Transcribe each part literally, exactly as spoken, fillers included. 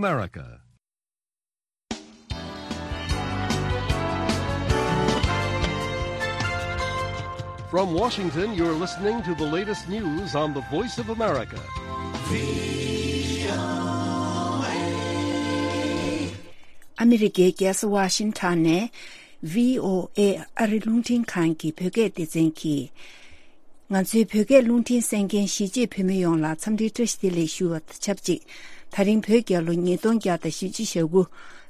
America. From Washington, you're listening to the latest news on the Voice of America. ཨ་མི་རི་ཀའི་རྒྱལ་ས་ཝ་ཤིང་ཊོན་ནས་བྷི་ཨོ་ཨེ་ཨ་རི་རླུང་འཕྲིན་ཁང་གི་བོད་སྐད་སྡེ་ཚན་གྱིས། ང་ཚོའི་བོད་སྐད་རླུང་འཕྲིན་གསན་མཁན་གཞིས་བྱེས་བོད་མི་ཡོངས་ལ་འཚམས་འདྲིའི་བཀྲ་ཤིས་བདེ་ལེགས་ཞུ་བ་དང་ཆབས་ཅིག་ད་རིང་བོད་རྒྱལ་ལོ་ཉིས་སྟོང་བརྒྱ་དང་བཞི་བཅུ་ཞེ་དགུ།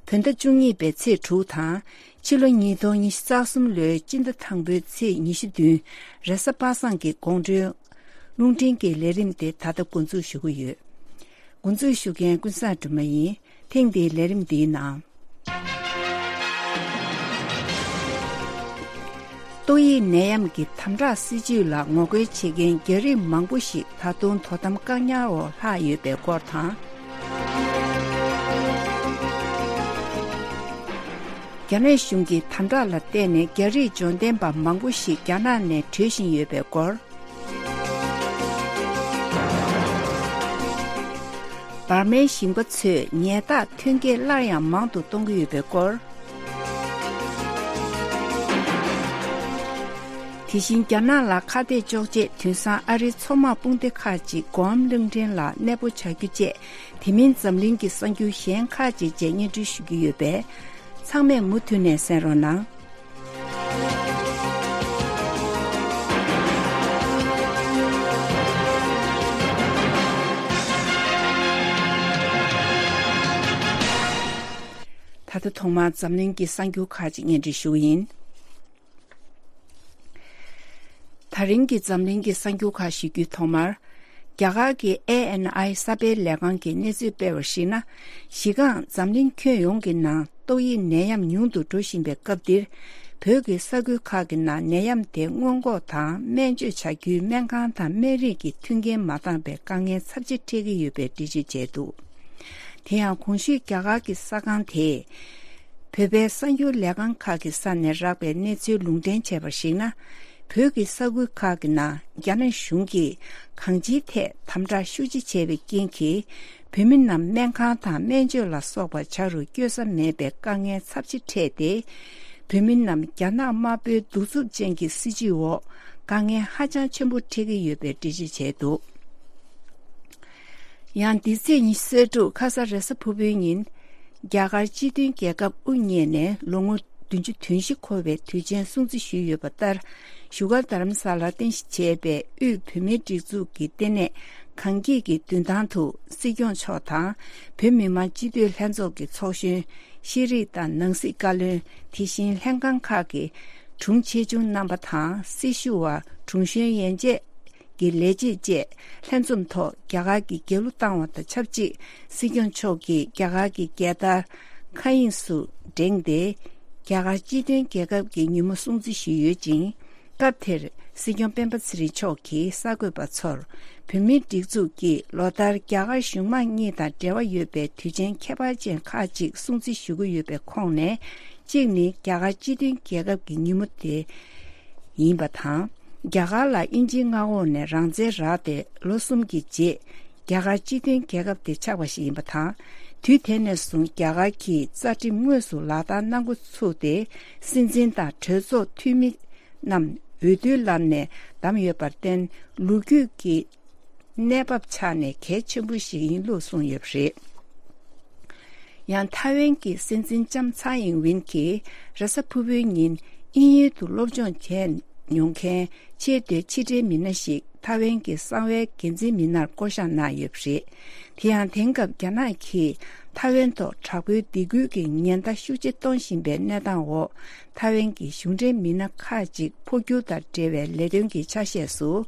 བོད་ཟླ་བཅུ་གཉིས་པའི་ཚེས་དྲུག་དང་། ཕྱི་ལོ་ཉིས་སྟོང་ཉི་ཤུ་རྩ་གསུམ་ལོའི་སྤྱི་ཟླ་དང་པོའི་ཚེས་ཉི་ཤུ་བདུན། རེས་གཟའ་པ་སངས་ཀྱི་དགོང་དྲོའི་རླུང་འཕྲིན་གྱི་ལས་རིམ་དེ་ད་ལྟ་འགོ་འཛུགས་ཞུ་གི་ཡོད། འགོ་འཛུགས་ཞུ་མཁན་ཀུན་བཟང་སྒྲོལ་མ་ཡིན། ཐེངས་འདིའི་ལས་རིམ་འདིའི་ནང་། ཏོག་དབྱིབས་ནད་ཡམས་ཀྱི་དམ་དྲག་སྲིད་ཇུས་ལ་ངོ་རྒོལ་བྱེད་མཁན་རྒྱ་རིགས་མང་པོ་ཞིག་ད་དུང་དོ་དམ་བཀག་ཉར་འོག་ལྷག་ཡོད་པའི་སྐོར་དང་། རྒྱ་ནག་གཞུང་གི་དམ་དྲག་ལ་བརྟེན་ནས་རྒྱ་རིགས་འབྱོར་ལྡན་པ་མང་པོ་ཞིག་རྒྱ་ནག་ནས་བྲོས་བཞིན་ཡོད་པའི་སྐོར། འབར་མའི་ཞིང་པ་ཚོས་ཉལ་ཐག་ཐོན་སྐྱེད་སླར་ཡང་མང་དུ་གཏོང་གི་ཡོད་པའི་སྐོར། དེ་བཞིན་རྒྱ་ནག་ལ་ཁ་གཏད་གཅོག་ཆེད་དུས་སང་ཨ་རིའི་མཚོ་དམག་དཔུང་སྡེ་ཁག་ཅིག་གོའམ་གླིང་ཕྲན་ལ་གནས་སྤོ་བྱ་རྒྱུ་བཅས་དེ་མིན་འཛམ་གླིང་གི་གསར་འགྱུར་གཞན་ཁག་ཅིག་བཅས་སྙན་སྒྲོན་ཞུ་རྒྱུ་ཡོད་པས། ཚང་མས་མུ་མཐུད་ནས་གསན་རོགས་གནང་། ད་ལྟ་ཐོག་མར་འཛམ་གླིང་གི་གསར་འགྱུར་ཁག་ཅིག་སྙན་སྒྲོན་ཞུ་གི་ཡིན། ད་རིང་གི་འཛམ་གླིང་གི་གསར་འགྱུར་ཁག་ཞུ་རྒྱུའི་ཐོག་མར། རྒྱ་གར་གྱི་ཨེ་ཨེན་ཨའི་གསར་སྤེལ་ལས་ཁང་གིས་གནས་ཚུལ་སྤེལ་བར་གཞིགས་ན། གཞི་རྐང་འཛམ་གླིང་ཁྱོན་ཡོངས་ཀྱི་ནང་ཏོག་དབྱིབས་ནད་ཡམས་ཉུང་དུ་འགྲོ་བཞིན་པའི་སྐབས་འདིར། བོད་ཀྱི་ས་ཁུལ་ཁག་གི་ནང་ནད་ཡམས་དེ་སྔོན་འགོག་དང་སྨན་བཅོས་བྱ་རྒྱུའི་སྨན་ཁང་དང་སྨན་རིགས་ཀྱི་མཐུན་རྐྱེན་མ་འདང་པའི་དཀའ་ངལ་ཚབས་ཆེ་འཕྲད་ཀྱི་ཡོད་པའི་འགྲེལ་བརྗོད་བྱས་འདུག་དེ་ཡང་གོང་ཞུས་རྒྱ་གར་གྱི་གསར་ཁང་དེས། བོད་པའི་གསར་འགྱུར་ལས་ཁང་ཁག་གི་ས་ནས་རག་པའི་གནས་ཚུལ་ལུང་འདྲེན་བྱས་པར་གཞིགས་ན། བོད་ཀྱི་ས་ཁུལ་ཁག་གི་ནང་རྒྱ་ནག་གཞུང་གིས་གང་ཅིའི་ཐད་དམ་དྲག་ཤུགས་ཆེ་བྱས་པའི་རྐྱེན་གྱིས། བོད་མི་རྣམས་སྨན་ཁང་དང་སྨན་བཅོས་ལ་སོགས་པ་བྱ་རུ་བསྐྱོད་ས་མེད་པའི་དཀའ་ངལ་ཚབས་ཆེ་འཕྲད་དེ། བོད་མི་རྣམས་རྒྱ་ནག་དམར་པོའི་གདུག་རྩུབ་ཅན་གྱི་སྲིད་བྱུས་འོག་དཀའ་ངལ་ཧ་ཅང་ཆེན་པོ་འཕྲད་ཀྱི་ཡོད་པའི་འགྲེལ་བརྗོད་བྱས་འདུག་ཡང་འདི་ཚེས་ཉི་ཤུ་རྩ་དྲུག་ཁ་ས་རེས་གཟའ་ཕུར་བུའི་ཉིན། རྒྱ་གར་སྤྱི་མཐུན་རྒྱལ་ཁབ་དབུ་བརྙེས་ནས་ལོ་ངོ་བདུན་ཅུ་དོན་བཞི་འཁོར་བའི་དུས་ཆེན་སྲུང་བརྩི་ཞུས་ཡོད་པ་ལྟར། བཞུགས་སྒར་རྡ་རམ་ས་ལར་རྟེན་གཞི་བྱས་པའི་དབུས་བོད་མིའི་སྒྲིག་འཛུགས་ཀྱི་ལྟེ་གནས་གངས་སྐྱིད་ཀྱི་མདུན་ཐང་དུ་སྲིད་སྐྱོང་མཆོག་དང་། བོད་མི་མང་སྤྱི་འཐུས་ལྷན་ཚོགས་ཀྱི་ཚོགས་གཞོན། ཤེས་རིག་དང་ནང་སྲིད་བཀའ་བློན། དེ་བཞིན་ལྷན་ཁང་ཁག་གི་དྲུང་ཆེ་ཆུང་རྣམ་པ་དང་། སྲི་ཞུ་བ། དྲུང་གཞོན་ཡན་ཆད། ཀྱི་ལས་བྱེད་བཅས་ལྷན་འཛོམས་ཐོག་རྒྱ་གར་གྱི་རྒྱལ་གླུ་བཏང་བ་དང་ཆབས་ཅིག་སྲིད་སྐྱོང་མཆོག་གིས་རྒྱ་གར་གྱི་རྒྱལ་དར་མཁའ་དབྱིངས་སུ་བསྒྲེངས་ཏེ། རྒྱ་གར་སྤྱི་མཐུན་རྒྱལ་ཁབ་ཀྱི་ཉིན་མོ་སྲུང་བརྩི་ཞུས་ཡོད་ཅིང་། སྐབས་དེར་སྲིད་སྐྱོང་སྤེན་པ་ཚེ་རིང་མཆོག་གིས་གསར་འགོད་པ་ཚོར། བོད་མིའི་སྒྲིག་འཛུགས་ཀྱིས་ལོ་ལྟར་རྒྱ་གར་གཞུང་མང་གཉིས་དང་འབྲེལ་བ་ཡོད་པའི་དུས་ཆེན་ཁྱད་པར་ཅན་ཁག་ཅིག་སྲུང་བརྩི་ཞུ་གི་ཡོད་པའི་ཁོངས་ནས། གཅིག་ནི་རྒྱ་གར་སྤྱི་མཐུན་རྒྱལ་ཁབ་ཀྱི་ཉིན་མོ་དེ། ཡིན་པ་དང་། རྒྱ་གར་ལ་དབྱིན་ཇིའི་མངའ་འོག་ནས་རང་བཙན་རག་སྟེ་ལོ་གསུམ་གྱི་རྗེས། རྒྱ་གར་སྤྱི་མཐུན་རྒྱལ་ཁབ་དེ་ཆགས་པ་ཞིག་ཡིན་པ་དང་། དུས་དེ་ནས་བཟུང་རྒྱ་གར་གྱིས་རྩ་ཁྲིམས་དངོས་སུ་ལག་བསྟར་གནང་འགོ་ཚུགས་ཏེ། སྲིད་འཛིན་དང་གྲོས་ཚོགས་འཐུས་མི་རྣམས་འོས་བསྡུའི་ལམ་ནས་བདམས་ཡོད་པར་བརྟེན། ལོ་རྒྱུས་ཀྱི་གནས་བབ་ཆ་ནས་གལ་ཆེན་པོ་ཞིག་ཡིན་ལུགས་གསུངས་ཡོད་པ་རེད། ཡང་ཐའེ་ཝན་གྱི་སྲིད་འཛིན་ལྕམ་ཚའེ་ཨིན་ཝིན་གྱིས་རེས་གཟའ་ཕུར་བུའི་ཉིན་དབྱིན་ཡུལ་དུ་སློབ་སྦྱོང་བྱས་མྱོང་མཁན་ཆེས་མཐོའི་ཕྱི་འབྲེལ་མི་སྣ་ཞིག་ཐའེ་ཝན་གྱི་གསང་བའི་འགན་འཛིན་མི་སྣར་བསྐོ་བཞག་གནང་ཡོད་པ་རེད། དེ་ཡང་དེང་སྐབས་རྒྱ་ནག་གིས་ཐའེ་ཝན་ཐོག་དྲག་པོའི་སྡིགས་སྐུལ་གྱི་ཉེན་བརྡ་ཤུགས་ཆེ་གཏོང་བཞིན་པའི་གནས་སྟངས་འོག་ཐའེ་ཝན་གྱི་གཞུང་འབྲེལ་མི་སྣ་ཁག་ཅིག་འཕོ་འགྱུར་དང་འབྲེལ་བའི་ལས་དོན་གྱི་ཆ་ཤས་སུ།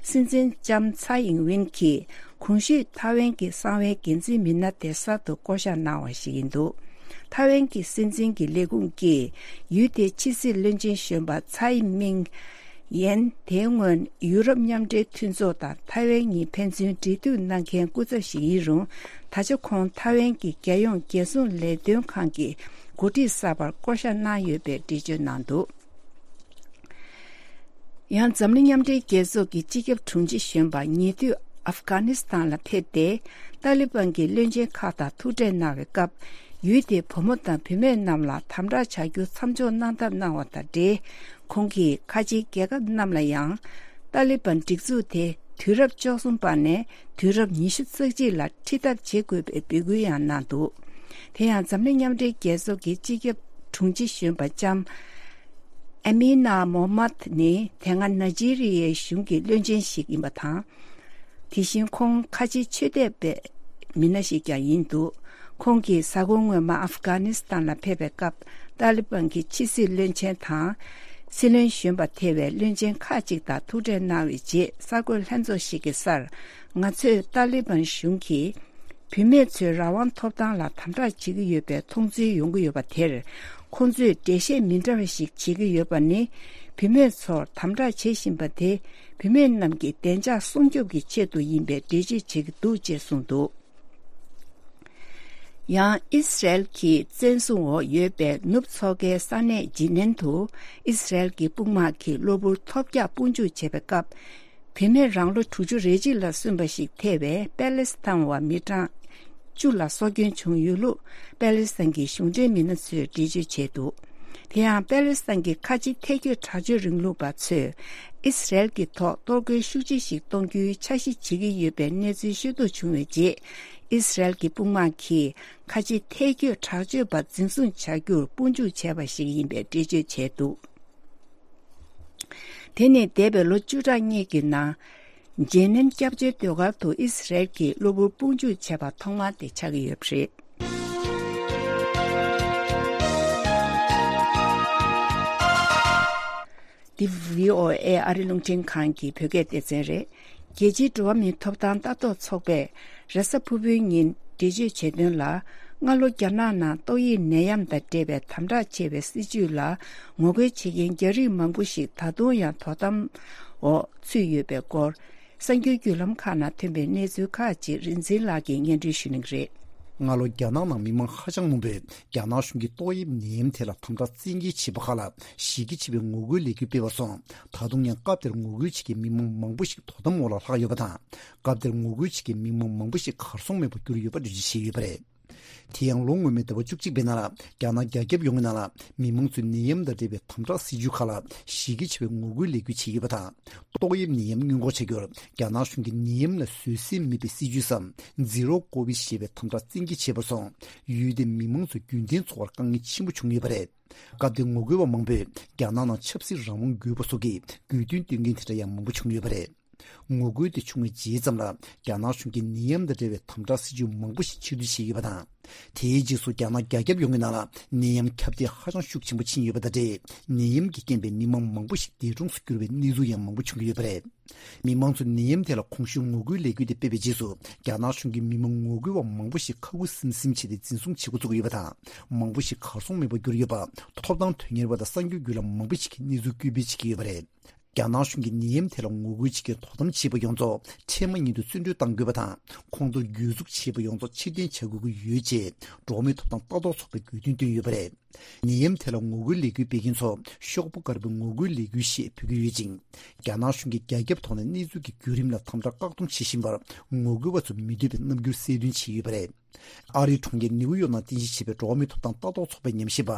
སྲིད་འཛིན་ལྕམ་ཚའེ་ཨིན་ཝིན་གྱིས་གོང་ཞུས་ཐའེ་ཝན་གྱི་གསང་བའི་འགན་འཛིན་མི་སྣ་དེ་གསར་དུ་བསྐོ་བཞག་གནང་བ་ཞིག་ཡིན་འདུག་ཐའེ་ཝན་གྱི་སྲིད་འཛིན་གྱི་ལས་ཁུངས་ཀྱིས་ཡུལ་དེའི་ཕྱི་སྲིད་བློན་ཆེན་གཞོན་པ་ཚའེ་མིང་ཡན་དེ་སྔོན་ཡུ་རོབ་མཉམ་འབྲེལ་མཐུན་ཚོགས་དང་ཐའེ་ཝན་གཉིས་ཕན་ཚུན་འབྲེལ་མཐུད་གནང་མཁན་སྐུ་ཚབ་ཞིག་ཡིན་རུང་། ད་ཆ་ཁོང་ཐའེ་ཝན་གྱི་རྒྱལ་ཡོངས་རྒྱལ་སྲུང་ལས་དོན་ཁང་གི་འགོ་ཁྲིད་གསར་པར་བསྐོ་བཞག་གནང་ཡོད་པའི་འགྲེལ་བརྗོད་གནང་འདུག་ཡང་འཛམ་གླིང་མཉམ་འབྲེལ་རྒྱལ་ཚོགས་ཀྱི་སྤྱི་ཁྱབ་དྲུང་ཆེ་གཞོན་པ་ཉེ་དུས་ ཨབ་གྷ་ནི་སི་ཐན་ལ་ཕེབས་ཏེ། ཏཱ་ལི་བན་གྱི་བློན་ཆེན་ཁག་དང་ཐུག་འཕྲད་གནང་བའི་སྐབས། ཡུལ་དེའི་བུ་མོ་དང་བུད་མེད་རྣམས་ལ་དམ་དྲག་བྱ་རྒྱུ་མཚམས་འཇོག་གནང་ཐབས་གནང་བ་དང་འབྲེལ། ཁོང་གིས་ཁ་ཆེའི་རྒྱལ་ཁབ་རྣམས་ལ་ཡང་། ཏཱ་ལི་བན་སྒྲིག་འཛུགས་དེ་དུས་རབས་བཅུ་གསུམ་པ་ནས་དུས་རབས་ཉི་ཤུ་རྩ་གཅིག་ལ་ཁྲིད་ཐབས་བྱེད་དགོས་པའི་འབོད་སྐུལ་ཡང་གནང་འདུག་དེ་ཡང་འཛམ་གླིང་མཉམ་འབྲེལ་རྒྱལ་ཚོགས་ཀྱི་སྤྱི་ཁྱབ་དྲུང་ཆེ་གཞོན་པ་ལྕམ་ཨ་མི་ན་མོ་མད་ནི་དེ་སྔ་ནཱི་ཇི་རི་ཡའི་གཞུང་གི་བློན་ཆེན་ཞིག་ཡིན་པ་དང་། དེ་བཞིན་ཁོང་ཁ་ཆེའི་ཆོས་དད་པའི་མི་སྣ་ཞིག་ཀྱང་ཡིན་འདུག་ཁོང་གིས་གཟའ་འཁོར་སྔོན་མ་ཨབ་གྷ་ནི་སི་ཐན་ལ་ཕེབས་པའི་སྐབས། ཏཱ་ལི་བན་གྱི་ཕྱི་སྲིད་བློན་ཆེན་དང་། སྲིད་བློན་གཞོན་པ་ཐེ་བའི་བློན་ཆེན་ཁག་ཅིག་དང་ཐུག་འཕྲད་གནང་བའི་རྗེས། གསར་འགོད་ལྷན་ཚོགས་ཤིག་གི་སར། ང་ཚོས་ཏཱ་ལི་བན་གཞུང་གིས་བུད་མེད་ཚོའི་རང་དབང་ཐོབ་ཐང་ལ་དམ་དྲག་བྱེད་ཀྱི་ཡོད་པའི་མཐོང་ཚུལ་ཡོང་གི་ཡོད་པ་དེར། ཁོང་ཚོས་འགྲེལ་བཤད་མི་འདྲ་བ་ཞིག་བྱེད་ཀྱི་ཡོད་པ་ནི། བུད་མེད་ཚོར་དམ་དྲག་བྱེད་བཞིན་པ་དེ། བུད་མེད་རྣམས་ཀྱི་བདེ་འཇགས་སྲུང་སྐྱོབ་ཀྱི་ཆེད་དུ་ཡིན་པའི་འགྲེལ་བརྗོད་བྱེད་ཀྱི་འདུག་ཅེས་གསུངས་འདུག་ཡང་ཨི་སི་རལ་གྱི་བཙན་བཟུང་འོག་ཡོད་པའི་ནུབ་མཚོ་ཁའི་ས་གནས་ཇི་ནན་དུ། ཨི་སི་རལ་གྱི་དཔུང་དམག་གིས་གློ་བུར་ཐོལ་རྒྱག་དཔུང་འཇུག་བྱས་པའི་སྐབས། བུད་མེད་རང་ལོ་དྲུག་ཅུ་རེ་གཅིག་ལ་སོན་པ་ཞིག་ཐེ་བའི་པེ་ལེ་སི་ཐན་བ་མི་གྲངས་བཅུ་ལ་སྲོག་སྐྱོན་བྱུང་ཡོད་ལུགས། པེ་ལེ་སི་ཐན་གྱི་གཞུང་འབྲེལ་མི་སྣ་ཚོས་འགྲེལ་བརྗོད་བྱས་འདུག་དེ་ཡང་པེ་ལེ་སི་ཐན་གྱི་ཁ་ཆེ་ཐལ་སྐྱོད་དྲག་སྤྱོད་རིང་ལུགས་པ་ཚོས། ཨི་སི་རལ་གྱི་ཐོག་གཏོར་རྒོལ་ཤུགས་ཆེ་ཞིག་གཏོང་རྒྱུའི་འཆར་གཞི་བྱེད་ཀྱི་ཡོད་པའི་གནས་ཚུལ་ཤེས་རྟོགས་བྱུང་བའི་རྗེས། ཨི་སི་རལ་གྱི་དཔུང་དམག་གིས་ཁ་ཆེ་ཐལ་སྐྱོད་དྲག་སྤྱོད་པ་འཛིན་བཟུང་བྱ་རྒྱུར་དཔུང་འཇུག་བྱས་པ་ཞིག་ཡིན་པའི་འགྲེལ་བརྗོད་བྱས་འདུག་དེ་ནི་འདས་པའི་ལོ་བཅུ་ཕྲག་གཉིས་ཀྱི་ནང་། ཇེ་ནན་སྐྱབས་བཅོལ་སྡོད་སྒར་དུ་ཨི་སི་རལ་གྱིས་གློ་བུར་དཔུང་འཇུག་བྱས་པ་ཐོག་མ་དེ་ཆགས་ཀྱི་ཡོད་པ་རེད། འདི་བྷི་ཨོ་ཨེ་ཨ་རི་རླུང་འཕྲིན་ཁང་གི་བོད་སྐད་སྡེ་ཚན་རེད། རྒྱལ་སྤྱིའི་འགྲོ་བ་མིའི་ཐོབ་ཐང་ལྟ་རྟོག་ཚོགས་པས་རེས་གཟའ་ཕུར་བུའི་ཉིན་འགྲེལ་བརྗོད་བྱས་དོན་ལ། སྔ་ལོ་རྒྱ་ནག་ནང་ཏོག་དབྱིབས་ནད་ཡམས་དང་འབྲེལ་བའི་དམ་དྲག་བྱས་པའི་སྲིད་བྱུས་ལ་ངོ་རྒོལ་བྱེད་མཁན་རྒྱ་རིགས་མང་པོ་ཞིག་ད་དུང་ཡང་དོ་དམ་འོག་ཚུད་ཡོད་པའི་སྐོར། གསར་འགྱུར་བརྒྱུད་ལམ་ཁག་ནང་ཐོན་པའི་གནས་ཚུལ་ཁག་ཅིག་རིག་འཛིན་ལགས་ཀྱིས་སྙན་སྒྲོན་ཞུ་གནང་གི་རེད། སྔ་ལོ་རྒྱ་ནག་ནང་མི་མང་ཧ་ཅང་མང་པོས་རྒྱ་ནག་གཞུང་གིས་ཏོག་དབྱིབས་ནད་ཡམས་ཐད་ལ་དམ་དྲག་བཙན་འགེལ་བྱས་པ་ཁག་ལ་གཞི་རྒྱ་ཆེ་བའི་ངོ་རྒོལ་ལས་འགུལ་སྤེལ་བ་སོང་། ད་དུང་ཡང་སྐབས་དེར་ངོ་རྒོལ་བྱེད་མཁན་མི་མང་མང་པོ་ཞིག་དོ་དམ་འོག་ལ་ལྷག་ཡོད་པ་དང་། སྐབས་དེར་ངོ་རྒོལ་བྱེད་མཁན་མི་མང་མང་པོ་ཞིག་གར་སོང་མེད་པར་གྱུར་ཡོད་པ་འགྲེལ་བརྗོད་བྱས་ཡོད་པ་རེད། དེ་ཡང་ལོ་སྔོན་མའི་ཟླ་བ་བཅུ་གཅིག་པའི་ནང་ལ་རྒྱ་ནག་རྒྱ་ཁྱབ་ཡོངས་ཀྱི་ནང་ལ་མི་མང་ཚོས་ནད་ཡམས་དང་འབྲེལ་བའི་དམ་དྲག་སྲིད་བྱུས་ཁག་ལ་གཞི་རྒྱ་ཆེ་བའི་ངོ་རྒོལ་ལས་འགུལ་བྱས་ཡོད་པ་དང་། ཏོག་དབྱིབས་ནད་ཡམས་སྔོན་འགོག་བྱ་རྒྱུར་རྒྱ་ནག་གཞུང་གིས་ནད་ཡམས་ལ་བཟོད་སྲན་མེད་པའི་སྲིད་བྱུས་སམ་ཛི་རོ་ཀོ་བིཌ་ཞེས་པའི་དམ་དྲག་བཙན་འགེལ་བྱས་པར་སོང་། ཡུལ་དེའི་མི་མང་ཚོ་རྒྱུན་གཏན་འཚོ་བར་དཀའ་ངལ་ཆེན་པོ་བྱུང་ཡོད་པ་རེད། སྐབས་དེའི་ངོ་རྒོལ་བ་མང་པོས་རྒྱ་ནག་ནང་ཆབ་སྲིད་རང་དབང་དགོས་པ་སོགས་ཀྱི་དགོས་འདུན་བཏོན་མཁན་དེ་འདྲ་ཡང་མང་པོ་བྱུང་ཡོད་པ་རེད། ངོ་རྒོལ་དེ་བྱུང་བའི་རྗེས་ཙམ་ལ་རྒྱ་ནག་གཞུང་གིས་ནད་ཡམས་དང་འབྲེལ་བའི་དམ་དྲག་སྲིད་བྱུས་མང་པོ་ཞིག་ཕྱིར་བསྡུ་བྱས་ཡོད་པ་དང་། དེའི་རྗེས་སུ་རྒྱ་ནག་རྒྱ་ཁྱབ་ཡོངས་ཀྱི་ནང་ལ་ནད་ཡམས་ཁྱབ་གདལ་ཧ་ཅང་ཤུགས་ཆེན་པོ་ཕྱིན་ཡོད་པ་དང་འབྲེལ། ནད་ཡམས་ཀྱི་རྐྱེན་པས་མི་མང་མང་པོ་ཞིག་འདས་གྲོངས་སུ་གྱུར་བའི་གནས་ཚུལ་ཡང་མང་པོ་བྱུང་གི་ཡོད་པ་རེད། མི་མང་ཚོས་ནད་ཡམས་ཐད་ལ་གོང་ཞུས་ངོ་རྒོལ་ལས་འགུལ་དེ་སྤེལ་བའི་རྗེས་སུ་རྒྱ་ནག་གཞུང་གིས་མི་མང་ངོ་རྒོལ་བ་མང་པོ་ཞིག་ཁ་ཁུ་སིམ་སིམ་བྱས་ཏེ་འཛིན་བཟུང་བྱེད་འགོ་བཙུགས་ཡོད་པ་དང་། མང་པོ་ཞིག་གར་སོང་མེད་པར་གྱུར་ཡོད་པ་ཐོབ་ཐང་དོན་གཉེར་བ་དང་གསར་འགྱུར་བརྒྱུད་ལམ་མང་པོ་ཞིག་གིས་གནས་ཚུལ་སྐད་འབོད་བྱེད་ཀྱི་ཡོད་པ་རེད། རྒྱ་ནག་གཞུང་གིས་ནད་ཡམས་ཐད་ལ་ངོ་རྒོལ་བྱེད་མཁན་དོ་དམ་བྱེད་པ་ཡོངས་རྫོགས་འཕྲལ་མ་ཉིད་དུ་བཙོན་གྲོལ་གཏང་དགོས་པ་དང་། ཁོང་ཚོར་གྱོད་འཛུགས་བྱས་པ་ཡོངས་རྫོགས་ཕྱིར་འཐེན་བྱ་དགོས་ཀྱི་ཡོད་ཅེས་འགྲོ་བ་མིའི་ཐོབ་ཐང་ལྟ་རྟོག་ཚོགས་པས་དགོས་འདུན་བཏོན་ཡོད་པ་རེད། ནད་ཡམས་ཐད་ལ་ངོ་རྒོལ་ལས་འགུལ་སྤེལ་མཁན་ཚོ་ཤོག་བུ་དཀར་པོའི་ངོ་རྒོལ་ལས་འགུལ་ཞེས་འབོད་ཀྱི་ཡོད་ཅིང་། རྒྱ་ནག་གཞུང་གིས་རྒྱ་ཁྱབ་ཐོག་ནས་གནས་ཚུལ་གྱི་བརྒྱུད་རིམ་ལ་དམ་དྲག་བཀག་སྡོམ་བྱེད་བཞིན་པར་ངོ་རྒོལ་བ་ཚོ་མི་འདོད་པའི་རྣམ་འགྱུར་གསལ་སྟོན་བྱས་ཡོད་པ་རེད། ཨ་རིའི་གྲོང་ཁྱེར་ནིའུ་ཡོག་ནང་རྟེན་གཞི་བྱས་པའི་འགྲོ་བ་མིའི་ཐོབ་ཐང་ལྟ་རྟོག་ཚོགས་པའི་ཉམས་ཞིབ་པ་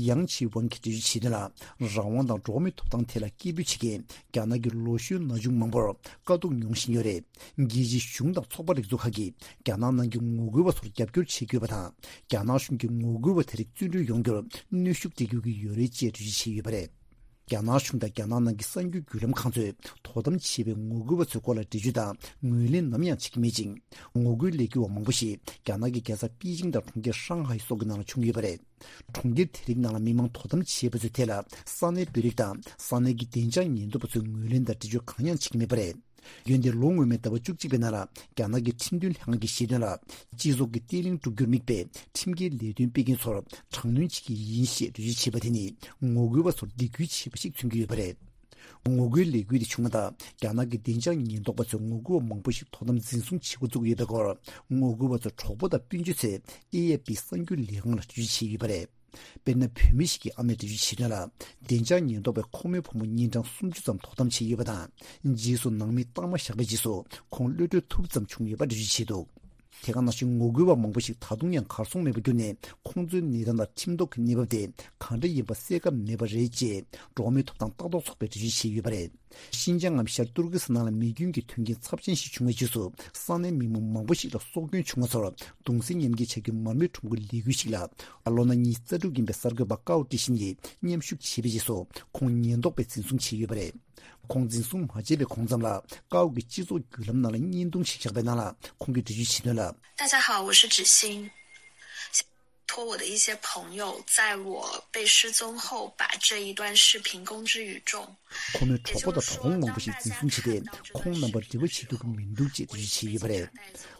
ཡང་ཆི་ཝང་གིས་འགྲེལ་བརྗོད་བྱས་དོན་ལ། རང་དབང་དང་འགྲོ་བ་མིའི་ཐོབ་ཐང་ཐད་ལ་སྐད་འབོད་བྱེད་མཁན་རྒྱ་ནག་གི་ལོ་གཞོན་ན་ཆུང་མང་པོར་དཀའ་སྡུག་མྱོང་བཞིན་ཡོད་རེད། རྒྱལ་སྤྱིའི་གཞུང་དང་ཚོགས་པ་རིགས་ཚོགས་ཁག་གིས་རྒྱ་ནག་ནང་གི་ངོ་རྒོལ་བ་ཚོར་རྒྱབ་སྐྱོར་བྱེད་དགོས་པ་དང་། རྒྱ་ནག་གཞུང་གིས་ངོ་རྒོལ་བ་དེ་རིགས་བཙོན་གྲོལ་ཡོང་རྒྱུར་གནོན་ཤུགས་སྤྲད་དགོས་ཀྱི་ཡོད་རེད་ཅེས་འགྲེལ་བརྗོད་བྱས་ཡོད་པ་རེད། རྒྱ་ནག་གཞུང་དང་རྒྱ་ནག་ནང་གི་གསར་འགྱུར་བརྒྱུད་ལམ་ཁང་ཚོས་དོ་དམ་བྱས་པའི་ངོ་རྒོལ་བ་ཚོའི་སྐོར་ལ་འགྲེལ་བརྗོད་དང་ངོས་ལེན་ནམ་ཡང་བྱེད་ཀྱི་མེད་ཅིང་། ངོ་རྒོལ་ལས་འགུལ་བ་མང་པོ་ཞིག་རྒྱ་ནག་གི་རྒྱལ་ས་པེ་ཅིང་དང་གྲོང་ཁྱེར་ཧྲང་ཧའེ་སོགས་ཀྱི་ནང་ལ་བྱུང་ཡོད་པ་རེད། གྲོང་ཁྱེར་དེ་རིགས་ནང་ལ་མི་མང་དོ་དམ་བྱེད་པ་ཚོའི་ཐད་ལ་ས་གནས་བོད་རིགས་དང་ས་གནས་ཀྱི་བདེ་འཇགས་ཉེན་རྟོག་པ་ཚོས་ངོས་ལེན་དང་འགྲེལ་བརྗོད་གང་ཡང་བྱེད་ཀྱི་མེད་པ་རེད། འོན་ཏེ་ལོ་སྔོན་མའི་ཟླ་བ་བཅུ་གཅིག་པའི་ནང་ལ་རྒྱ་ནག་གི་ཁྲིམས་དོན་ལྷན་ཁང་གིས་བཤད་དོན་ལ། སྤྱི་ཚོགས་ཀྱི་བརྟན་ལྷིང་སྒྲུབ་རྒྱུར་དམིགས་པའི་ཁྲིམས་འགལ་ལས་དོན་སྤེལ་མཁན་ཚོར་དྲག་གནོན་བྱེད་ཀྱི་ཡིན་ཞེས་འགྲེལ་བརྗོད་བྱས་པ་དེ་ནི་ངོ་རྒོལ་བ་ཚོར་སྡིགས་སྐུལ་བྱས་པ་ཞིག་མཚོན་གྱི་ཡོད་པ་རེད། ངོ་རྒོལ་ལས་འགུལ་དེ་བྱུང་བ་དང་རྒྱ་ནག་གི་བདེ་འཇགས་ཉེན་རྟོག་པ་ཚོས་ངོ་རྒོལ་བ་མང་པོ་ཞིག་དོ་དམ་འཛིན་བཟུང་བྱེད་འགོ་བཙུགས་ཡོད་པའི་སྐོར། ངོ་རྒོལ་བ་ཚོའི་གྲོགས་པོ་དང་སྤུན་མཆེད་ཚོས་ཨེ་ཨེ་པི་གསར་འགྱུར་ལས་ཁང་ལ་འགྲེལ་བརྗོད་བྱས་ཡོད་པ་རེད། དཔེར་ན། བུད་མེད་ཞིག་གི་ཨ་མས་འགྲེལ་བརྗོད་བྱས་དོན་ལ། བདེ་འཇགས་ཉེན་རྟོག་པས་ཁོ་མོའི་བུ་མོ་ཉིན་གྲངས་སུམ་ཅུ་ཙམ་དོ་དམ་བྱས་ཡོད་པ་དང་། རྗེས་སུ་ནང་མིས་རྟགས་མ་བཞག་པའི་རྗེས་སུ་ཁོང་གློད་གྲོལ་ཐུབ་ཙམ་བྱུང་ཡོད་པ་འགྲེལ་བརྗོད་བྱས་འདུག་དེ་ག་ནང་བཞིན་ངོ་རྒོལ་བ་མང་པོ་ཞིག་ད་དུང་ཡང་གར་སོང་མེད་པར་གྱུར་ནས། ཁོང་ཚོའི་གནས་སྟངས་དང་ཁྲིམས་ཐོག་གི་གནས་བབ་དེ་གང་འདྲ་ཡིན་པ་གསལ་ཁ་མེད་པ་རེད་ཅེས། འགྲོ་བ་མིའི་ཐོབ་ཐང་ལྟ་རྟོག་ཚོགས་པས་འགྲེལ་བརྗོད་བྱས་ཡོད་པ་རེད། ཤིན་ཅང་ངམ་ཤར་ཏུར་ཀི་སི་ཐན་ནང་ལ་མེ་སྐྱོན་གྱི་མཐུན་རྐྱེན་ཚབས་ཆེན་ཞིག་བྱུང་བའི་རྗེས་སུ། ས་གནས་མི་མང་མང་པོ་ཞིག་ལ་སྲོག་སྐྱོན་བྱུང་བ་ཚོར་གདུང་སེམས་མཉམ་སྐྱེད་བྱ་རྒྱུའི་མར་མེ་ཁྲོམ་སྐོར་ལས་འགུལ་ཞིག་ལ། ལོ་ན་ཉི་ཤུ་རྩ་དྲུག་ཡིན་པའི་གསར་འགོད་པ་ཀའོ་ཀྲི་ཤིན་ཡིས་མཉམ་ཞུགས་བྱས་པའི་རྗེས་སུ། ཁོང་ཉེན་རྟོག་པས་འཛིན་བཟུང་བྱས་ཡོད་པ་རེད། ཁོང་འཛིན་བཟུང་མ་བྱས་པའི་གོང་ཙམ་ལ། ཀའོ་གིས་སྤྱི་ཚོགས་བརྒྱུད་ལམ་ནང་ལ་བརྙན་ཐུང་ཞིག་བཞག་པའི་ནང་ལ། ཁོང་གིས་འགྲེལ་བརྗོད་བྱས་དོན་ལ། 大家好，我是芷欣。托我的一些朋友，在我被失踪后，把这一段视频公之于众。 ཁོ་མོའི་གྲོགས་པོ་དང་གྲོགས་པོ་མང་པོ་ཞིག་འཛིན་བཟུང་བྱས་ཏེ། ཁོང་རྣམ་པར་འབྲེལ་བ་བྱེད་ཐུབ་ཀྱི་མི་འདུག་ཅེས་འགྲེལ་བརྗོད་བྱས་ཡོད་པ་རེད།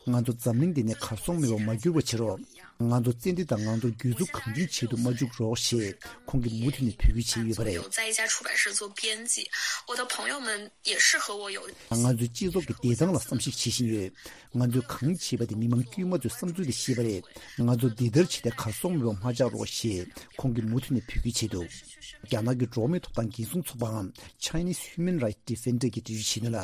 ང་ཚོ་འཛམ་གླིང་འདི་ནས་གར་སོང་མེད་པར་མ་གྱུར་བ་བྱེད་རོགས། ང་ཚོ་བཙན་ཁྲིད་དང་ང་ཚོར་གྱོད་འཛུགས་གང་བྱུང་བྱེད་དུ་མ་འཇུག་རོགས་ཞེས། ཁོང་གིས་མུ་མཐུད་ནས་འབོད་སྐུལ་བྱས་ཡོད་པ་རེད། 在一家出版社做编辑，我的朋友们也是和我有 ང་ཚོའི་སྤྱི་ཚོགས་ཀྱི་བདེ་ཐང་ལ་བསམ་གཞིག་བྱེད་བཞིན་ཡོད། ང་ཚོས་གང་བྱས་པ་དེ་མི་མང་དཀྱུས་མ་ཚོའི་བསམ་ཚུལ་དེ་ཤེས་པ་རེད། ང་ཚོ་འདི་ལྟར་བྱས་ཏེ་གར་སོང་མེད་པར་མ་ཆགས་རོགས་ཞེས་ཁོང་གིས་མུ་མཐུད་ནས་འབོད་སྐུལ་བྱས་འདུག་རྒྱ་ནག་གི་འགྲོ་བ་མིའི་ཐོབ་ཐང་འགན་སྲུང་ཚོགས་པའམ་Chinese Human Rights Defender གྱིས་འགྲེལ་བརྗོད་བྱས་དོན་ལ།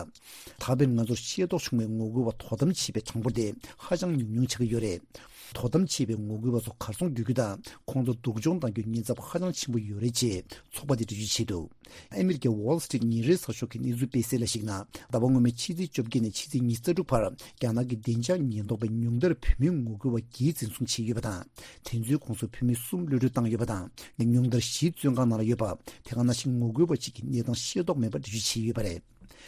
ད་བར་ང་ཚོར་ཤེས་རྟོགས་བྱུང་བའི་ངོ་རྒོལ་བ་དོ་དམ་བྱས་པའི་གྲངས་འབོར་དེ་ཧ་ཅང་ཉུང་ཉུང་ཆགས་ཀྱི་ཡོད་རེད། དོ་དམ་བྱས་པའི་ངོ་རྒོལ་བ་ཚོ་གར་སོང་འགྲོ་རྒྱུ་དང་། ཁོང་ཚོ་སྡུག་སྦྱོང་གཏང་རྒྱུའི་ཉེན་ཚབས་ཧ་ཅང་ཆེན་པོ་ཡོད་རེད་ཅེས་ཚོགས་པ་དེས་འགྲེལ་བརྗོད་བྱས་འདུག་ཨ་མི་རི་ཀའི་Wall Street ཉིན་རེའི་གསར་ཤོག་གི་གནས་ཚུལ་སྤེལ་གསལ་ལ་གཞིགས་ན། ཟླ་བ་སྔོན་མའི་ཕྱི་ཚེས་བཅོ་བརྒྱད་ནས་ཕྱི་ཚེས་ཉི་ཤུ་རྩ་དྲུག་བར། རྒྱ་ནག་གི་བདེ་འཇགས་ཉེན་རྟོག་པས་ཉུང་མཐར་བུད་མེད་ངོ་རྒོལ་བ་བརྒྱད་འཛིན་བཟུང་བྱས་ཡོད་པ་དང་། དེ་ཚོའི་ཁོངས་སུ་བུད་མེད་གསུམ་གློད་གྲོལ་བཏང་ཡོད་པ་དང་། ཉུང་མཐར་བཞི་བཙོན་ཁང་ནང་ལ་ཡོད་པ། དེ་ག་ནང་བཞིན་ངོ་རྒོལ་བ་གཅིག་གི་གནས་སྟངས་ཤེས་རྟོགས་མེད་པ་འགྲེལ་བརྗོད་བྱས་ཡོད་པ་རེད།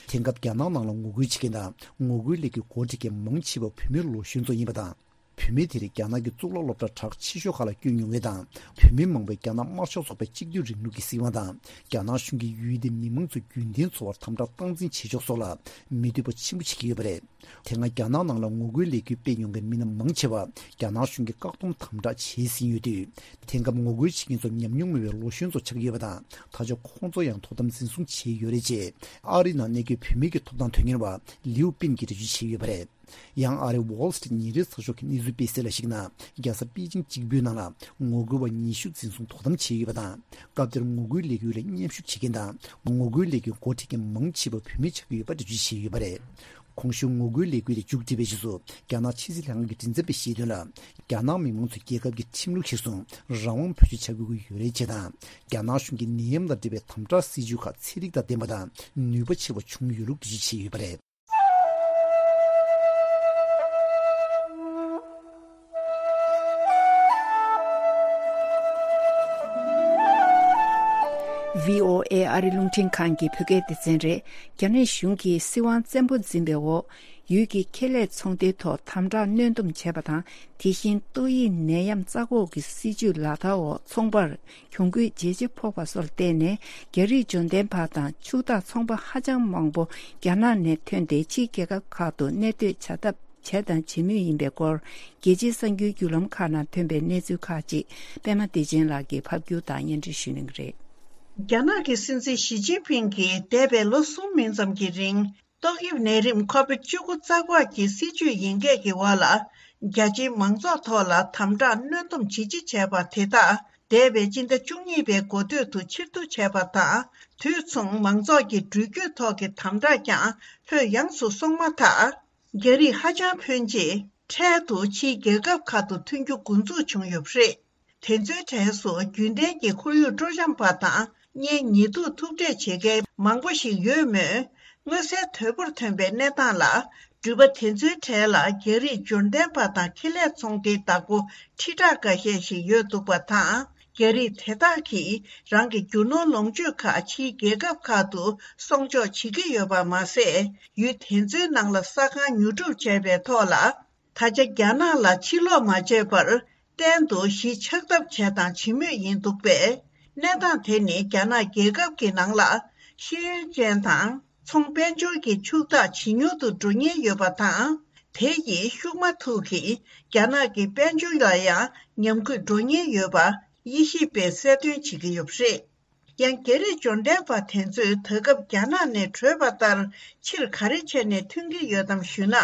དེང་སྐབས་རྒྱ་ནག་ནང་ལ་ངོ་རྒོལ་བྱེད་མཁན་དང་ངོ་རྒོལ་ལས་འགུལ་འགོ་ཁྲིད་མཁན་མང་ཆེ་བ་བུད་མེད་ལོ་གཞོན་ཚོ་ཡིན་པ་དང་། བུད་མེད་དེ་རིགས་རྒྱ་ནག་གི་གཙུག་ལག་སློབ་གྲྭ་གྲགས་ཆེ་ཤོས་ཁག་ལ་བསྐྱོད་མྱོང་མཁན་དང་། བུད་མེད་མང་པོས་རྒྱ་ནག་དམར་ཤོག་ཚོགས་པའི་གཅིག་སྡུད་རིང་ལུགས་ཀྱི་སྲིད་དབང་དང་། རྒྱ་ནག་གཞུང་གིས་ཡུལ་དེའི་མི་མང་ཚོ་རྒྱུན་ལྡན་འཚོ་བར་དམ་དྲག་སྟངས་འཛིན་བྱེད་ཕྱོགས་སོགས་ལ་མི་འདོད་པ་ཆེན་པོ་བྱེད་ཀྱི་ཡོད་པ་རེད། དེ་སྔ་རྒྱ་ནག་ནང་ལ་ངོ་རྒོལ་ལས་འགུལ་སྤེལ་མྱོང་མཁན་མི་སྣ་མང་ཆེ་བ་རྒྱ་ནག་གཞུང་གིས་བཀག་སྡོམ་དམ་དྲག་བྱས་ཟིན་ཡོད་དུས། དེང་སྐབས་ངོ་རྒོལ་བྱེད་མཁན་ཚོ་ཉམས་མྱོང་མེད་པའི་ལོ་གཞོན་ཚོ་ཆགས་ཀྱི་ཡོད་པ་དང་། ད་ཆ་ཁོང་ཚོ་ཡང་དོ་དམ་འཛིན་བཟུང་བྱས་ཡོད་རེད་ཅེས། ཨ་རིའི་ནང་གནས་འཁོད་བུད་མེད་ཀྱི་ཐོབ་ཐང་དོན་གཉེར་བ་ལིའུ་པིན་གྱིས་འགྲེལ་བརྗོད་བྱས་ཡོད་པ་རེད། ཡང་ཨ་རིའི་Wall Street ཉིན་རེའི་གསར་ཤོག་གི་གནས་ཚུལ་སྤེལ་གསལ་ལ་གཞིགས་ན། རྒྱལ་ས་པེ་ཅིང་གཅིག་པུའི་ནང་ལ་ངོ་རྒོལ་བ་ཉི་ཤུ་འཛིན་བཟུང་དོ་དམ་བྱས་ཡོད་པ་དང་། སྐབས་དེར་ངོ་རྒོལ་ལས་འགུལ་ལ་མཉམ་ཞུགས་བྱེད་མཁན་དང་། ངོ་རྒོལ་ལས་འགུལ་འགོ་ཁྲིད་མཁན་མང་ཆེ་བ་བུད་མེད་ཆགས་ཀྱི་ཡོད་པ་འགྲེལ་བརྗོད་བྱས་ཡོད་པ་རེད། གོང་ཞུས་ངོ་རྒོལ་ལས་འགུལ་དེ་མཇུག་སྒྲིལ་བའི་རྗེས་སུ། རྒྱ་ནག་ཕྱི་སྲིད་ལྷན་ཁང་གི་མགྲིན་ཚབ་པས་བཤད་དོན་ལ། རྒྱ་ནག་མི་མང་ཚོས་རྒྱལ་ཁབ་ཀྱི་ཁྲིམས་ལུགས་གཞིར་བཟུང་རང་དབང་བེད་སྤྱོད་བྱ་དགོས་ཀྱི་ཡོད་རེད་ཅེས་དང་། རྒྱ་ནག་གཞུང་གིས་ནད་ཡམས་དང་འབྲེལ་བའི་དམ་དྲག་སྲིད་ཇུས་ཁག་ཚན་རིག་དང་ལྡན་པ་དང་ནུས་པ་ཆེ་བ་བྱུང་ཡོད་ལུགས་འགྲེལ་བརྗོད་བྱས་ཡོད་པ་རེད། ཝི་ཨོ་ཨེ་ཨ་རི་རླུང་འཕྲིན་ཁང་གི་བོད་སྐད་སྡེ་ཚན་རེད། རྒྱ་ནག་གཞུང་གིས་སྲིད་དབང་བཙན་པོ་འཛིན་པའི་འོག་ཡུལ་གྱི་ཁེ་ལས་ཚོང་སྡེའི་ཐོག་དམ་དྲག་གནོན་སྡོམ་བྱས་པ་དང་། དེ་བཞིན་ཏོག་དབྱིབས་ནད་ཡམས་རྩ་འགོག་གི་སྲིད་ཇུས་ལག་བསྟར་འོག་ཚོང་པར་གྱོང་གུད་ཇེ་ཆེ་ཕོག་པ་སོགས་ལ་བརྟེན་ནས། རྒྱ་རིགས་འབྱོར་ལྡན་པ་དང་ཕྱུག་བདག་ཚོང་པ་ཧ་ཅང་མང་པོ་རྒྱ་ནག་ནས་ཐོན་ཏེ། ཕྱིའི་རྒྱལ་ཁབ་ཁག་ཏུ་གནས་སྡོད་བྱ་ཐབས་བྱས་དང་བྱེད་མུས་ཡིན་པའི་སྐོར། རྒྱལ་སྤྱིའི་གསར་འགྱུར་བརྒྱུད་ལམ་ཁག་ནང་ཐོན་པའི་གནས་ཚུལ་ཁག་ཅིག་པད་མ་བདེ་ཆེན་ལགས་ཀྱིས་ཕབ་སྒྱུར་དང་སྙན་སྒྲོན་ཞུ་གནང་གི་རེད། རྒྱ་ནག་གི་སྲིད་འཛིན་ཞི་ཅིན་ཕིང་གིས་འདས་པའི་ལོ་གསུམ་མིན་ཙམ་གྱི་རིང་། ཏོག་དབྱིབས་ནད་རིམས་ཁོ་བིད་བཅུ་དགུ་རྩ་འགོག་གི་སྲིད་ཇུས་ཡིན་སྐད་ཀྱི་འོག་ལ། རྒྱ་ཆེའི་མང་ཚོགས་ཐོག་ལ་དམ་དྲག་གནོན་སྡོམ་ཇི་ཆེ་བྱས་པ་དེ་དག་འདས་པའི་སྤྱི་ཟླ་བཅུ་གཉིས་པའི་འགོ་སྟོད་དུ་ཕྱིར་བསྡུ་བྱས་པ་དང་། དུས་མཚུངས་མང་ཚོགས་ཀྱི་འགྲུལ་སྐྱོད་ཐོག་གི་དམ་དྲག་ཀྱང་ལྷོད་ཡངས་སུ་སོང་མ་ཐག་རྒྱ་རིགས་ཧ་ཅང་ཕོན་ཆེ་འཕྲལ་དུ་ཕྱིའི་རྒྱལ་ཁབ་ཁག་ཏུ་ཐོན་རྒྱུ་འགོ་འཛུགས་བྱུང་ཡོད་པ་རེད། དེ་ཚོའི་གྲས་སུ་རྒྱུན་ལྡན་གྱི་ཁོར་ཡུག་སྤྲོ་འཆམ་པ་དང་། གཉེན་ཉེ་དུ་ཐུག་འཕྲད་བྱེད་མཁན་མང་པོ་ཞིག་ཡོད་མོད། མངོན་གསལ་དོད་པོར་ཐོན་པའི་གནས་སྟངས་ལ། འགྲུལ་པ་དེ་ཚོའི་གྲས་ལ་རྒྱ་རིགས་འབྱོར་ལྡན་པ་དང་ཁེ་ལས་ཚོང་སྡེའི་བདག་པོ་ཁྲི་ཕྲག་འགའ་ཤས་ཤིག་ཡོད་འདུག་པ་དང་། རྒྱ་རིགས་དེ་དག་གིས་རང་གི་རྒྱུ་ནོར་ལོངས་སྤྱོད་ཁག་ཕྱིའི་རྒྱལ་ཁབ་ཁག་ཏུ་སྲུང་སྐྱོབ་བྱེད་ཀྱི་ཡོད་པ་མ་ཟད། ཡུལ་དེ་ཚོའི་ནང་ལ་ས་ཁང་ཉོ་སྒྲུབ་བྱས་པའི་ཐོག་ལ། ད་ཆ་རྒྱ་ནག་ལ་ཕྱིར་ལོག་མ་བྱས་པར། གཏན་དུ་གཞིས་ཆགས་ཐབས་བྱས་དང་བྱེད་མུས་ཡིན་འདུག་པས། གནས་སྟངས་དེ་ནི་རྒྱ་ནག་རྒྱལ་ཁབ་ཀྱི་ནང་ལ་ཤེས་ཡོན་ཅན་དང་ཚོང་དཔལ་འབྱོར་གྱི་ཕྱུག་བདག་ཇེ་ཉུང་དུ་འགྲོ་ཉེན་ཡོད་པ་དང་། དེ་ཡིས་ཤུགས་མ་ཐུག་གིས་རྒྱ་ནག་གི་དཔལ་འབྱོར་ལ་ཡང་ཉམས་རྒུད་འགྲོ་ཉེན་ཡོད་པ་དབྱེ་ཞིབ་པས་གསལ་སྟོན་བྱེད་ཀྱི་ཡོད་པ་རེད། ཡང་རྒྱ་རིགས་འབྱོར་ལྡན་པ་དེ་ཚོས་ད་སྐབས་རྒྱ་ནག་ནས་བྲོས་པ་ལྟར་ཕྱིར་ག་རེ་བྱས་ནས་ཐོན་གྱི་ཡོད་དམ་ཞུས་ན།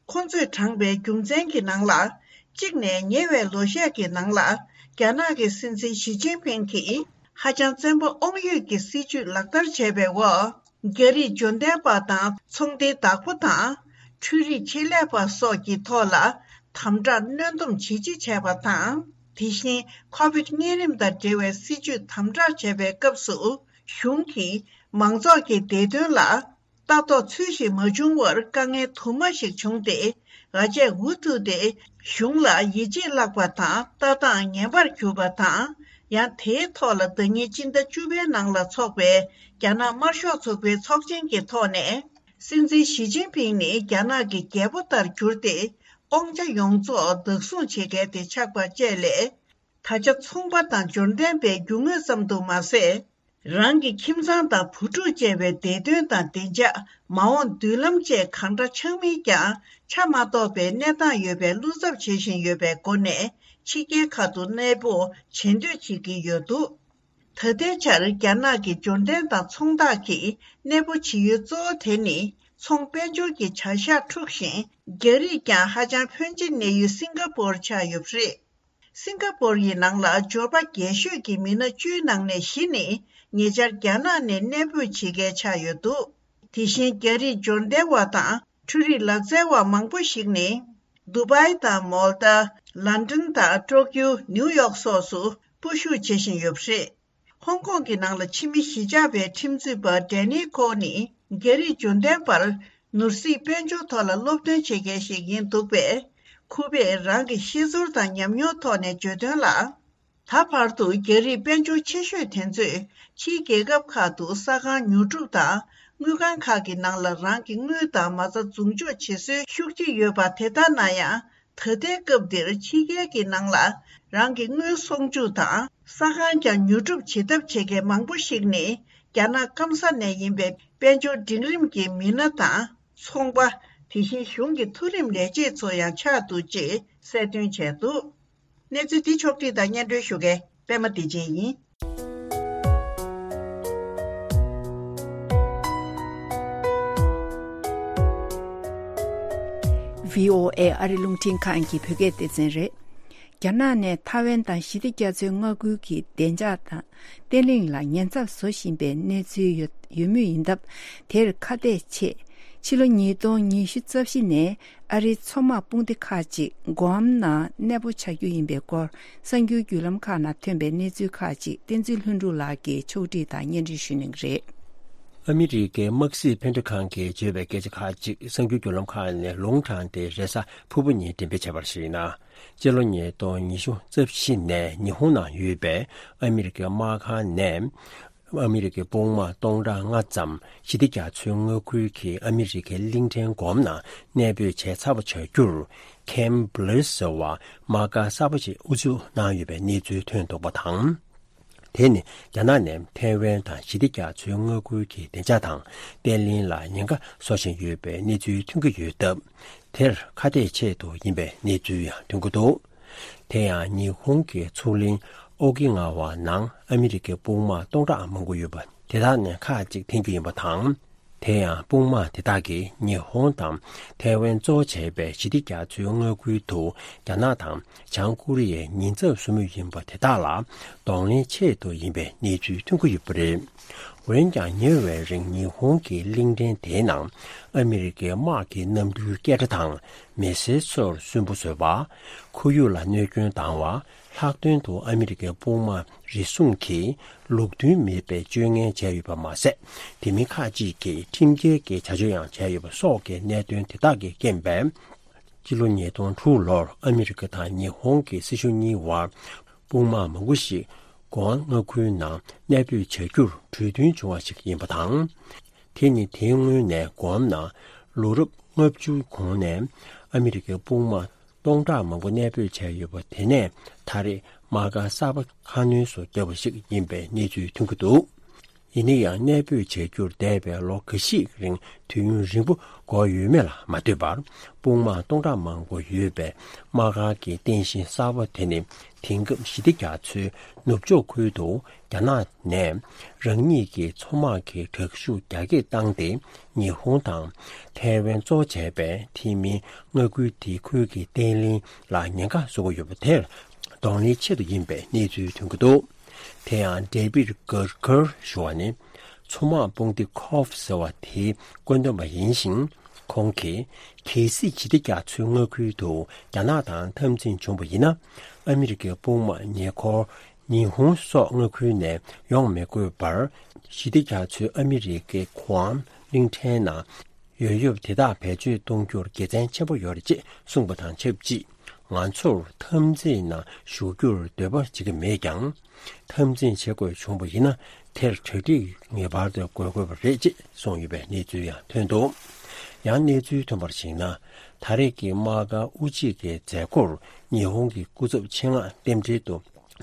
ཁོང་ཚོས་དྲངས་པའི་རྒྱུ་མཚན་གྱི་ནང་ལ། གཅིག་ནས་ཉེ་བའི་ལོ་ཤས་ཀྱི་ནང་ལ། རྒྱ་ནག་གི་སྲིད་འཛིན་ཞི་ཅིན་ཕིང་གིས་ཧ་ཅང་བཙན་པོ་དབང་ཡོད་ཀྱི་སྲིད་བྱུས་ལག་བསྟར་བྱས་པའི་འོག་རྒྱ་རིགས་འབྱོར་ལྡན་པ་དང་ཚོང་འདུས་བདག་པོ་དང་། འཕྲུལ་རིག་ཆེད་ལས་པ་སོགས་ཀྱི་ཐོག་ལ་དམ་དྲག་གནོན་སྡོམ་ཇི་ཆེ་བྱས་པ་དང་། དེ་བཞིན་ཁོ་བིད་གཉན་རིམས་དང་འབྲེལ་བའི་སྲིད་བྱུས་དམ་དྲག་བྱས་པའི་སྐབས་སུ། གཞུང་གིས་མང་ཚོགས་ཀྱི་བདེ་དོན་ལ་ལྟ་རྟོག་ཚུལ་བཞིན་མ་བྱུང་བར་དཀའ་ངལ་དུ་མ་ཞིག་བྱུང་སྟེ། ཨ་ཅེ་ཝུ་ཐུ་དེ་གཞུང་ལ་ཡིད་ཆེས་བརླག་པ་དང་ལྟ་སྟངས་ངན་པར་གྱུར་པ་དང་། ཡང་དེའི་ཐོག་ལ་ཟླ་ཉིན་སྤྱི་ཟླ་བཅུ་པའི་ནང་ལ་འཚོགས་པའི་རྒྱ་ནག་དམར་ཤོག་ཚོགས་པའི་ཚོགས་ཆེན་གྱི་ཐོག་ནས། སྲིད་འཛིན་ཞི་ཅིན་ཕིང་ནི་རྒྱ་ནག་གི་རྒྱལ་པོ་ལྟར་གྱུར་ཏེ། དབང་ཆ་ཡོངས་རྫོགས་བདག་བཟུང་བྱེད་མཁན་དེ་ཆགས་པ་བཅས་ལས། ད་ཆ་ཚོང་པ་དང་འབྱོར་ལྡན་པའི་རྒྱུ་དངོས་ཙམ་དུ་མ་ཟད། རང་གི་ཁྱིམ་ཚང་དང་བུ་ཕྲུག་བཅས་པའི་བདེ་དོན་དང་བདེ་འཇགས། མ་འོངས་མདུན་ལམ་བཅས་གང་འདྲ་ཆགས་མིན་ཀྱང་ཆ་མ་རྟོགས་པའི་གནས་སྟངས་ཡོད་པའི་བློ་འཚབ་བྱེད་བཞིན་ཡོད་པའི་སྒོ་ནས། ཕྱི་རྒྱལ་ཁག་ཏུ་གནས་སྤོ་བྱེད་འདོད་བྱེད་ཀྱི་ཡོད་འདུག་ད་ལྟའི་ཆར་རྒྱ་ནག་གི་འབྱོར་ལྡན་དང་ཚོང་བདག་གིས་གནས་སྤོ་བྱེད་ཡུལ་གཙོ་བོ་དེ་ནི་ཚོང་དཔལ་འབྱོར་གྱི་བྱ་གཞག་འཁྲུག་བཞིན། རྒྱ་རིགས་ཀྱང་ཧ་ཅང་ཕོན་ཆེ་གནས་ཡུལ་སིང་ག་པོར་ཆགས་ཡོད་པ་རེད། སིང་ག་པོར་ཡི་ནང་ལ་འབྱོར་པ་རྒྱས་ཤོས་ཀྱི་མི་སྣ་བཅུའི་ནང་ནས་བཞི་ནི་ཉེ་ཆར་རྒྱ་ནག་ནས་གནས་སྤོས་བྱེད་མཁན་ཆགས་ཡོད་འདུག་དེ་བཞིན་རྒྱ་རིགས་འབྱོར་ལྡན་པ་དང་འཕྲུལ་རིག་ལག་རྩལ་བ་མང་པོ་ཞིག་ནི། དུ་བྷའི་དང་མོལ་ཏ། ལན་ཀྲན་དང་ཀྲོ་ཀིའུ། ནིའུ་ཡོག་སོགས་སུ་སྤོ་བཞུད་བྱེད་བཞིན་ཡོད་པ་རེད། ཧོང་ཀོང་གི་ནང་ལ་ཕྱི་མི་གཞིས་ཆགས་པའི་ཁྲིམས་རྩོད་པ་ཌེ་ནི་ཁོ་ནི་རྒྱ་རིགས་འབྱོར་ལྡན་པར་ནོར་སྲིད་དཔལ་འབྱོར་ཐོག་ལ་སློབ་སྟོན་བྱེད་མཁན་ཞིག་ཡིན་འདུག་པས། ཁོ་པས་རང་གི་ཤེས་ཚོར་དང་ཉམས་མྱོང་ཐོག་ནས་བརྗོད་དོན་ལ། ད་བར་དུ་རྒྱ་རིགས་དཔལ་འབྱོར་ཆེ་ཤོས་དེ་ཚོས་ཕྱིའི་རྒྱལ་ཁབ་ཁག་ཏུ་ས་ཁང་ཉོ་སྒྲུབ་དང་དངུལ་ཁང་ཁག་གི་ནང་ལ་རང་གི་དངུལ་དང་མ་རྩ་འཛུགས་འཇོག་བྱེད་སྲོལ་ཤུགས་ཆེ་ཡོད་པ་དེ་ལྟར་ན་ཡང་། ད་ལྟའི་སྐབས་འདིར་ཕྱི་རྒྱལ་གྱི་ནང་ལ་རང་གི་དངུལ་སྲུང་སྐྱོབ་དང་ས་ཁང་ཀྱང་ཉོ་སྒྲུབ་བྱེད་ཐབས་བྱེད་མཁན་མང་པོ་ཞིག་ནི་རྒྱ་ནག་སྐམ་ས་ནས་ཡིན་པའི་དཔལ་འབྱོར་འབྲིང་རིམ་གྱི་མི་སྣ་དང་ཚོང་པ། དེ་བཞིན་གཞུང་གི་མཐོ་རིམ་ལས་བྱེད་ཚོ་ཡང་ཆགས་འདུག་ཅེས་གསལ་སྟོན་བྱས་འདུག་གནས་ཚུལ་འདི་ཕྱོགས་བསྒྲིགས་དང་སྙན་སྒྲོན་ཞུ་མཁན་པད་མ་བདེ་ཆེན་ཡིན། བྷི་ཨོ་ཨེ་ཨ་རི་རླུང་འཕྲིན་ཁང་གི་བོད་སྐད་སྡེ་ཚན་རེད། རྒྱ་ནག་ནས་ཐའེ་ཝན་དང་ཞི་བདེ་རྒྱ་མཚོའི་མངའ་ཁུལ་གྱི་བདེ་འཇགས་དང་བརྟན་ལྷིང་ལ་ཉེན་ཚབས་བཟོ་བཞིན་པའི་གནས་ཚུལ་ཡོད་ཡོད་མུས་ཡིན་སྟབས། དེར་ཁ་གཏད་ཆེད། ཕྱི་ལོ་ཉིས་སྟོང་ཉི་ཤུ་རྩ་བཞི་ནས་ཨ་རིའི་མཚོ་དམག་དཔུང་སྡེ་ཁག་ཅིག་གོམ་ནང་གནས་སྤོ་བྱ་རྒྱུ་ཡིན་པའི་སྐོར། གསར་འགྱུར་བརྒྱུད་ལམ་ཁག་ནང་ཐོན་པའི་གནས་ཚུལ་ཁག་ཅིག་བསྟན་འཛིན་ལྷུན་གྲུབ་ལགས་ཀྱིས་ཕྱོགས་སྒྲིག་དང་སྙན་སྒྲོན་ཞུ་གནང་གི་རེད། ཨ་མི་རི་ཀའི་དམག་སྲིད་འཕེན་ཁྲ་ཁང་གིས་བརྗོད་པའི་སྐད་ཆ་ཁག་ཅིག་གསར་འགྱུར་བརྒྱུད་ལམ་ཁག་ནས་ལུང་དྲངས་ཏེ། རེས་གཟའ་ཕུར་བུ་ཉིན་འགྲེམས་སྤེལ་བྱས་པར་གཞིགས་ན། སྤྱི་ལོ་ཉིས་སྟོང་ཉི་ཤུ་རྩ་བཞི་ནས་ཉི་ཧོང་ནང་ཡོད་པའི་ཨ་མི་རི་ཀའི་དམག་ཁང་ནས། ཨ་མི་རི་ཀའི་དཔུང་དམག་སྟོང་ཕྲག་ལྔ་ཙམ་ཞི་བདེ་རྒྱ་མཚོའི་མངའ་ཁུལ་གྱི་ཨ་མི་རི་ཀའི་གླིང་ཕྲན་གོམ་ནང་གནས་སྤོས་བྱས་ཚར་བ་བྱ་རྒྱུར། ཁེམ་བྷི་ལེ་ཟེར་བ་དམག་སྒར་གསར་པ་ཞིག་དབུ་འཛུགས་གནང་ཡོད་པའི་གནས་ཚུལ་ཐོན་འདུག་པ་དང་། དེ་ནི་རྒྱ་ནག་ནས་ཐའེ་ཝན་དང་ཞི་བདེ་རྒྱ་མཚོའི་མངའ་ཁུལ་གྱི་བདེ་འཇགས་དང་བརྟན་ལྷིང་ལ་ཉེན་ཁ་བཟོ་བཞིན་ཡོད་པའི་གནས་ཚུལ་ཐོན་གྱི་ཡོད་སྟབས། དེར་ཁ་གཏད་ཆེད་དུ་ཡིན་པའི་གནས་ཚུལ་ཡང་ཐོན་གྱི་འདུག་དེ་ཡང་ཉི་ཧོང་གི་མཚོ་གླིང་ཨོ་ཀི་ནག་བ་ནང་ཨ་མི་རི་ཀའི་དཔུང་དམག་སྟོང་ཕྲག་མང་པོ་ཡོད་པ་དེ་དག་ནས་ཁག་ཅིག་འཐེན་གྱི་ཡིན་པ་དང་། དེ་ཡང་དཔུང་དམག་དེ་དག་གིས་ཉི་ཧོང་དང་ཐའེ་ཝན་གཙོ་བྱས་པའི་ཞི་བདེ་རྒྱ་མཚོའི་མངའ་ཁུལ་དུ་རྒྱ་ནག་དང་བྱང་ཀོ་རི་ཡའི་ཉེན་ཚབས་བཟོ་མུས་ཡིན་པ་དེ་དག་ལ་གདོང་ལེན་ཆེད་དུ་ཡིན་པའི་གནས་ཚུལ་ཐོན་གྱི་ཡོད་པ་རེད། འོན་ཀྱང་ཉེ་བའི་རིང་ཉི་ཧོང་གི་གླིང་ཕྲན་དེའི་ནང་ཨ་མི་རི་ཀའི་དམག་གི་གནམ་གྲུའི་སྐད་སྒྲ་དང་མི་སེར་ཚོར་སུན་པོ་བཟོས་པ། ཁོར་ཡུག་ལ་གནོད་སྐྱོན་བཏང་བ། ལྷག་དོན་དུ་ཨ་མི་རི་ཀའི་དཔུང་དམག་རེ་ཟུང་གིས་ལུགས་མཐུན་མེད་པའི་སྤྱོད་ངན་བྱས་ཡོད་པ་མ་ཟད། དེ་མིན་ཁག་ཅིག་གིས་ཁྲིམས་འགལ་གྱི་བྱ་སྤྱོད་ཡང་བྱས་ཡོད་པ་སོགས་ཀྱི་གནད་དོན་དེ་དག་གི་རྐྱེན་པས། སྤྱི་ལོ་ཉིས་སྟོང་དྲུག་ལོར་ཨ་མི་རི་ཀ་དང་ཉི་ཧོང་གི་སྲིད་གཞུང་གཉིས་བར་དཔུང་དམག་མང་པོ་ཞིག་གོ་ཝན་མངའ་ཁུལ་ནང་གནས་སྤོས་བྱ་རྒྱུར་གྲོས་མཐུན་བྱུང་བ་ཞིག་ཡིན་པ་དང་། དེ་ནི་དེའི་སྔོན་ནས་གོ་ཝན་ནང་ལོ་རབས་ལྔ་བཅུ་གོང་ནས་ཨ་མི་རི་ཀའི་དཔུང་དམག་སྟོང་ཕྲག་མང་པོ་གནས་སྤོས་བྱས་ཡོད་པ་དེ་ནས་ད་རེས་དམག་སྒར་གསར་པ་ཁ་སྣོན་སུ་བརྒྱབ་པ་ཞིག་ཡིན་པའི་གནས་ཚུལ་ཐོན་གྱི་འདུག་ཡིན་ན་ཡང་གནས་སྤོས་བྱ་རྒྱུར་འདས་པའི་ལོ་འགའ་ཞིག་རིང་དུས་ཡུན་རིང་པོ་འགོར་ཡོད་མེད་ལ་མ་ལྟོས་པར། དཔུང་དམག་སྟོང་ཕྲག་མང་པོ་ཡོད་པའི་དམག་སྒར་གྱི་རྟེན་གཞི་གསར་པ་དེ་ནི་དེང་སྐབས་ཞི་བདེ་རྒྱ་མཚོའི་ནུབ་ཕྱོགས་ཁུལ་དུ་རྒྱ་ནག་ནས་རང་ཉིད་ཀྱི་མཚོ་དམག་གི་དྲག་ཤུགས་རྒྱ་སྐྱེད་བཏང་སྟེ། ཉི་ཧོང་དང་ཐའེ་ཝན་གཙོ་བྱས་པའི་ཐེ་མིན་མངའ་ཁུལ་དེའི་ཁུལ་གྱི་བརྟན་ལྷིང་ལ་ཉེན་ཁ་བཟོ་གི་ཡོད་པ་དེར་གདོང་ལེན་ཆེད་དུ་ཡིན་པའི་གནས་ཚུལ་ཐོན་གྱི་འདུག་དེ་ཡང་ཌེ་བིད་གར་གར་ཞུ་བ་ནི། མཚོ་དམག་དཔུང་སྡེ་ཁོབ་ཟེར་བ་དེའི་བཀོད་འདོམས་པ་ཡིན་ཞིང་། ཁོང་གིས། གལ་སྲིད་ཞི་བདེ་རྒྱ་མཚོའི་མངའ་ཁུལ་དུ་རྒྱ་ནག་དང་འཐབ་འཛིང་བྱུང་བ་ཡིན་ན། ཨ་མི་རི་ཀའི་དཔུང་དམག་ཉེ་འཁོར་ཉི་ཧོང་སོགས་མངའ་ཁུལ་ནས་ཡོང་མི་དགོས་པར། ཞི་བདེ་རྒྱ་མཚོའི་ཨ་མི་རི་ཀའི་གུའམ་གླིང་ཕྲན་ནང་ཡོད་ཡོད་དེ་དག་བེད་སྤྱོད་གཏོང་རྒྱུར་དགེ་མཚན་ཆེན་པོ་ཡོད་རེད་ཅེས་གསུངས་པ་དང་ཆབས་ཅིག་ང་ཚོར་འཐབ་འཛིང་ནང་ཞུགས་རྒྱུར་འདོད་པ་བྱེད་ཀྱི་མེད་ཀྱང་། འཐབ་འཛིང་བྱེད་དགོས་བྱུང་བ་ཡིན་ན་དེར་གྲ་སྒྲིག་ངེས་པར་དུ་དགོས་དགོས་པ་རེད་ཅེས་གསུངས་ཡོད་པའི་གནས་ཚུལ་ཡང་ཐོན་འདུག་ཡང་གནས་ཚུལ་ཐོན་པར་གཞིགས་ན། ད་རེས་ཀྱི་དམག་སྒར་དབུ་འབྱེད་ཀྱི་མཛད་སྒོར་ཉི་ཧོང་གི་སྐུ་ཚབ་ཆེད་མངགས་རྟེན་འབྲེལ་དུ་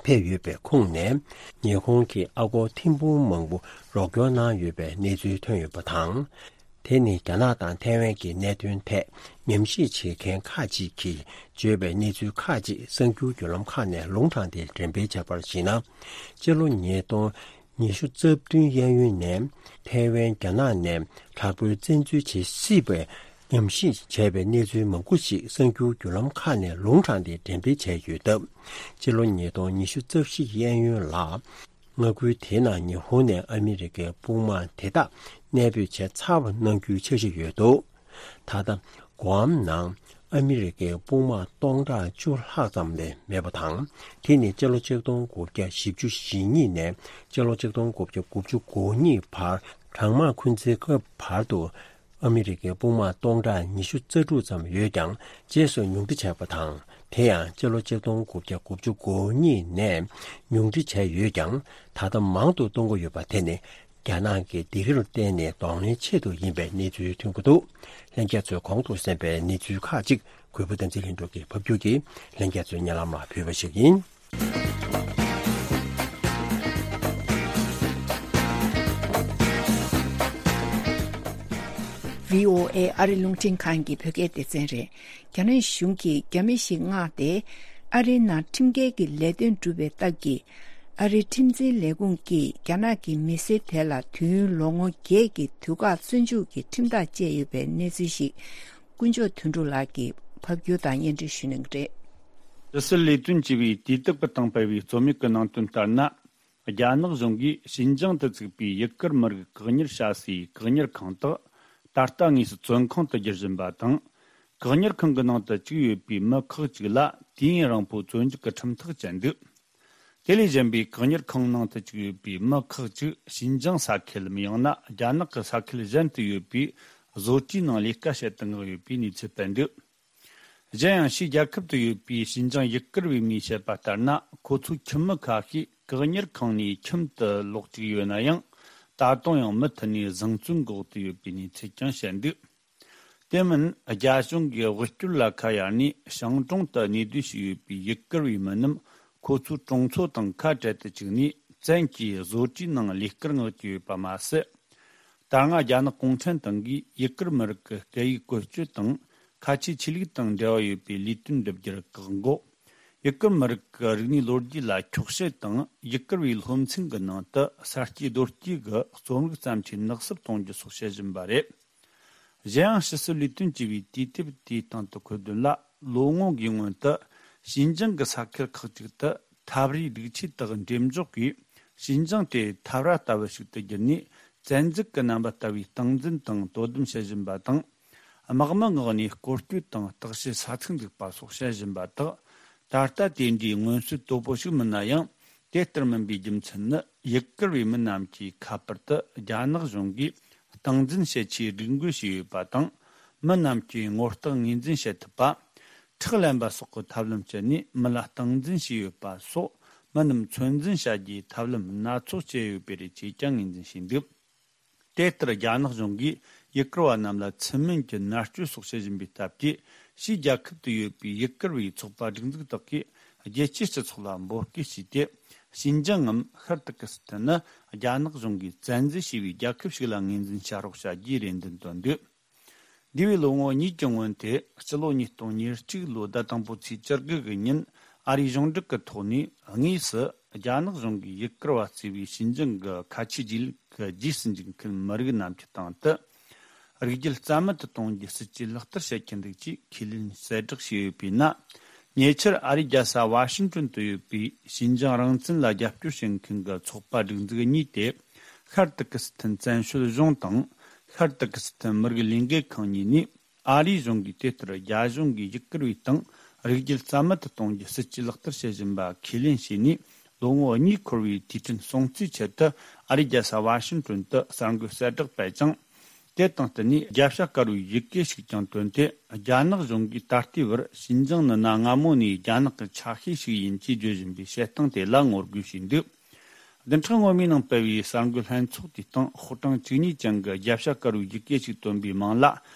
ཕེབས་ཡོད་པའི་ཁོངས་ནས། ཉི་ཧོང་གི་ཨ་སྒོར་ཐེར་འབུམ་མང་པོ་རོགས་སྐྱོར་གནང་ཡོད་པའི་གནས་ཚུལ་ཐོན་ཡོད་པ་དང་། དེ་ནི་རྒྱ་ནག་དང་ཐའེ་ཝན་གྱི་གནད་དོན་ཐད་ཉམས་ཞིབ་བྱེད་མཁན་ཁག་ཅིག་གིས་བརྗོད་པའི་གནས་ཚུལ་ཁག་ཅིག་གསར་འགྱུར་བརྒྱུད་ལམ་ཁག་ནས་ལུང་དྲངས་ཏེ་འགྲེམས་སྤེལ་བྱས་པར་གཞིགས་ན། སྤྱི་ལོ་ཉིས་སྟོང་ཉི་ཤུ་རྩ་བདུན་གཡས་གཡོན་ནས་ཐའེ་ཝན་རྒྱ་ནག་ནས་དྲག་པོའི་བཙན་འཛུལ་བྱེད་སྲིད་པའི་ཉམས་ཞིབ་བྱས་པའི་གནས་ཚུལ་མང་པོ་ཞིག་གསར་འགྱུར་བརྒྱུད་ལམ་ཁག་ནས་ལུང་དྲངས་ཏེ་འགྲེམས་སྤེལ་བྱས་ཡོད་སྟབས། སྤྱི་ལོ་ཉིས་སྟོང་ཉི་ཤུ་རྩ་བཞི་གཡས་གཡོན་ལ། མངའ་ཁུལ་དེའི་ནང་ཉི་ཧོང་ནས་ཨ་མི་རི་ཀའི་དཔུང་དམག་དེ་དག་གནས་སྤོས་བྱས་ཚར་བ་གནང་རྒྱུའི་འཆར་གཞི་ཡོད་འདུག་ད་ལྟ་གུའམ་ནང་ཨ་མི་རི་ཀའི་དཔུང་དམག་སྟོང་ཕྲག་བཅུ་ལྷག་ཙམ་ལས་མེད་པ་དང་། དེ་ནི་སྤྱི་ལོ་ཆིག་སྟོང་དགུ་བརྒྱ་བཞི་བཅུ་ཞེ་གཉིས་ནས་སྤྱི་ལོ་ཆིག་སྟོང་དགུ་བརྒྱ་དགུ་བཅུ་གོ་གཉིས་བར་གྲང་དམག་འཁོན་འཛིན་སྐབས་བར་དུ། ཨ་མི་རི་ཀའི་དཔུང་དམག་སྟོང་ཕྲག་ཉི་ཤུ་རྩ་དྲུག་ཙམ་ཡོད་ཀྱང་། རྗེས་སུ་ཉུང་འཕྲི་བྱས་པ་དང་། དེ་ཡང་སྤྱི་ལོ་ཆིག་སྟོང་དགུ་བརྒྱ་དགུ་བཅུ་གོ་གཉིས་ནས་ཉུང་འཕྲི་བྱས་ཡོད་ཀྱང་། ད་ལྟ་མང་དུ་གཏོང་གི་ཡོད་པ་དེ་ནི་རྒྱ་ནག་གི་སྡིགས་རར་བརྟེན་ནས་གདོང་ལེན་ཆེད་དུ་ཡིན་པའི་གནས་ཚུལ་ཐོན་གྱི་འདུག་ལྷན་རྒྱས་ཚོས་གོང་དུ་གསན་པའི་གནས་ཚུལ་ཁག་ཅིག་གུས་པ་བསྟན་འཛིན་ལྷུན་གྲུབ་ཀྱིས་ཕབ་སྒྱུར་གྱིས་ལྷན་རྒྱས་ཚོའི་སྙན་ལམ་ལ་ཕུལ་བ་ཞིག་ཡིན། བྷི་ཨོ་ཨེ་ཨ་རི་རླུང་འཕྲིན་ཁང་གི་བོད་སྐད་སྡེ་ཚན་རེད། རྒྱ་ནག་གཞུང་གིས་རྒྱ་མི་ཞིག་མངགས་ཏེ། ཨ་རིའི་ནང་ཁྲིམས་འགལ་གྱི་ལས་དོན་བསྒྲུབས་པའི་སྟབས་ཀྱིས། ཨ་རིའི་ཁྲིམས་འཛིན་ལས་ཁུངས་ཀྱིས་རྒྱ་ནག་གི་མི་སེར་དེ་ལ་དུས་ཡུན་ལོ་ངོ་བརྒྱད་ཀྱི་དུས་བཀག་བཙོན་འཇུག་གི་ཁྲིམས་ཐག་བཅད་ཡོད་པའི་གནས་ཚུལ་ཞིག་དཀོན་མཆོག་དོན་གྲུབ་ལགས་ཀྱིས་ཕབ་སྒྱུར་དང་སྙན་སྒྲོན་ཞུ་གནང་གི་རེད། ཕྱི་སྲིད་ལས་དོན་ཅེས་པའི་དུས་དེབ་ཀྱི་སྟེང་སྤེལ་བའི་རྩོམ་ཡིག་གི་ནང་དོན་ལྟར་ན། རྒྱ་ནག་གཞུང་གིས་ཞིན་ཅང་དུ་བཙུགས་པའི་ཡུ་གུར་མི་རིགས་བཀག་ཉར་བྱ་སའི་བཀག་ཉར་ཁང་དག་ད་ལྟ་དངོས་སུ་བཙོན་ཁང་དུ་བསྒྱུར་བཞིན་པ་དང་། བཀག་ཉར་ཁང་གི་ནང་དུ་བཅུག་ཡོད་པའི་མི་ཁག་ཅིག་ལ་དུས་ཡུན་རིང་པོའི་བཙོན་འཇུག་གི་ཁྲིམས་ཐག་བཅད་འདུག་དེ་ལས་གཞན་པའི་བཀག་ཉར་ཁང་ནང་དུ་བཅུག་ཡོད་པའི་མི་ཁག་ཅིག་ཞིན་ཅང་ས་ཁུལ་ལམ་ཡང་ན་རྒྱ་ནག་གི་ས་ཁུལ་གཞན་དུ་ཡོད་པའི་བཟོ་གྲྭའི་ནང་ལས་ཀ་བྱེད་དུ་མངགས་ཡོད་པའི་གནས་ཚུལ་སྤེལ་འདུག་གཞན་ཡང་ཕྱིའི་རྒྱལ་ཁབ་ཏུ་ཡོད་པའི་ཞིན་ཅང་ཡུ་གུར་བའི་མིས་བཤད་པ་ལྟར་ན། ཁོ་ཚོའི་ཁྱིམ་མི་ཁ་ཤས་བཀག་ཉར་ཁང་ནས་ཁྱིམ་དུ་ལོག་བཅུག་ཡོད་ན་ཡང་། ད་དུང་ཡང་མུ་མཐུད་ནས་བཟང་བཙོན་འོག་ཏུ་ཡོད་པའི་གནས་ཚུལ་ཀྱང་བཤད་འདུག་དེ་མིན། རྒྱ་གཞུང་གིས་དབུལ་སྐྱོར་ལ་ཁ་གཡར་ནས་ཞིང་གྲོང་དུ་གནས་སྡོད་བྱས་ཡོད་པའི་ཡུ་གུར་བའི་མི་རྣམས་ཁོ་ཚོའི་གྲོང་ཚོ་དང་ཁ་བྲལ་དུ་བཅུག་ནས། བཙན་གྱིས་བཟོ་གྲྭའི་ནང་ལས་ཀར་མངགས་ཀྱི་ཡོད་པ་མ་ཟད། ད་སྔ་རྒྱ་ནག་གུང་ཁྲན་ཏང་གིས་ཡུ་གུར་མི་རིགས་ཀྱི་སྐད་ཡིག་བཀོལ་སྤྱོད་དང་། ཁ་ཆེའི་ཆོས་ལུགས་དང་འབྲེལ་བ་ཡོད་པའི་ལས་དོན་བསྒྲུབ་རྒྱུར་བཀག་འགོག་ཡུ་གུར་མི་རིགས་ཀྱི་རིག་གནས་ལོ་རྒྱུས་ལ་འཁྱོག་བཤད་དང་། ཡུ་གུར་བའི་སློབ་ཚན་གྱི་ནང་དུ་ས་སྐྱེས་རྡོ་སྐྱེས་ཀྱི་རྩོམ་རིག་བརྩམས་ཆོས་ནག་སུབ་གཏོང་རྒྱུ་སོགས་བྱེད་བཞིན་པ་རེད། གཞན་ཡང་ཕྱི་སྲིད་ལས་དོན་ཅེས་པའི་དུས་དེབ་དེའི་སྟེང་དུ་འཁོད་དོན་ལ། ལོ་ངོ་འགའི་སྔོན་དུ་ཞིན་ཅང་གི་ས་ཁུལ་ཁག་ཅིག་ཏུ་ཐབས་རིག་སྒྲིག་ཆས་དག་འགྲེམས་འཇོག་གིས། ཞིན་ཅང་དེ་འཐབ་ར་ལྟ་བུ་ཞིག་ཏུ་བསྒྱུར་ནས། བཙན་འཛུལ་གྱི་རྣམ་པ་ལྟ་བུའི་སྟངས་འཛིན་དང་དོ་དམ་བྱེད་བཞིན་པ་དང་། དམག་མི་མངགས་ནས་སྐོར་སྐྱོད་དང་བརྟག་དཔྱད་ས་ཚིགས་འཛུགས་པ་སོགས་བྱེད་བཞིན་པ་དག་ད་ལྟ་དེ་འདྲའི་མངོན་གསལ་དོད་པོ་ཞིག་མིན་ན་ཡང་། དེ་ལྟར་མིན་པའི་རྒྱུ་མཚན་ནི། ཡུ་གུར་བའི་མི་རྣམས་ཀྱིས་ཁ་པར་དུ་རྒྱ་ནག་གཞུང་གིས་སྟངས་འཛིན་བྱེད་ཆེད་སྒྲིག་འགོད་བྱས་ཡོད་པ་དང་། མི་རྣམས་ཀྱིས་ངོ་རྟགས་ངོས་འཛིན་བྱེད་ཐུབ་པ། ཁྲག་ལེན་པ་སོགས་ཀྱི་ཐབས་ལམ་སྤྱད་ནས་མི་ལ་སྟངས་འཛིན་བྱས་ཡོད་པ་སོགས། མི་རྣམས་ཚོད་འཛིན་བྱ་རྒྱུའི་ཐབས་ལམ་སྣ་ཚོགས་སྤྱད་ཡོད་པ་རེད་ཅེས་ཀྱང་ངོས་འཛིན་བྱས་འདུག་དེ་ལྟར་རྒྱ་ནག་གཞུང་གིས་ཡུ་གུར་བ་རྣམས་ལ་ཚུལ་མིན་གྱི་མནར་གཅོད་སོགས་བྱེད་བཞིན་པའི་སྟབས་ཀྱིས། ཕྱིའི་རྒྱལ་ཁབ་ཏུ་ཡོད་པའི་ཡུ་གུར་བའི་ཚོགས་པ་སྒྲིག་འཛུགས་དག་གིས་རྒྱལ་སྤྱིའི་སྤྱི་ཚོགས་ལ་འབོད་སྐུལ་བྱས་ཏེ། ཞིན་ཅང་ངམ་ཤར་ཏུར་ཀི་སི་ཐན་ནི་རྒྱ་ནག་གཞུང་གིས་བཙན་འཛུལ་བྱས་པའི་རྒྱལ་ཁབ་ཞིག་ལ་ངོས་འཛིན་བྱ་རོགས་བྱ་རྒྱུའི་རེ་འདུན་བཏོན་འདུག་འདས་པའི་ལོ་ངོ་གཉིས་ཀྱི་སྔོན་དེ་སྤྱི་ལོ་ཉིས་སྟོང་ཉེར་གཅིག་ལོའི་ཟླ་དང་པོའི་ཚེས་བཅུ་དགུ་གི་ཉིན། ཨ་རིའི་གཞུང་འབྲེལ་གྱི་ཐོག་ནས་དངོས་སུ་རྒྱ་ནག་གཞུང་གིས་ཡུ་གུར་བ་གཙོས་པའི་ཞིན་ཅང་གི་ཁ་ཆེའི་རྗེས་ལུས་ཀྱི་རྗེས་སུ་འཇུག་མཁན་མི་རིགས་རྣམས་ཀྱི་སྟེང་དུ། རིགས་རྒྱུད་རྩ་མེད་དུ་གཏོང་རྒྱུའི་སྲིད་ཇུས་ལག་བསྟར་བྱེད་ཀྱི་འདུག་ཅེས་ཁས་ལེན་གསལ་བསྒྲགས་བྱས་ཡོད་པས་ན། ཉེ་ཆར་ཨ་རིའི་རྒྱལ་ས་ཝ་ཤིང་ཏོན་དུ་ཡོད་པའི་ཞིན་ཅང་རང་བཙན་ལ་རྒྱབ་སྐྱོར་བྱེད་མཁན་གྱི་ཚོགས་པ་སྒྲིག་འཛུགས་གཉིས་ཏེ། ཤར་ཏུར་ཀི་སི་ཐན་བཙན་བྱོལ་གཞུང་དང་། ཤར་ཏུར་ཀི་སི་ཐན་མི་རིགས་ལས་འགུལ་ཁང་གཉིས་ནས། ཨ་རིའི་གཞུང་གིས་དེ་ལྟར་རྒྱ་གཞུང་གིས་ཡུ་གུར་བའི་སྟེང་རིགས་རྒྱུད་རྩ་མེད་དུ་གཏོང་རྒྱུའི་སྲིད་ཇུས་ལག་བསྟར་བྱེད་བཞིན་པ་ཁས་ལེན་བྱས་ནས་ལོ་ངོ་གཉིས་འཁོར་བའི་དུས་དྲན་སྲུང་བརྩིའི་ཆེད་དུ། ཨ་རིའི་རྒྱལ་ས་ཝ་ཤིང་ཏོན་དུ་གསར་འགོད་གསལ་བསྒྲགས་སྤེལ་ཅིང་། དེ་དང་བསྟུན་ནས་རྒྱལ་བྱ་དཀར་པོའི་ཡི་གེ་ཞིག་ཀྱང་བཏོན་ཏེ། རྒྱ་ནག་གཞུང་གིས་ད་ལྟའི་བར་ཞིན་ཅང་ནི་གནའ་སྔ་མོ་ནས་རྒྱ་ནག་གི་ཆ་ཤས་ཤིག་ཡིན་ཅེས་བརྗོད་བཞིན་པའི་བཤད་སྟངས་དེ་ལ་ངོ་རྒོལ་བྱས་འདུག་བདུན་ཕྲག་སྔོན་མའི་ནང་སྤེལ་བའི་གསར་འགོད་ལྷན་ཚོགས་དེའི་སྟེང་ཤོག་གྲངས་བཅུ་གཉིས་ཅན་གྱི་རྒྱལ་བྱ་དཀར་པོའི་ཡི་གེ་ཞིག་བཏོན་པའི་མིང་ལ།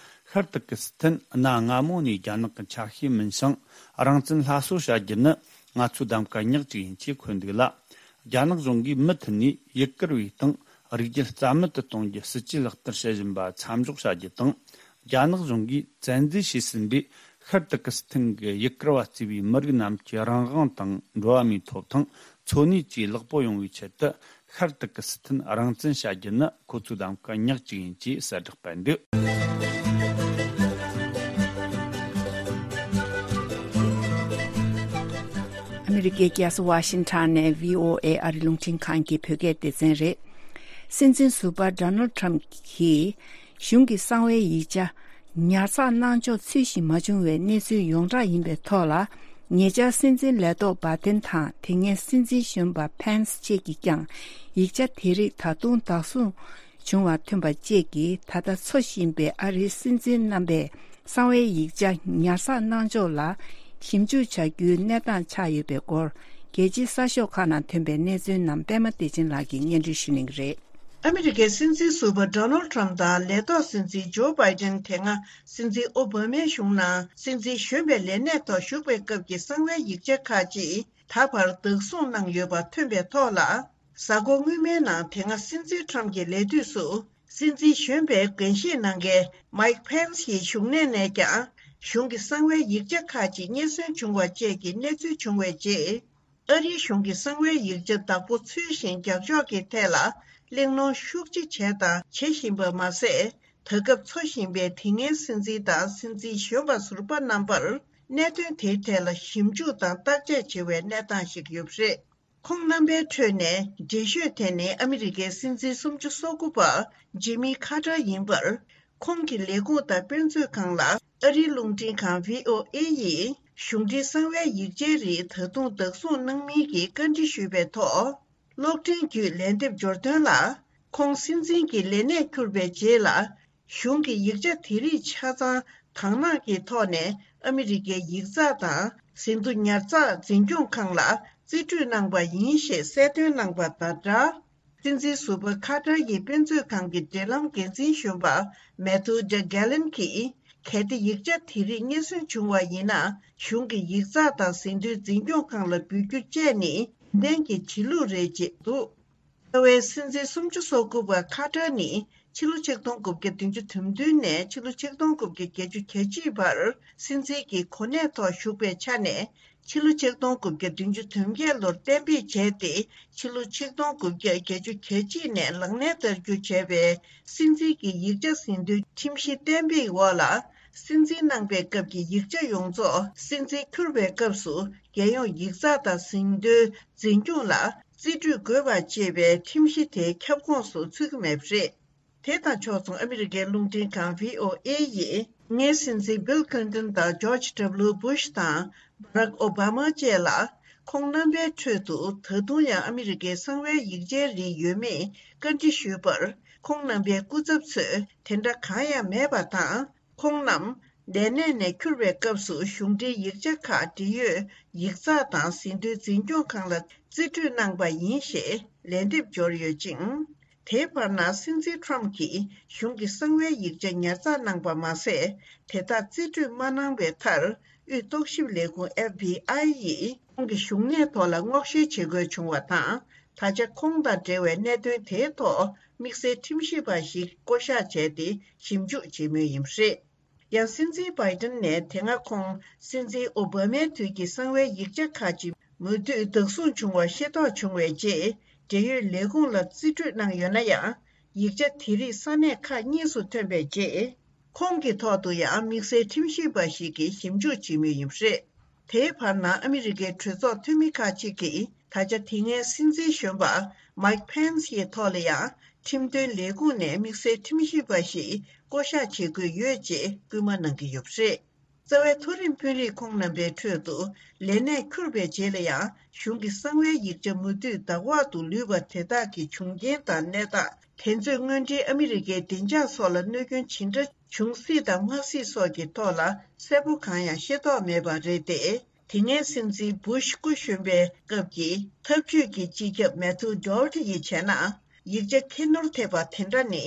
ཤར་ཏུར་ཀི་སི་ཐན་གནའ་སྔ་མོ་ནས་རྒྱ་ནག་གི་ཆ་ཤས་མིན་ཞིང་། རང་བཙན་སླར་གསོ་བྱ་རྒྱུ་ནི་ང་ཚོའི་གདམ་ག་ཉག་གཅིག་ཡིན་ཅེས་འཁོད་འདུག་ལ། རྒྱ་ནག་གཞུང་གིས་མུ་མཐུད་ནས་ཡུ་གུར་བའི་སྟེང་རིགས་རྒྱུད་རྩ་མེད་དུ་གཏོང་རྒྱུའི་སྲིད་ཇུས་ལག་བསྟར་བྱེད་བཞིན་པ་མཚམས་འཇོག་བྱ་རྒྱུ་དང་། རྒྱ་ནག་གཞུང་གིས་བཙན་འཛུལ་བྱས་ཟིན་པའི་ཤར་ཏུར་ཀི་སི་ཐན་གྱི་ཡུ་གུར་བ་གཙོས་པའི་མི་རིགས་རྣམས་ཀྱི་རང་དབང་དང་འགྲོ་བ་མིའི་ཐོབ་ཐང་འཚོ་གནས་བཅས་ལེགས་པོ་ཡོང་བའི་ཆེད་དུ། ཤར་ཏུར་ཀི་སི་ཐན་རང་བཙན་བྱ་རྒྱུ་ནི་ཁོ་ཚོའི་གདམ་ག་ཉག་གཅིག་ཡིན་ཅེས་གསལ་བསྒྲགས་སྤེལ་འདུག་ཨ་མི་རི་ཀའི་རྒྱལ་ས་ཝ་ཤིང་ཊོན་ནས་བྷི་ཨོ་ཨེ་ཨ་རི་རླུང་འཕྲིན་ཁང་གི་བོད་སྐད་སྡེ་ཚན་རེད། སྲིད་འཛིན་ཟུར་པ་ཌོ་ནལ་ཌི་ཊརམ་གྱིས། གཞུང་གི་གསང་བའི་ཡིག་ཆ་ཉར་ཚགས་གནང་ཕྱོགས་ཚུལ་བཞིན་མ་བྱུང་བའི་གནས་ཚུལ་ཡོངས་གྲགས་ཡིན་པའི་ཐོག་ལ། ཉེ་ཆར་སྲིད་འཛིན་ལས་ཐོག་བྷ་ཏན་དང་དེ་སྔའི་སྲིད་འཛིན་གཞོན་པ་ཕེན་སི་བཅས་ཀྱིས་ཀྱང་ཡིག་ཆ་དེ་རིགས་ད་དུང་བདག་བཟུང་བྱུང་བ་ཐོན་པ་བཅས་ཀྱིས་ད་ལྟ་འཚོ་བཞིན་པའི་ཨ་རིའི་སྲིད་འཛིན་རྣམ་པས་གསང་བའི་ཡིག་ཆ་ཉར་ཚགས་གནང་ཕྱོགས་ལ་ཞིབ་འཇུག་བྱ་རྒྱུའི་གནས་སྟངས་ཆགས་ཡོད་པའི་སྐོར། རྒྱལ་སྤྱིའི་གསར་ཤོག་ཁག་ནང་ཐོན་པའི་གནས་ཚུལ་རྣམས་པད་མ་བདེ་ཆེན་ལགས་ཀྱིས་སྙན་སྒྲོན་ཞུ་གནང་གི་རེད། ཨ་མི་རི་ཀའི་སྲིད་འཛིན་ཟུར་པ་ཌོ་ནལ་ཌི་ཊརམ་དང་ལས་ཐོག་སྲིད་འཛིན་ཇོ་བྷའི་ཏན་དེ་སྔ་སྲིད་འཛིན་ཨོ་བྷ་མའི་གཞུང་ནང་སྲིད་འཛིན་གཞོན་པའི་ལས་གནས་ཐོག་བཞུགས་པའི་སྐབས་ཀྱི་གསང་བའི་ཡིག་ཆ་ཁག་ཅིག་ད་བར་བདག་བཟུང་གནང་ཡོད་པ་ཐོན་པའི་ཐོག་ལ། གཟའ་འཁོར་སྔོན་མའི་ནང་དེ་སྔ་སྲིད་འཛིན་ཊརམ་གྱི་ལས་དུས་སུ་སྲིད་འཛིན་གཞོན་པའི་འགན་བཞེས་གནང་མཁན་མའིག་ཕེན་སི་ཡི་བཞུགས་གནས་ནས་ཀྱང་གཞུང་གི་གསང་བའི་ཡིག་ཆ་ཁག་ཅིག་རྙེད་སོན་བྱུང་བ་བཅས་ཀྱི་གནས་ཚུལ་བྱུང་བའི་རྗེས། ཨ་རིའི་གཞུང་གིས་གསང་བའི་ཡིག་ཆ་བདག་པོ་ཚུལ་བཞིན་རྒྱག་ཕྱོགས་ཀྱི་ཐད་ལ་གླེང་སློང་ཤུགས་ཆེ་བྱས་དང་བྱེད་བཞིན་པ་མ་ཟད། ད་སྐབས་འཚོ་བཞིན་པའི་དེ་སྔའི་སྲིད་འཛིན་དང་སྲིད་འཛིན་གཞོན་པ་ཟུར་པ་རྣམ་པར་གནད་དོན་དེའི་ཐད་ལ་ཞིབ་འཇུག་དང་བརྟག་དཔྱད་བྱེད་པའི་གནས་སྟངས་ཤིག་ཡོད་པ་རེད། ཁོང་རྣམ་པའི་ཁྲོད་ནས་འགྲེལ་བཤད་དེ་ནི་ཨ་མི་རི་ཀའི་སྲིད་འཛིན་སུམ་ཅུ་སོ་དགུ་པ་ཇི་མི་ཁ་ཏར་ཡིན་པར། ཁོང་གི་ལས་ཁུངས་དང་དཔེ་མཛོད་ཁང་ལ་ཨ་རིའི་རླུང་འཕྲིན་ཁང་བྷི་ཨོ་ཨེ་ཡིས་གཞུང་འབྲེལ་གསང་བའི་ཡིག་ཆའི་རིགས་ད་དུང་བདག་བཟུང་གནང་མིན་གྱི་བཀའ་འདྲི་ཞུས་པའི་ཐོག་གློག་འཕྲིན་བརྒྱུད་ལན་འདེབས་འབྱོར་དོན་ལ། ཁོང་སྲིད་འཛིན་གྱི་ལས་གནས་འཁུར་བའི་རྗེས་ལ། གཞུང་གི་ཡིག་ཆ་དེ་རིགས་ཆ་ཚང་དག་སྣང་གི་ཐོག་ནས་ཨ་མི་རི་ཀའི་ཡིག་ཚགས་དང་ཟིན་ཐོ་ཉར་ཚགས་འཛིན་སྐྱོང་ཁང་ལ་རྩིས་སྤྲོད་གནང་པ་ཡིན་ཞེས་གསལ་སྟོན་གནང་པ་དང་སྦྲགས། སྲིད་འཛིན་ཟུར་པ་ཁ་ཏར་གྱི་དཔེ་མཛོད་ཁང་གི་འབྲེལ་ལམ་འགན་འཛིན་གཞོན་པ་མེ་ཐུ་ཌེ་གྷེ་ལན་གྱིས། གལ་ཏེ་ཡིག་ཆ་དེ་རིགས་རྙེད་སོན་བྱུང་བ་ཡིན་ན། གཞུང་གི་ཡིག་ཚགས་དང་ཟིན་ཐོའི་འཛིན་སྐྱོང་ཁང་ལ་འབུལ་རྒྱུ་བཅས་ནི་ལན་གྱི་བྱེད་ལུགས་རེད་ཅེས་འདུག་རྩ་བའི་སྲིད་འཛིན་སུམ་ཅུ་སོ་དགུ་པ་ཁ་ཏར་ནི་ཕྱི་ལོ་ཆིག་སྟོང་དགུ་བརྒྱ་བདུན་ཅུ་དོན་བདུན་ནས་ཕྱི་ལོ་ཆིག་སྟོང་དགུ་བརྒྱ་བརྒྱད་ཅུ་གྱ་གཅིག་བར་སྲིད་འཛིན་གྱི་གོ་གནས་ཐོག་བཞུགས་པའི་ཆ་ནས། ཕྱི་ལོ་ཆིག་སྟོང་དགུ་བརྒྱ་བདུན་ཅུ་དོན་བརྒྱད་ལོར་གཏན་འབེབས་བྱས་ཏེ། ཕྱི་ལོ་ཆིག་སྟོང་དགུ་བརྒྱ་བརྒྱད་ཅུ་གྱ་གཅིག་ནས་ལག་ལེན་བསྟར་རྒྱུ་བྱས་པའི་སྲིད་འཛིན་གྱི་ཡིག་ཆ་ཟིན་ཐོའི་ཁྲིམས་གཞི་གཏན་འབེབས་འོག་ལ། སྲིད་འཛིན་གནང་པའི་སྐབས་ཀྱི་ཡིག་ཆ་ཡོངས་རྫོགས་སྲིད་འཛིན་འཁྱུར་བའི་སྐབས་སུ་རྒྱལ་ཡོངས་ཡིག་ཚགས་དང་ཟིན་ཐོའི་འཛིན་སྐྱོང་ལ་རྩིས་སྤྲོད་དགོས་པ་ཅེས་པའི་ཁྲིམས་གཞི་དེའི་ཁྱབ་ཁོངས་སུ་ཚུད་ཀྱི་མེད་པ་རེད། དེ་དང་ཕྱོགས་མཚུངས་ཨ་མི་རི་ཀའི་རླུང་འཕྲིན་ཁང་བྷི་ཨོ་ཨེ་ཡིས་སྔའི་སྲིད་འཛིན་བྷིལ་ཁི་ལིན་ཏོན་དང་ཇོརྗ་ཌབ་ལིའུ་བྷུཤ་དང་བྷ་རག་ཨོ་བྷ་མ་བཅས་ལ། ཁོང་རྣམ་པའི་ཁྲོད་དུ་ད་དུང་ཡང་ཨ་མི་རི་ཀའི་གསང་བའི་ཡིག་ཆའི་རིགས་ཡོད་མེད་བཀའ་འདྲི་ཞུས་པར། ཁོང་རྣམ་པའི་སྐུ་ཚབ་ཚོས་དེ་འདྲ་གང་ཡང་མེད་པ་དང་། ཁོང་རྣམས་ལས་གནས་ནས་འཁྱུར་བའི་སྐབས་སུ་གཞུང་འབྲེལ་ཡིག་ཆ་ཁག་འབྲེལ་ཡོད་ཡིག་ཚགས་དང་ཟིན་ཐོའི་འཛིན་སྐྱོང་ཁང་ལ་རྩིས་སྤྲོད་གནང་པ་ཡིན་ཞེས་ལན་འདེབས་འབྱོར་ཡོད་ཅིང་། དེའི་བར་ན་སྲིད་འཛིན་ཁྲོམ་གྱིས་གཞུང་གི་གསང་བའི་ཡིག་ཆ་ཉར་ཚགས་གནང་པ་མ་ཟད། དེ་དག་རྩིས་སྤྲོད་མ་གནང་བའི་མཐར། དབུས་རྟོག་ཞིབ་ལས་ཁུངས་ཨེཕ་བྷི་ཨའི་ཡིས་ཁོང་གི་བཞུགས་གནས་ཐོག་ལ་སྔོག་བཤེར་བྱེད་དགོས་བྱུང་བ་དང་། ད་ཆ་ཁོང་དང་འབྲེལ་བའི་གནད་དོན་དེའི་ཐོག་དམིགས་བསལ་ཁྲིམས་ཞིབ་པ་ཞིག་བསྐོ་གཞག་བྱས་ཏེ་ཞིབ་འཇུག་བྱེད་མུས་ཡིན་པ་རེད། ཡང་སྲིད་འཛིན་བྷའི་ཏིན་ནས་དེ་སྔ་ཁོང་སྲིད་འཛིན་ཨོ་བྷ་མའི་དུས་ཀྱི་གསང་བའི་ཡིག་ཆ་ཁག་ཅིག་མུ་མཐུད་བདག་བཟུང་བྱུང་བ་ཤེས་རྟོགས་བྱུང་བའི་རྗེས། འབྲེལ་ཡོད་ལས་ཁུངས་ལ་རྩིས་སྤྲོད་གནང་ཡོད་ན་ཡང་། ཡིག་ཆ་དེ་རིགས་ས་གནས་ཁག་གཉིས་སུ་ཐོན་པའི་རྗེས། ཁོང་གི་ཐོག་ཏུ་ཡང་དམིགས་བསལ་ཁྲིམས་ཞིབ་པ་ཞིག་གིས་ཞིབ་འཇུག་བྱེད་མུས་ཡིན་པ་རེད། དེའི་བར་ན་ཨ་མི་རི་ཀའི་གྲོས་ཚོགས་འཐུས་མི་ཁག་ཅིག་གིས་ད་ཆ་དེ་སྔའི་སྲིད་འཛིན་གཞོན་པ་མཱིག་ཕེན་སི་ཡི་ཐོག་ལ་ཡང་ཁྲིམས་དོན་ལས་ཁུངས་ནས་དམིགས་བསལ་ཁྲིམས་ཞིབ་པ་ཞིག་བསྐོ་གཞག་བྱེད་དགོས་ཡོད་ཅེས་སྐུལ་མ་གནང་གི་ཡོད་པ་རེད། རྩ་བའི་མཐོ་རིམ་དཔོན་རིགས་ཁོང་རྣམ་པའི་ཁྲོད་དུ་ལས་གནས་འཁུར་བའི་རྗེས་ལ་ཡང་གཞུང་གི་གསང་བའི་ཡིག་ཆ་མུ་མཐུད་བདག་འོག་ཏུ་ལུས་པ་དེ་དག་གི་བྱུང་རྐྱེན་དང་གནས་སྟངས། དེ་ཚོས་དངོས་འབྲེལ་ཨ་མི་རི་ཀའི་བདེ་འཇགས་སོགས་ལ་གནོད་སྐྱོན་ཇི་འདྲ་བྱུང་སྲིད་དང་མ་སྲིད་སོགས་ཀྱི་ཐོག་ལ་གསལ་པོ་གང་ཡང་ཤེས་རྟོགས་མེད་པ་རེད་དེ། དེ་སྔའི་སྲིད་འཛིན་བུ་ཤི་སྐུ་གཞོན་པའི་སྐབས་ཀྱི་ཐབས་ཇུས་ཀྱི་སྤྱི་ཁྱབ་མེ་ཐུ་ཌོ་ཝར་ཐི་ཡིས་བྱས་ན། ཡིག་ཆ་ཁྱད་ནོར་ཐེབས་པ་དེ་འདྲ་ནི།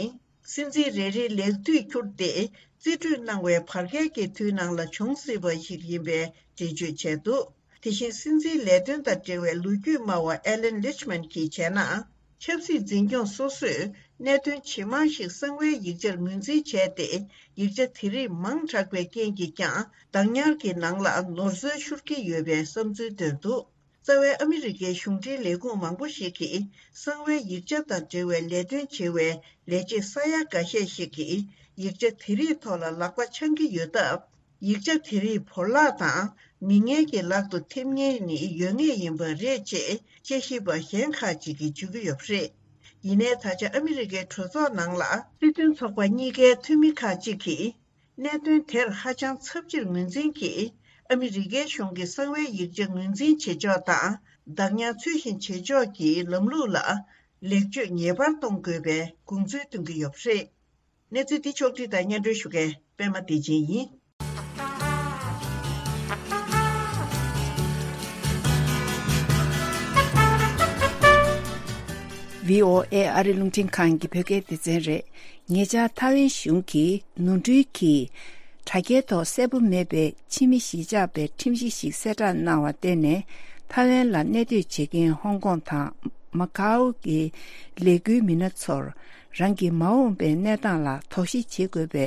སྲིད་འཛིན་རེ་རེའི་ལས་དུས་འཁྱུར་ཏེ་རྩིས་སྤྲོད་གནང་བའི་བར་བརྒལ་གྱི་དུས་ནང་ལ་བྱུང་སྲིད་པ་ཞིག་ཡིན་པའི་འགྲེལ་བརྗོད་བྱས་འདུག་དེ་བཞིན་སྲིད་འཛིན་ལས་དོན་དང་འབྲེལ་བའི་ལོ་རྒྱུས་སྨྲ་བ་ཨེ་ལན་ལིཆ་མན་གྱིས་བྱས་ན། ཆབ་སྲིད་འཛིན་སྐྱོང་སོ་སོས་གནད་དོན་ཇི་མང་ཞིག་གསང་བའི་ཡིག་ཆར་ངོས་འཛིན་བྱས་ཏེ། ཡིག་ཆ་དེ་རིགས་མང་དྲགས་པའི་རྐྱེན་གྱིས་ཀྱང་བདག་ཉར་གྱི་ནང་ལ་ནོར་འཛོལ་ཤོར་གྱི་ཡོད་པའི་བསམ་ཚུལ་བཏོན་འདུག་རྩ་བའི་ཨ་མི་རི་ཀའི་གཞུང་འབྲེལ་ལས་ཁུངས་མང་པོ་ཞིག་གིས་གསང་བའི་ཡིག་ཆ་དང་འབྲེལ་བའི་ལས་དོན་བྱེད་པའི་ལས་བྱེད་ས་ཡ་འགའ་ཤས་ཤིག་གིས་ཡིག་ཆ་དེ་རིགས་ཐོག་ལ་ལག་པ་འཆང་གི་ཡོད་སྟབས། ཡིག་ཆ་དེ་རིགས་བོར་བརླག་དང་མི་ངན་གྱི་ལག་ཏུ་ཐེབས་ཉེན་ནི་ཡོད་ངེས་ཡིན་པ་རེད་ཅེས་དཔྱད་ཞིབ་པ་གཞན་ཁག་ཅིག་གིས་བརྗོད་ཀྱི་ཡོད་པ་རེད། ཡིན་ནའི་ད་ཆ་ཨ་མི་རི་ཀའི་གྲོས་ཚོགས་ནང་ལ་སྲིད་དོན་ཚོགས་པ་གཉིས་ཀའི་འཐུས་མི་ཁག་ཅིག་གིས། གནད་དོན་དེར་ཧ་ཅང་ཚབས་ཆེར་ངོས་འཛིན་གྱིས། ཨ་མི་རི་ཀའི་གཞུང་གི་གསང་བའི་ཡིག་ཆ་ངོས་འཛིན་བྱེད་ཕྱོགས་དང་། བདག་ཉར་ཚུལ་བཞིན་བྱེད་ཕྱོགས་ཀྱི་ལམ་ལུགས་ལ་ལེགས་བཅོས་ངེས་པར་གཏོང་དགོས་པའི་དགོངས་ཚུལ་བཏོན་གྱི་ཡོད་པ་རེད། གནས་ཚུལ་འདི་ཕྱོགས་བསྒྲིགས་དང་སྙན་སྒྲོན་ཞུ་མཁན་པད་མ་བདེ་ཆེན་ཡིན། བྷི་ཨོ་ཨེ་ཨ་རི་རླུང་འཕྲིན་ཁང་གི་བོད་སྐད་སྡེ་ཚན་རེད། ཉེ་ཆར་ཐའེ་ཝན་གཞུང་གིས་ནོར་འཁྲུལ་གྱིས་དྲ་རྒྱའི་ཐོག་གསལ་པོ་མེད་པའི་ཕྱི་མི་གཞིས་ཆགས་པའི་ཁྲིམས་གཞི་ཞིག་གསལ་བསྒྲགས་གནང་བར་བརྟེན་ནས། ཐའེ་ཝན་ལ་གནས་སྡོད་བྱེད་མཁན་ཧོང་ཀོང་དང་མ་ཀའོ་གི་ལས་འགུལ་མི་སྣ་ཚོར་རང་གི་མ་འོངས་པའི་གནས་སྟངས་ལ་དོགས་གཞི་བྱེད་དགོས་པའི།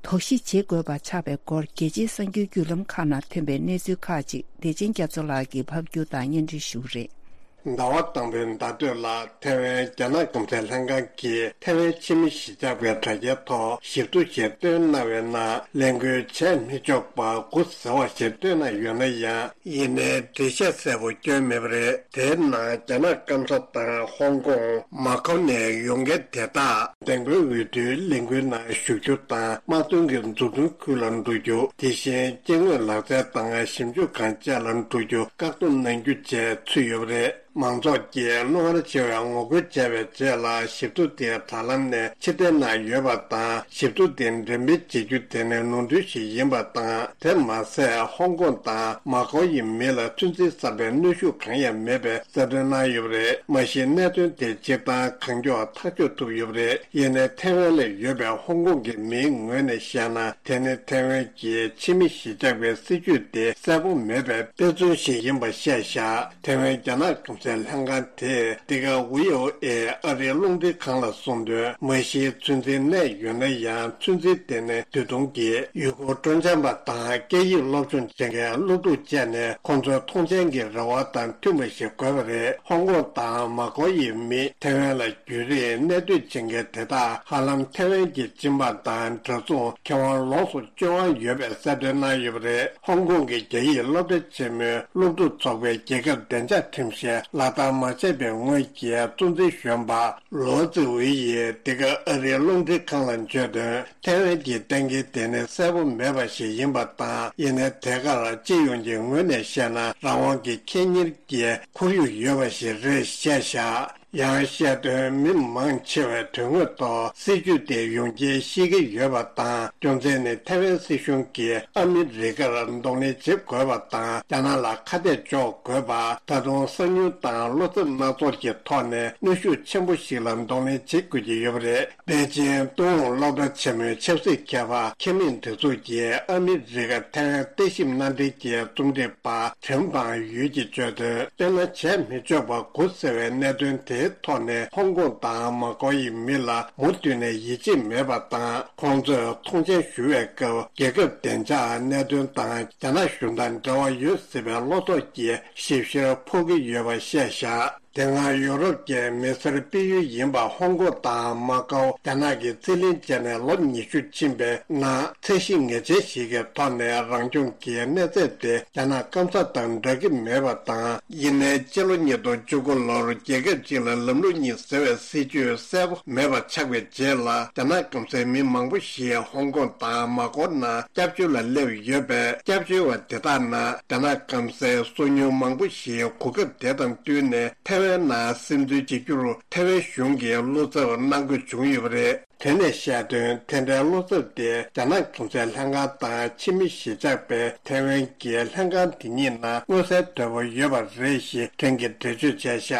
དོགས་གཞི་བྱེད་དགོས་པ་ཆགས་པའི་སྐོར། རྒྱལ་སྤྱིའི་གསར་འགྱུར་བརྒྱུད་ལམ་ཁག་ནང་ཐོན་པའི་གནས་ཚུལ་ཁག་ཅིག་བདེ་ཆེན་རྒྱ་མཚོ་ལགས་ཀྱིས་ཕབ་སྒྱུར་དང་སྙན་སྒྲོན་ཞུ་གི་རེད། ཟླ་བ་དང་པོའི་ཟླ་སྟོད་ལ་ཐའེ་ཝན་རྒྱ་ནག་གོང་གསལ་ལྷན་ཁང་གིས་ཐའེ་ཝན་ཕྱི་མི་གཞིས་ཆགས་པའི་དྲ་རྒྱའི་ཐོག་ཞིབ་ཏུ་ཞལ་བཏོན་གནང་བའི་ནང་ལས་འགུལ་བྱས་མི་ཆོག་པ་དགུ་ཟེར་བ་ཞིག་བཏོན་གནང་ཡོད་ན་ཡང་། ཡིན་ནའི་འགྲེལ་བཤད་གསལ་པོ་བསྐྱོན་མེད་པ་རེད། དེའི་ནང་རྒྱ་ནག་སྐམ་ས་དང་ཧོང་ཀོང་མ་ཀའོ་ནས་ཡོང་མཁན་དེ་དག་འདེམས་བསྐོའི་འོས་བསྡུའི་ལས་འགུལ་ནང་ཞུགས་རྒྱུ་དང་། དམག་དོན་གྱི་མཛུབ་སྟོན་ཁུལ་ལ་འགྲོ་རྒྱུ། དེ་བཞིན་སྐྱེ་དངོས་ལག་རྩལ་དང་ཞིབ་འཇུག་ཁང་བཅས་ལ་འགྲོ་རྒྱུ་བཀག་སྡོམ་གནང་རྒྱུ་བཅས་ཚུད་ཡོད་པ་རེད། མང་ཚོགས་ཀྱིས་རྣོ་ངར་ཆེ་བའི་ངོ་རྒོལ་བྱས་པའི་རྗེས་ལ། ཞིབ་ཐོ་དེ་དྲ་ལམ་ནས་ཕྱིར་འཐེན་གནང་ཡོད་པ་དང་། ཞིབ་ཐོ་དེ་འགྲེམས་སྤེལ་བྱེད་རྒྱུ་དེ་ནི་ནོར་འཁྲུལ་ཞིག་ཡིན་པ་དང་། དེ་མ་ཟད། ཧོང་ཀོང་དང་མ་ཀའོ་ཡི་མི་ལ་ཚོད་འཛིན་བསམ་པའི་གནོན་ཤུགས་གང་ཡང་མེད་པའི་གསལ་སྟོན་གནང་ཡོད་པ་རེད། མ་གཞི་གནད་དོན་དེ་སྤྱིར་བཏང་གང་མགྱོགས་ཐག་གཅོད་ཐུབ་ཡོད་པ་རེད། ཡིན་ནའི་ཐའེ་ཝན་ལ་ཡོད་པའི་ཧོང་ཀོང་གི་མིའི་ངོས་ནས་བཤད་ན། དེ་ནི་ཐའེ་ཝན་གྱི་ཕྱི་མི་གཞིས་ཆགས་པའི་སྲིད་ཇུས་དེ་གསལ་པོ་མེད་པའི་དཔེ་མཚོན་ཞིག་ཡིན་པ་བཤད་བཞག་ཐའེ་ཝན་རྒྱ་ནག་གོང་གསལ་ལྷན་ཁང་དེས་འདི་ག་ཝི་ཨོ་ཨེ་ཨ་རིའི་རླུང་འཕྲིན་ཁང་ལ་གསུངས་དོན། མ་གཞི་ཚོད་འཛིན་གནས་ཡོད་ན་ཡང་། ཚོད་འཛིན་དེ་ནི་དུས་ཐུང་གི་ཡུལ་སྐོར་སྤྲོ་འཆམ་པ་དང་། སྐད་ཡིག་སློབ་སྦྱོང་བྱེད་མཁན་སློབ་ཕྲུག་བཅས་ནས་ཁོང་ཚོའི་མཐོང་མཆན་གྱི་རེ་བ་དང་མཐུན་པ་ཞིག་དགོས་པ་རེད། ཧོང་ཀོང་དང་མ་ཀའོ་ཡི་མི་ཐའེ་ཝན་ལ་རྒྱུན་རིང་གནས་སྡོད་བྱེད་མཁན་དེ་དག་ཧ་ལམ་ཐའེ་ཝན་གྱི་སྦྱིན་པ་དང་འདྲ་མཚུངས་ཁེ་དབང་ལོངས་སུ་སྤྱོད་དབང་ཡོད་པའི་གསལ་སྟོན་གནང་ཡོད་པ་རེད། ཧོང་ཀོང་གི་རྒྱ་ཡིག་སློབ་གྲྭ་ཆེན་མོའི་སློབ་ཕྲུག་ཚོགས་པའི་རྒྱལ་ཁབ་བདེ་འཇགས་ཁྲིམས་བཞིན་ལག་བསྟར་མ་བྱས་པའི་ངོས་ཀྱི་གཙོ་འཛིན་གཞོན་པ་ལོ་ཙི་ཝེ་ཡིས་འདི་ག་ཨ་རིའི་རླུང་འཕྲིན་ཁང་ལ་བརྗོད་དོན། ཐའེ་ཝན་གྱི་གཏན་འཁེལ་དེ་ནི་གསལ་པོ་མེད་པ་ཞིག་ཡིན་པ་དང་། ཡིན་ནའི་དེ་གར་སྤྱི་ཡོངས་ཀྱི་ངོས་ནས་བཤད་ན། རང་དབང་གི་ཁེ་གཉེར་གྱི་ཁོར་ཡུག་ཡོད་པ་ཞིག་རེད་བཤད་བཞག་ཡང་བཤད་དོན། མི་མང་ཆེ་བས་དོན་དངོས་ཐོག་སྲིད་ཇུས་དེ་ཡོངས་ཁྱབ་ཤེས་ཀྱི་ཡོད་པ་དང་། རྒྱུ་མཚན་ནི་ཐའེ་ཝན་སྲིད་གཞུང་གིས་ཨ་མི་རི་ཀར་གདོང་ལེན་བྱེད་དགོས་པ་དང་། རྒྱ་ནག་ལ་ཁ་གཏད་གཅོག་དགོས་པ། ད་དུང་གསང་མྱུལ་དང་བློ་འཚབ་སྣ་ཚོགས་ཀྱི་ཐོག་ནས་གནོན་ཤུགས་ཆེན་པོ་ཞིག་ལ་གདོང་ལེན་བྱེད་དགོས་ཀྱི་ཡོད་པ་རེད། པེ་ཅིན་ཏུན་ཧོང་སློབ་གྲྭ་ཆེན་མོའི་ཆབ་སྲིད་མཁས་པ་ཁེ་མིན་སྒྲིག་འཛུགས་ཀྱི་ཨ་མི་རི་ཀ་ཐའེ་ཝན་ལྟ་ཞིབ་མནའ་འབྲེལ་གྱི་རྩོམ་སྒྲིག་པ་ཁྲེན་པང་ཡུས་ཀྱིས་བརྗོད་དོན། དཔེར་ན། བྱས་མི་ཆོག་པ་དགུ་ཟེར་བའི་གནད་དོན་དེའི་ཐོག་ནས་ཧོང་ཀོང་དང་མ་ཀའོ་ཡི་མི་ལ་མུ་མཐུད་ནས་ཡིད་ཆེས་མེད་པ་དང་། ཁོང་ཚོས་མཐོང་མཆན་ཞུ་བའི་སྐབས། རྒྱལ་ཁབ་བདེ་འཇགས་གནད་དོན་དང་རྒྱ་ནག་གཞུང་དང་འབྲེལ་བ་ཡོད་སྲིད་པའི་བློ་དོགས་ཀྱི་ཞིབ་བཤེར་ཕོག་གི་ཡོད་པ་བཤད་བཞག་དེ་སྔ་ཡུ་རོབ་ཀྱི་མི་སེར་སྤེལ་ཡུལ་ཡིན་པ་ཧོང་ཀོང་དང་མ་ཀའོ། རྒྱ་ནག་གིས་རྩིས་ལེན་བྱས་ནས་ལོ་ཉི་ཤུ་ཕྱིན་པའི་ནང་། ཚད་གཞི་ངེས་ཅན་ཞིག་གི་ཐོག་ནས་རང་སྐྱོང་གི་གནས་ཚད་དེ་རྒྱ་ནག་སྐམ་ས་དང་འདྲ་གི་མེད་པ་དང་། ཡིན་ནའི་སྤྱི་ལོ་ཉིས་སྟོང་བཅུ་དགུ་ལོར་རྒྱལ་ཁབ་གཅིག་ལ་ལམ་ལུགས་གཉིས་ཟེར་བའི་སྲིད་ཇུས་གསལ་པོ་མེད་པ་ཆགས་པའི་རྗེས་ལ། རྒྱ་ནག་སྐམ་སའི་མི་མང་པོ་ཞིག་ཧོང་ཀོང་དང་མ་ཀའོ་ནང་སྐྱབས་བཅོལ་ལ་སླེབས་ཡོད་པས། སྐྱབས་བཅོལ་བ་དེ་དག་ནང་རྒྱ་ནག་སྐམ་སའི་སོ་ཉུལ་མང་པོ་ཞིག་གོ་སྐབས་དེ་དང་བསྟུན་ནས་ཐའེ་ཝན་ནང་སིམ་འཛུལ་བྱེད་རྒྱུར་ཐའེ་ཝན་གཞུང་གིས་བློ་འཚབ་གནང་དགོས་བྱུང་ཡོད་པ་རེད། དེ་ནས་བཤད་དོན། དེ་འདྲའི་བློ་འཚབ་དེ་རྒྱ་ནག་གོང་གསལ་ལྷན་ཁང་དང་ཕྱི་མི་གཞིས་ཆགས་པའི་ཐའེ་ཝན་གྱི་ལྷན་ཁང་དེ་གཉིས་ནང་མངོན་གསལ་དོད་པོ་ཡོད་པ་རེད་ཞེས་ཁྲེན་གྱིས་འགྲེལ་བརྗོད་བྱས་བཞག་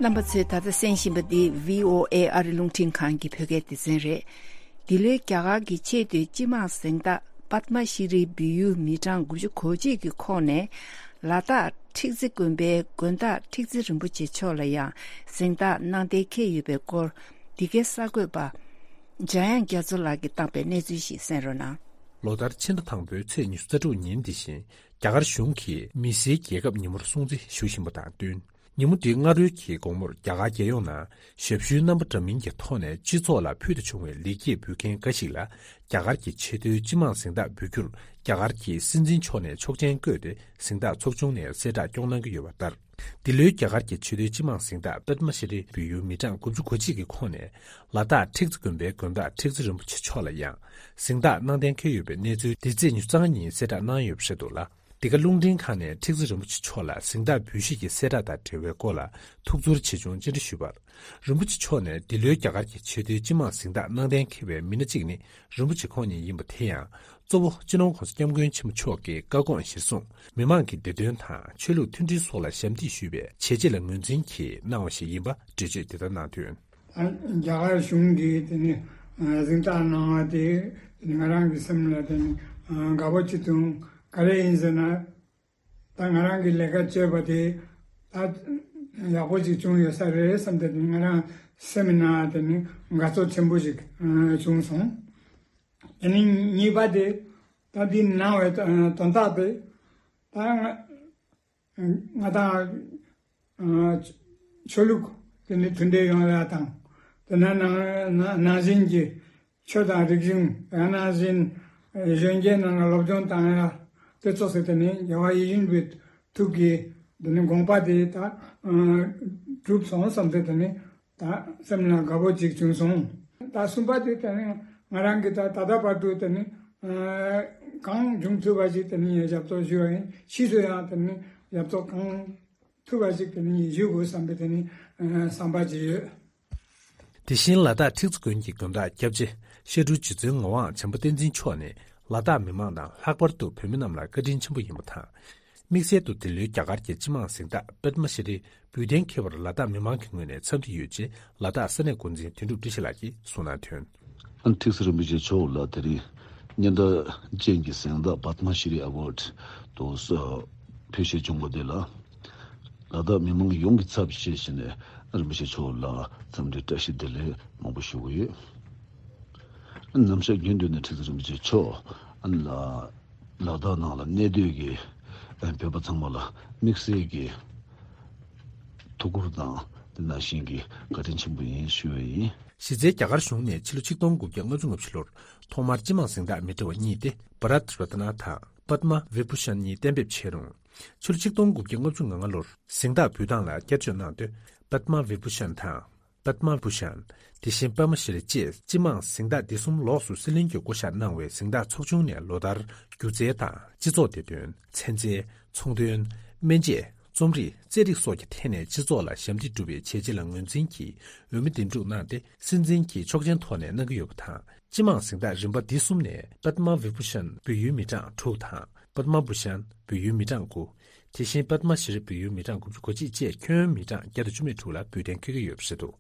རྣམ་པ་ཚོས་ད་ལྟ་གསན་བཞིན་པ་འདི་བྷི་ཨོ་ཨེ་ཨ་རི་རླུང་འཕྲིན་ཁང་གི་བོད་སྐད་སྡེ་ཚན་རེད། འདི་ལོའི་རྒྱ་གར་གྱི་ཆེས་མཐོའི་སྤྱི་དམངས་གཟེངས་རྟགས་པདྨ་ཤྲི་འབུལ་ཡུལ་མི་གྲངས་དགུ་བཅུ་གོ་གཅིག་གི་ཁོངས་ནས། ལ་དྭགས་ཁྲིག་རྩེ་དགོན་པའི་དགོན་བདག་ཁྲིག་རྩེ་རིན་པོ་ཆེ་མཆོག་ལ་ཡང་གཟེངས་རྟགས་གནང་གཏན་འཁེལ་ཡོད་པའི་སྐོར། འདི་གའི་གསར་འགོད་པ་འཇམ་དབྱངས་རྒྱ་མཚོ་ལགས་ཀྱིས་བཏང་པའི་གནས་ཚུལ་ཞིག་གསན་རོགས་གནང་། ལོ་ལྟར་ཕྱི་ཟླ་དང་པོའི་ཚེས་ཉི་ཤུ་རྩ་དྲུག་ཉིན་འདི་བཞིན་རྒྱ་གར་གཞུང་གིས་མི་སེར་རྒྱལ་ཁབ་ཉིན་མོར་སྲུང་བརྩི་ཞུ་བཞིན་པ་དང་བསྟུན། ཉིན་མོ་འདིའི་སྔ་རོལ་གྱི་དགོང་མོར་རྒྱ་གར་རྒྱལ་ཡོངས་ནང་ཞབས་ཞུའི་རྣམ་པ་འདྲ་མིན་གྱི་ཐོག་ནས་སྤྱི་ཚོགས་ལ་ཕུལ་དུ་བྱུང་བའི་ལེགས་སྐྱེས་འབུལ་མཁན་འགའ་ཞིག་ལ། རྒྱ་གར་གྱི་ཆེས་མཐོའི་སྤྱི་དམངས་གཟེངས་རྟགས་འབུལ་རྒྱུར་རྒྱ་གར་གྱི་སྲིད་འཛིན་མཆོག་ནས་ཆོག་མཆན་བཀོད་དེ། གཟེངས་རྟགས་ཚོགས་ཆུང་ནས་གསལ་བསྒྲགས་སྐྱོང་གནང་གི་ཡོད་པ་ལྟར། འདི་ལོའི་རྒྱ་གར་གྱི་ཆེས་མཐོའི་སྤྱི་དམངས་གཟེངས་རྟགས་པདྨ་ཤྲི་འབུལ་ཡུལ་མི་གྲངས་དགུ་བཅུ་གོ་གཅིག་གི་ཁོངས་ནས། ལ་དྭགས་ཁྲིག་རྩེ་དགོན་པའི་དགོན་བདག་ཁྲིག་རྩེ་རིན་པོ་ཆེ་མཆོག་ལ་ཡང་། གཟེངས་རྟགས་གནང་གཏན་འཁེལ་ཡོད་པའི་གནས་ཚུལ་འདི་ཚེས་ཉི་ཤུ་རྩ་ལྔ་ཉིན་གསལ་བསྒྲགས་གནང་ཡོད་པ་རེད་འདུག་ལ། འདི་ག་རླུང་འཕྲིན་ཁང་ནས་ཁྲིག་རྩེ་རིན་པོ་ཆེ་མཆོག་ལ་གཟེངས་རྟགས་འབུལ་བཞེས་ཀྱི་གསལ་བསྒྲགས་དང་འབྲེལ་བའི་སྐོར་ལ་ཐུགས་ཚོར་ཆེ་ཆུང་ཅི་འདྲ་ཞུས་པར། རིན་པོ་ཆེ་མཆོག་ནས་འདི་ལོའི་རྒྱ་གར་གྱི་ཆེས་མཐོའི་སྤྱི་དམངས་གཟེངས་རྟགས་གནང་གཏན་འཁེལ་བའི་མི་སྣ་གཅིག་ནི་རིན་པོ་ཆེ་ཁོང་ཉིད་ཡིན་པ་དེ་ཡང་། གཙོ་བོ་སྤྱི་ནོར་༸གོང་ས་༸སྐྱབས་མགོན་ཆེན་པོ་མཆོག་གི་བཀའ་དགོངས་གཞིར་བཟུང་། མི་མང་གི་བདེ་དོན་དང་ཆོས་ལུགས་མཐུན་སྒྲིལ་སོགས་ལ་ཞབས་འདེགས་ཞུས་པའི་བྱས་རྗེས་ལ་ངོས་འཛིན་གྱིས་གནང་བ་ཞིག་ཡིན་པ་འགྲེལ་བརྗོད་དེ་ལྟར་གནང་དོན། རྒྱ་གར་གཞུང་གིས་དེ་ནི་གཟེངས་རྟགས་གནང་བ་དེ་ང་རང་གི་སེམས་ལ་དེ་ནི་དགའ་པོ་བྱེད་དུས། ག་རེ་ཡིན་ཟེར་ན། ད་ང་རང་གི་ལས་ཀ་བྱས་པ་དེ་ད་ཡག་པོ་ཅིག་བྱུང་ཡོད་ས་རེད་བསམ་སྟེ། ང་རང་སེམས་ནང་དེ་ནི་དགའ་ཚོར་ཆེན་པོ་ཞིག་བྱུང་སོང་། དེ་ནི་གཉིས་པ་དེ། ད་འདི་གནང་བའི་དོན་དག་དེ། ད་ང་ང་དང་ཆོས་ལུགས་དེ་ནི་མཐུན་སྒྲིལ་ཡོང་ཡ་དང་། དེ་ནང་ནང་ནང་བཞིན་གྱི་ཆོས་དང་རིག་གཞུང་། ཡང་ན་གཞན་གཞོན་སྐྱེས་རྣམས་ལ་སློབ་སྦྱོང་བཏང་ཡ་དེ་ཚོ་ཟེར། དེ་ནི་རྒྱལ་བ་ཡིད་བཞིན་པའི་ཐུགས་ཀྱི་དེ་ནི་དགོངས་པ་དེ་ད་གྲུབ་སོང་བསམ་སྟེ། དེ་ནི་ད་སེམས་ལ་དགའ་པོ་ཅིག་བྱུང་སོང་། ད་གསུམ་པ་དེ་དེ་ནི་ང་རང་གིས་ད་ད་ལྟ་བར་དུ་དེ་ནི་གང་བྱུང་ཐུབ་པ་ཞིག་དེ་ནི་ཞབས་ཏོག་ཞུ་བ་ཡིན། ཕྱིས་སུ་ཡང་དེ་ནི་ཞབས་ཏོག་གང་ཐུབ་པ་ཞིག་དེ་ནི་ཞུ་དགོས་བསམ་པའི་དེ་ནི་བསམ་པ་ཅིག་ཡོད། དེ་བཞིན་ལ་དྭགས་ཁྲིག་རྩེ་དགོན་གྱི་དགོན་བདག་སྐྱབས་རྗེ་བཤད་སྤྲུལ་རྗེ་བཙུན་ངག་དབང་བྱམས་པ་བསྟན་འཛིན་མཆོག་ནས་ལ་དྭགས་མི་མང་དང་ལྷག་པར་དུ་བོད་མི་རྣམས་ལ་བཀའ་དྲིན་ཆེན་པོ་ཡིན་པ་དང་། དམིགས་བསལ་དུ་འདི་ལོའི་རྒྱ་གར་གྱི་སྤྱི་དམངས་གཟེངས་རྟགས་པདྨ་ཤྲི་འབུལ་གཏན་འཁེལ་བར་ལ་དྭགས་མི་མང་གི་ངོས་ནས་འཚམས་འདྲི་ཡོད་ཅེས་ལ་དྭགས་ས་གནས་འགོ་འཛིན་དོན་གྲུབ་བཀྲ་ཤིས་ལགས་ཀྱིས་གསུངས་གནང་དོན། ཁྲིག་རྩེ་རིན་པོ་ཆེ་མཆོག་ལ་དེ་རིང་སྙན་གྲགས་ཅན་གྱི་གཟེངས་རྟགས་པདྨ་ཤྲི་ཨ་ཝརཌ་དུ་ཕུལ་བཞེས་བྱུང་བ་དེ་ལ། ལ་དྭགས་མི་མང་ཡོངས་ཀྱི་ཚབ་བྱས་བྱས་ནས་རིན་པོ་ཆེ་མཆོག་ལ་འཚམས་འདྲི་བཀྲ་ཤིས་བདེ་ལེགས་མང་པོ་ཞུ་གི་ཡོད། ནམ་ཞག་རྒྱུན་དུ་ནས་ཁྲིག་རྩེ་རིན་པོ་ཆེ་མཆོག་ལ་ལ་དྭགས་ནང་ལ་གནས་སྡོད་ཀྱི་བོད་པ་ཚང་མ་ལ་དམིགས་བསལ་གྱི་ཐུགས་ཁུར་དང་དེ་ནང་བཞིན་གྱི་བཀའ་དྲིན་ཆེན་པོ་ཡིན་ཞུ་བ་ཡིན། གཞི་རྩའི་རྒྱ་གར་གཞུང་ནས་ཕྱི་ལོ་ཆིག་སྟོང་དགུ་བརྒྱ་ལྔ་བཅུ་ང་བཞི་ལོར་ཐོག་མར་སྤྱི་དམངས་གཟེངས་རྟགས་མི་འདྲ་བ་གཉིས་ཏེ། བྷ་རཏ་རཏ་ན་དང་པདྨ་བི་བྷུ་ཤན་གཉིས་གཏན་འབེབས་བྱས་རུང་། ཕྱི་ལོ་ཆིག་སྟོང་དགུ་བརྒྱ་ལྔ་བཅུ་ང་ལྔ་ལོར་གཟེངས་རྟགས་འབུལ་སྟངས་ལ་བསྐྱར་བཅོས་གནང་སྟེ། པདྨ་བི་བྷུ་ཤན་དང་། པདྨ་བྷུ་ཤན། དེ་བཞིན་པདྨ་ཤྲི་བཅས་སྤྱི་དམངས་གཟེངས་རྟགས་འདི་གསུམ་ལོགས་སུ་སྲིད་བློན་གྱིས་བསྐོ་བཞག་གནང་བའི་གཟེངས་རྟགས་ཚོགས་ཆུང་ནས་ལོ་ལྟར་སྒྱུ་རྩལ་དང་སྤྱི་ཚོགས་བདེ་དོན། ཚན་རྩལ། ཚོང་དོན། སྨན་དཔྱད། རྩོམ་རིག། རྩེད་རིགས་སོགས་ཀྱི་ཐད་ནས་སྤྱི་ཚོགས་ལ་ཞབས་འདེགས་སྒྲུབ་པའི་བྱས་རྗེས་ལ་ངོས་འཛིན་གྱིས་འོས་མི་འདེམས་སྒྲུག་གནང་སྟེ། སྲིད་འཛིན་གྱིས་ཆོག་མཆན་ཐོག་ནས་གནང་གི་ཡོད་པ་དང་། སྤྱི་དམངས་གཟེངས་རྟགས་རིམ་པ་འདི་གསུམ་ནས་པདྨ་བི་བྷུ་ཤན་བོད་ཡུལ་མི་གྲངས་དྲུག་དང་། པདྨ་བྷུ་ཤན་བོད་ཡུལ་མི་གྲངས་དགུ། དེ་བཞིན་པདྨ་ཤྲི་བོད་ཡུལ་མི་གྲངས་དགུ་བཅུ་གོ་གཅིག་བཅས་ཁྱོན་མི་གྲངས་བརྒྱ་དང་བཅུ་མེད་དྲུག་ལ་འབུལ་གཏན་འཁེལ་གྱི་ཡོད་པ་རེད་འདུག་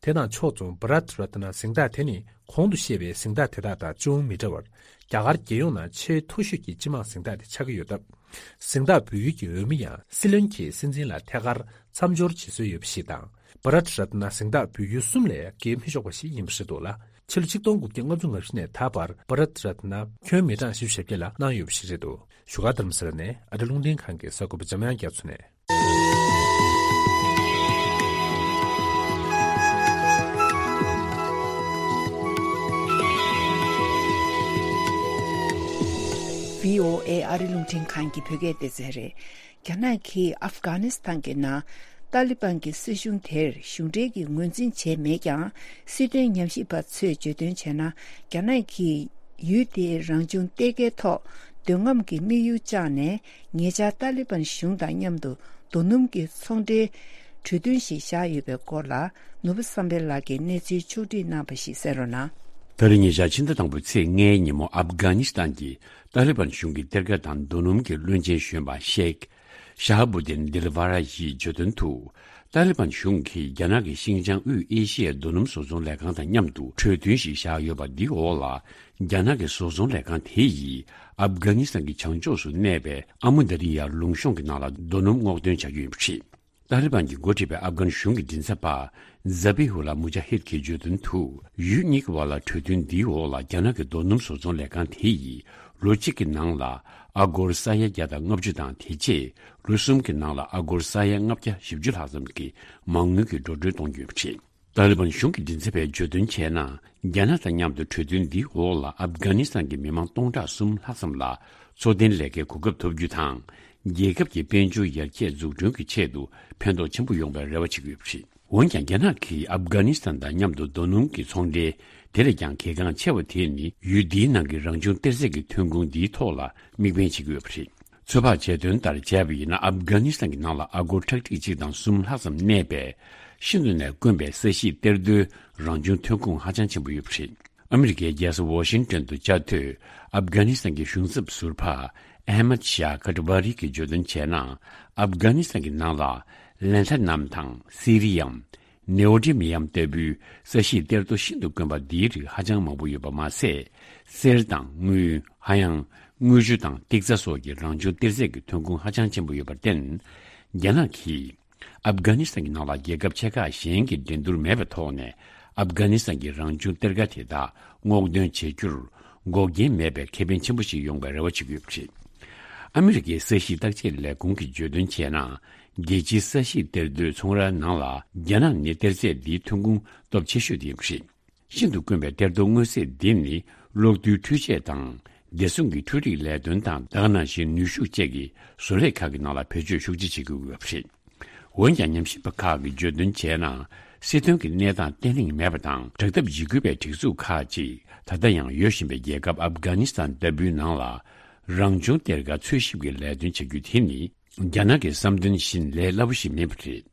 དེ་དང་ཕྱོགས་མཚུངས་བྷ་རཏ་རཏ་ན་གཟེངས་རྟགས་དེ་ནི་གོང་དུ་བཤད་པའི་གཟེངས་རྟགས་དེ་དག་དང་ཅུང་མི་འདྲ་བར། རྒྱ་གར་རྒྱལ་ཡོངས་ནང་ཆེས་མཐོ་ཤོས་ཀྱི་སྤྱི་དམངས་གཟེངས་རྟགས་དེ་ཆགས་ཀྱི་ཡོད་སྟབས། གཟེངས་རྟགས་འབུལ་ཡུལ་གྱི་འོས་མི་ཡང་སྲིད་བློན་གྱིས་སྲིད་འཛིན་ལ་ཐད་ཀར་མཚམས་སྦྱོར་བྱེད་སྲོལ་ཡོད་པ་ཞིག་དང་། བྷ་རཏ་རཏ་ན་གཟེངས་རྟགས་འབུལ་ཡུལ་གསུམ་ལས་བརྒལ་མི་ཆོག་པ་ཞིག་ཡིན་པ་རེད་འདུག་ལ། ཕྱི་ལོ་ཆིག་སྟོང་དགུ་བརྒྱ་ལྔ་བཅུ་ང་བཞི་ནས་ད་བར་བྷ་རཏ་རཏ་ན་ཁྱོན་མི་གྲངས་བཞི་བཅུ་ཞེ་བརྒྱད་ལ་གནང་ཡོད་པ་ཞིག་རེད་འདུག་བཞུགས་སྒར་རྡ་རམ་ས་ལ་ནས་ཨ་རི་རླུང་འཕྲིན་ཁང་གི་གསར་འགོད་པ་འཇམ་དབྱངས་རྒྱ་མཚོ་ནས། བྷི་ཨོ་ཨེ་ཨ་རི་རླུང་འཕྲིན་ཁང་གི་བོད་སྐད་སྡེ་ཚན་རེད། རྒྱ་ནག་གིས་ཨབ་གྷ་ནི་སི་ཐན་གྱི་ནང་ཏཱ་ལི་བན་གྱི་སྲིད་གཞུང་དེར་གཞུང་འབྲེལ་གྱི་ངོས་འཛིན་བྱས་མེད་ཀྱང་། སྲིད་དོན་ཉམས་ཞིབ་པ་ཚོས་བརྗོད་དོན་བྱས་ན། རྒྱ་ནག་གིས་ཡུལ་དེའི་རང་བྱུང་གཏེར་ཁའི་ཐོག་འདོད་རྔམ་གྱི་དམིགས་ཡུལ་བཅངས་ནས། ཉེ་ཆར་ཏཱ་ལི་བན་གཞུང་དང་མཉམ་དུ་རྡོ་སྣུམ་གྱི་ཚོང་འབྲེལ་གྲོས་མཐུན་ཞིག་བཞག་ཡོད་པའི་སྐོར་ལ། ནོར་བུ་བསམ་འཕེལ་ལགས་ཀྱིས་གནས་ཚུལ་ཕྱོགས་བསྒྲིགས་གནང་བ་ཞིག་གསན་རོགས་གནང་། ད་རེས་ཉེ་ཆར་ཕྱི་ཟླ་དང་པོའི་ཚེས་ལྔའི་ཉིན་མོ། ཨབ་གྷ་ནི་སི་ཐན་གྱི་ཏཱ་ལི་བན་གཞུང་གི་གཏེར་ཁ་དང་རྡོ་སྣུམ་གྱི་བློན་ཆེན་གཞོན་པ་ཤེག་ཤ་ཧ་བུ་དིན་དིལ་ཝ་ར་ཡིས་བརྗོད་དོན་དུ། ཏཱ་ལི་བན་གཞུང་གིས་རྒྱ་ནག་གི་ཤིན་ཅང་དབུས་ཨེ་ཤི་ཡའི་རྡོ་སྣུམ་བཟོ་ཚོང་ལས་ཁང་དང་མཉམ་དུ་གྲོས་མཐུན་ཞིག་བཞག་ཡོད་པ་འདིའི་འོག་ལ། རྒྱ་ནག་གི་བཟོ་ཚོང་ལས་ཁང་དེ་ཡིས་ཨབ་གྷ་ནི་སི་ཐན་གྱི་བྱང་ཕྱོགས་སུ་གནས་པའི་ཨ་མུ་དར་ཡ་ལུང་གཤོང་གི་ནང་ལ་རྡོ་སྣུམ་སྔོག་འདོན་བྱ་རྒྱུ་ཡིན་པ་རེད། ཏཱ་ལི་བན་གྱིས་འགོ་ཁྲིད་པའི་ཨབ་གྷན་གཞུང་གི་མགྲིན་ཚབ་པ་ཛ་བྷི་ཧུ་ལ་མུ་ཇ་ཧིད་ཀྱིས་བརྗོད་དོན་དུ། ཡུལ་གཉིས་ཀྱི་བར་ལ་གྲོས་མཐུན་འདིའི་འོག་ལ། རྒྱ་ནག་གི་རྡོ་སྣུམ་བཟོ་ཚོང་ལས་ཁང་དེ་ཡིས་ལོ་གཅིག་གི་ནང་ལ་ཨ་སྒོར་ས་ཡ་བརྒྱ་དང་ལྔ་བཅུ་དང་། དེ་རྗེས་ལོ་གསུམ་གྱི་ནང་ལ་ཨ་སྒོར་ས་ཡ་ལྔ་བརྒྱ་བཞི་བཅུ་ལྷག་ཙམ་གྱི་མ་དངུལ་གྱི་འགྲོ་གྲོན་གཏོང་རྒྱུ་ཡིན་པ་རེད། ཏཱ་ལི་བན་གཞུང་གི་མགྲིན་ཚབ་པས་བརྗོད་དོན་བྱས་ན། རྒྱ་ནག་དང་མཉམ་དུ་གྲོས་མཐུན་འདིའི་འོག་ལ་ཨབ་གྷ་ནི་སི་ཐན་གྱི་མི་མང་སྟོང་ཕྲག་གསུམ་ལྷག་ཙམ་ལ་འཚོ་རྟེན་ལས་ཀའི་གོ་སྐབས་ཐོབ་རྒྱུ་དང་། རྒྱལ་ཁབ་ཀྱི་དཔལ་འབྱོར་ཡར་རྒྱས་འཛུགས་སྐྲུན་གྱི་ཆེད་དུ་ཕན་ཐོགས་ཆེན་པོ་ཡོང་བའི་རེ་བ་བྱེད་ཀྱི་ཡོད་པ་རེད། འོན་ཀྱང་། རྒྱ་ནག་གིས་ཨབ་གྷ་ནི་སི་ཐན་དང་མཉམ་དུ་རྡོ་སྣུམ་གྱི་ཚོང་འབྲེལ། དེ་ལས་ཀྱང་གལ་འགངས་ཆེ་བ་དེ་ནི། ཡུལ་འདིའི་ནང་གི་རང་བྱུང་གཏེར་རྫས་ཀྱི་ཐོན་ཁུངས་འདིའི་ཐོག་ལ་དམིགས་འབེན་བྱེད་ཀྱི་ཡོད་པ་རེད། ཚོད་དཔག་བྱས་དོན་ལྟར་བྱས་པ་ཡིན་ན། ཨབ་གྷ་ནི་སི་ཐན་གྱི་ནང་ལ་ཨ་སྒོར་ཁྲག་ཁྲིག་གཅིག་དང་གསུམ་ལྷག་ཙམ་གནས་པའི་ཤིན་ཏུ་ནས་དཀོན་པའི་ས་གཤིས་གཏེར་རྡོའི་རང་བྱུང་ཐོན་ཁུངས་ཧ་ཅང་ཆེན་པོ་ཡོད་པ་རེད། ཨ་མི་རི་ཀའི་རྒྱལ་ས་ཝོ་ཤིང་ཏོན་དུ་བཅའ་སྡོད་ཨབ་གྷ་ནི་སི་ཐན་གྱི་གཞུང་ཚབ་ཟུར་པ་ཨེ་མད་ཤཱ་ཀ་ཏི་ཝ་རི་གིས་བརྗོད་དོན་བྱས་ན། ཨབ་གྷ་ནི་སི་ཐན་གྱི་ནང་ལ་ལན་ཐ་ནམ་དང་སི་རི་ཡམ། ནེའོ་ཌི་མི་ཡམ་ལྟ་བུའི་ས་གཤིས་གཏེར་རྡོ་ཤིན་ཏུ་དཀོན་པ་འདིའི་རིགས་ཧ་ཅང་མང་པོ་ཡོད་པ་མ་ཟད། གསེར་དང་དངུལ། ཧ་ཡང་དངུལ་ཆུ་དང་ཏིག་ཙ་སོགས་ཀྱི་རང་བྱུང་གཏེར་རྫས་ཀྱི་ཐོན་ཁུངས་ཧ་ཅང་ཆེན་པོ་ཡོད་པར་བརྟེན། རྒྱ་ནག་གིས་ཨབ་གྷ་ནི་སི་ཐན་གྱི་ནང་ལ་རྒྱལ་ཁབ་ཆེ་ཁག་གཞན་གྱི་འགྲན་བསྡུར་མེད་པའི་ཐོག་ནས། ཨབ་གྷ་ནི་སི་ཐན་གྱི་རང་བྱུང་གཏེར་ཁ་དེ་དག་སྔོག་འདོན་བྱེད་རྒྱུར་འགོག་རྐྱེན་མེད་པའི་ཁེ་ཕན་ཆེན་པོ་ཞིག་ཡོང་བའི་རེ་བ་བྱེད་ཀྱི་ཡོད་པ་རེད། ཨ་མི་རི་ཀའི་ས་གཤིས་བརྟག་དཔྱད་ལས་ཁུངས་ཀྱིས་བརྗོད་དོན་བྱས་ན། རྒྱལ་སྤྱིའི་ས་གཤིས་གཏེར་རྡོའི་ཚོང་རའི་ནང་ལ། རྒྱ་ནག་ནི་གཏེར་རྫས་འདིའི་ཐོན་ཁུངས་སྟོབས་ཆེ་ཤོས་དེ་ཡིན་པ་རེད། ཤིན་ཏུ་དཀོན་པའི་གཏེར་རྡོ་མངོན་གསལ་འདི་ནི། གློག་རྡུལ་འཕྲུལ་ཆས་དང་། བདེ་སྲུང་གི་འཕྲུལ་རིག་ལས་དོན་དང་། ད་ག་ནང་བཞིན་ནུས་ཤུགས་བཅས་ཀྱི་བཟོ་ལས་ཁག་གི་ནང་ལ་བེད་སྤྱོད་ཤུགས་ཆེ་བྱེད་ཀྱི་ཡོད་པ་རེད། འོན་ཀྱང་། ཉམས་ཞིབ་པ་ཁག་གིས་བརྗོད་དོན་བྱས་ན། སྲིད་དོན་གྱི་གནས་སྟངས་བརྟན་ལྷིང་མེད་པ་དང་། དྲག་འཐབ་འཇིགས་སྐུལ་བའི་སྒྲིག་འཛུགས་ཁག་ཅིག་ད་ལྟ་ཡང་ཡོད་བཞིན་པའི་རྒྱལ་ཁབ་ཨབ་གྷ་ནི་སི་ཐན་ལྟ་བུའི་ནང་ལ། རང་བྱུང་གཏེར་ཁ་འཚོལ་ཞིབ་ཀྱི་ལས་དོན་བྱ་རྒྱུ་དེ་ནི། རྒྱ་ནག་གི་བསམ་དོན་བཞིན་ལས་སླ་པོ་ཞིག་མིན་པ་རེད།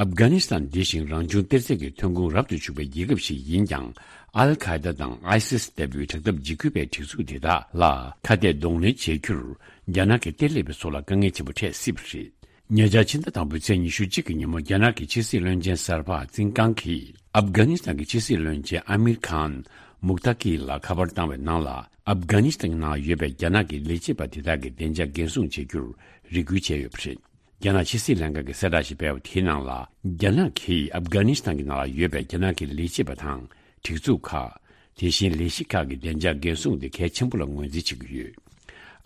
ཨབ་གྷ་ནི་སི་ཐན་འདི་བཞིན་རང་བྱུང་གཏེར་རྫས་ཀྱི་ཐོན་ཁུངས་རབ་ཏུ་བྱུང་བའི་རྒྱལ་ཁབ་ཞིག་ཡིན་ཀྱང་། ཨལ་ཁ་ཡེ་ད་དང་ཨའི་སིས་ལྟ་བུའི་དྲག་འཐབ་འཇིགས་སྐུལ་བའི་སྒྲིག་འཛུགས་དེ་དག་ལ་ཁ་གཏད་གདོང་ལེན་བྱེད་རྒྱུར། རྒྱ་ནག་གི་གཏེར་ལེན་པ་ཚོ་ལ་དཀའ་ངལ་ཆེན་པོ་འཕྲད་སྲིད་པ་རེད། ཉེ་ཆར་ཕྱི་ཟླ་དང་པོའི་ཚེས་ཉི་ཤུ་གཅིག་གི་ཉིན་མོ། རྒྱ་ནག་གི་ཕྱི་སྲིད་བློན་ཆེན་གསར་པ་ཙིན་ཀང་གིས་ཨབ་གྷ་ནི་སི་ཐན་གྱི་ཕྱི་སྲིད་བློན་ཆེན་ཨ་མིར་ཁཱན་མུག་ཏཱ་ཀི་ལ་ཁ་པར་བཏང་བའི་ནང་ལ། ཨབ་གྷ་ནི་སི་ཐན་ནང་ཡོད་པའི་རྒྱ་ནག་གི་ལས་བྱེད་པ་དེ་དག་གི་བདེ་འཇགས་འགན་སྲུང་བྱེད་རྒྱུར་རེ་སྐུལ་བྱས་ཡོད་པ་རེད། རྒྱ་ནག་ཕྱི་སྲིད་ལྷན་ཁང་གིས་གསལ་བསྒྲགས་ཤིག་སྤེལ་བ་དེའི་ནང་ལ། རྒྱ་ནག་གིས་ཨབ་གྷ་ནི་སི་ཐན་གྱི་ནང་ལ་ཡོད་པའི་རྒྱ་ནག་གི་ལས་བྱེད་པ་དང་། སྒྲིག་འཛུགས་ཁག་དེ་བཞིན་ལས་གཞི་ཁག་གི་བདེ་འཇགས་འགན་སྲུང་དེ་གལ་ཆེན་པོ་ལ་ངོས་འཛིན་བྱེད་ཀྱི་ཡོད།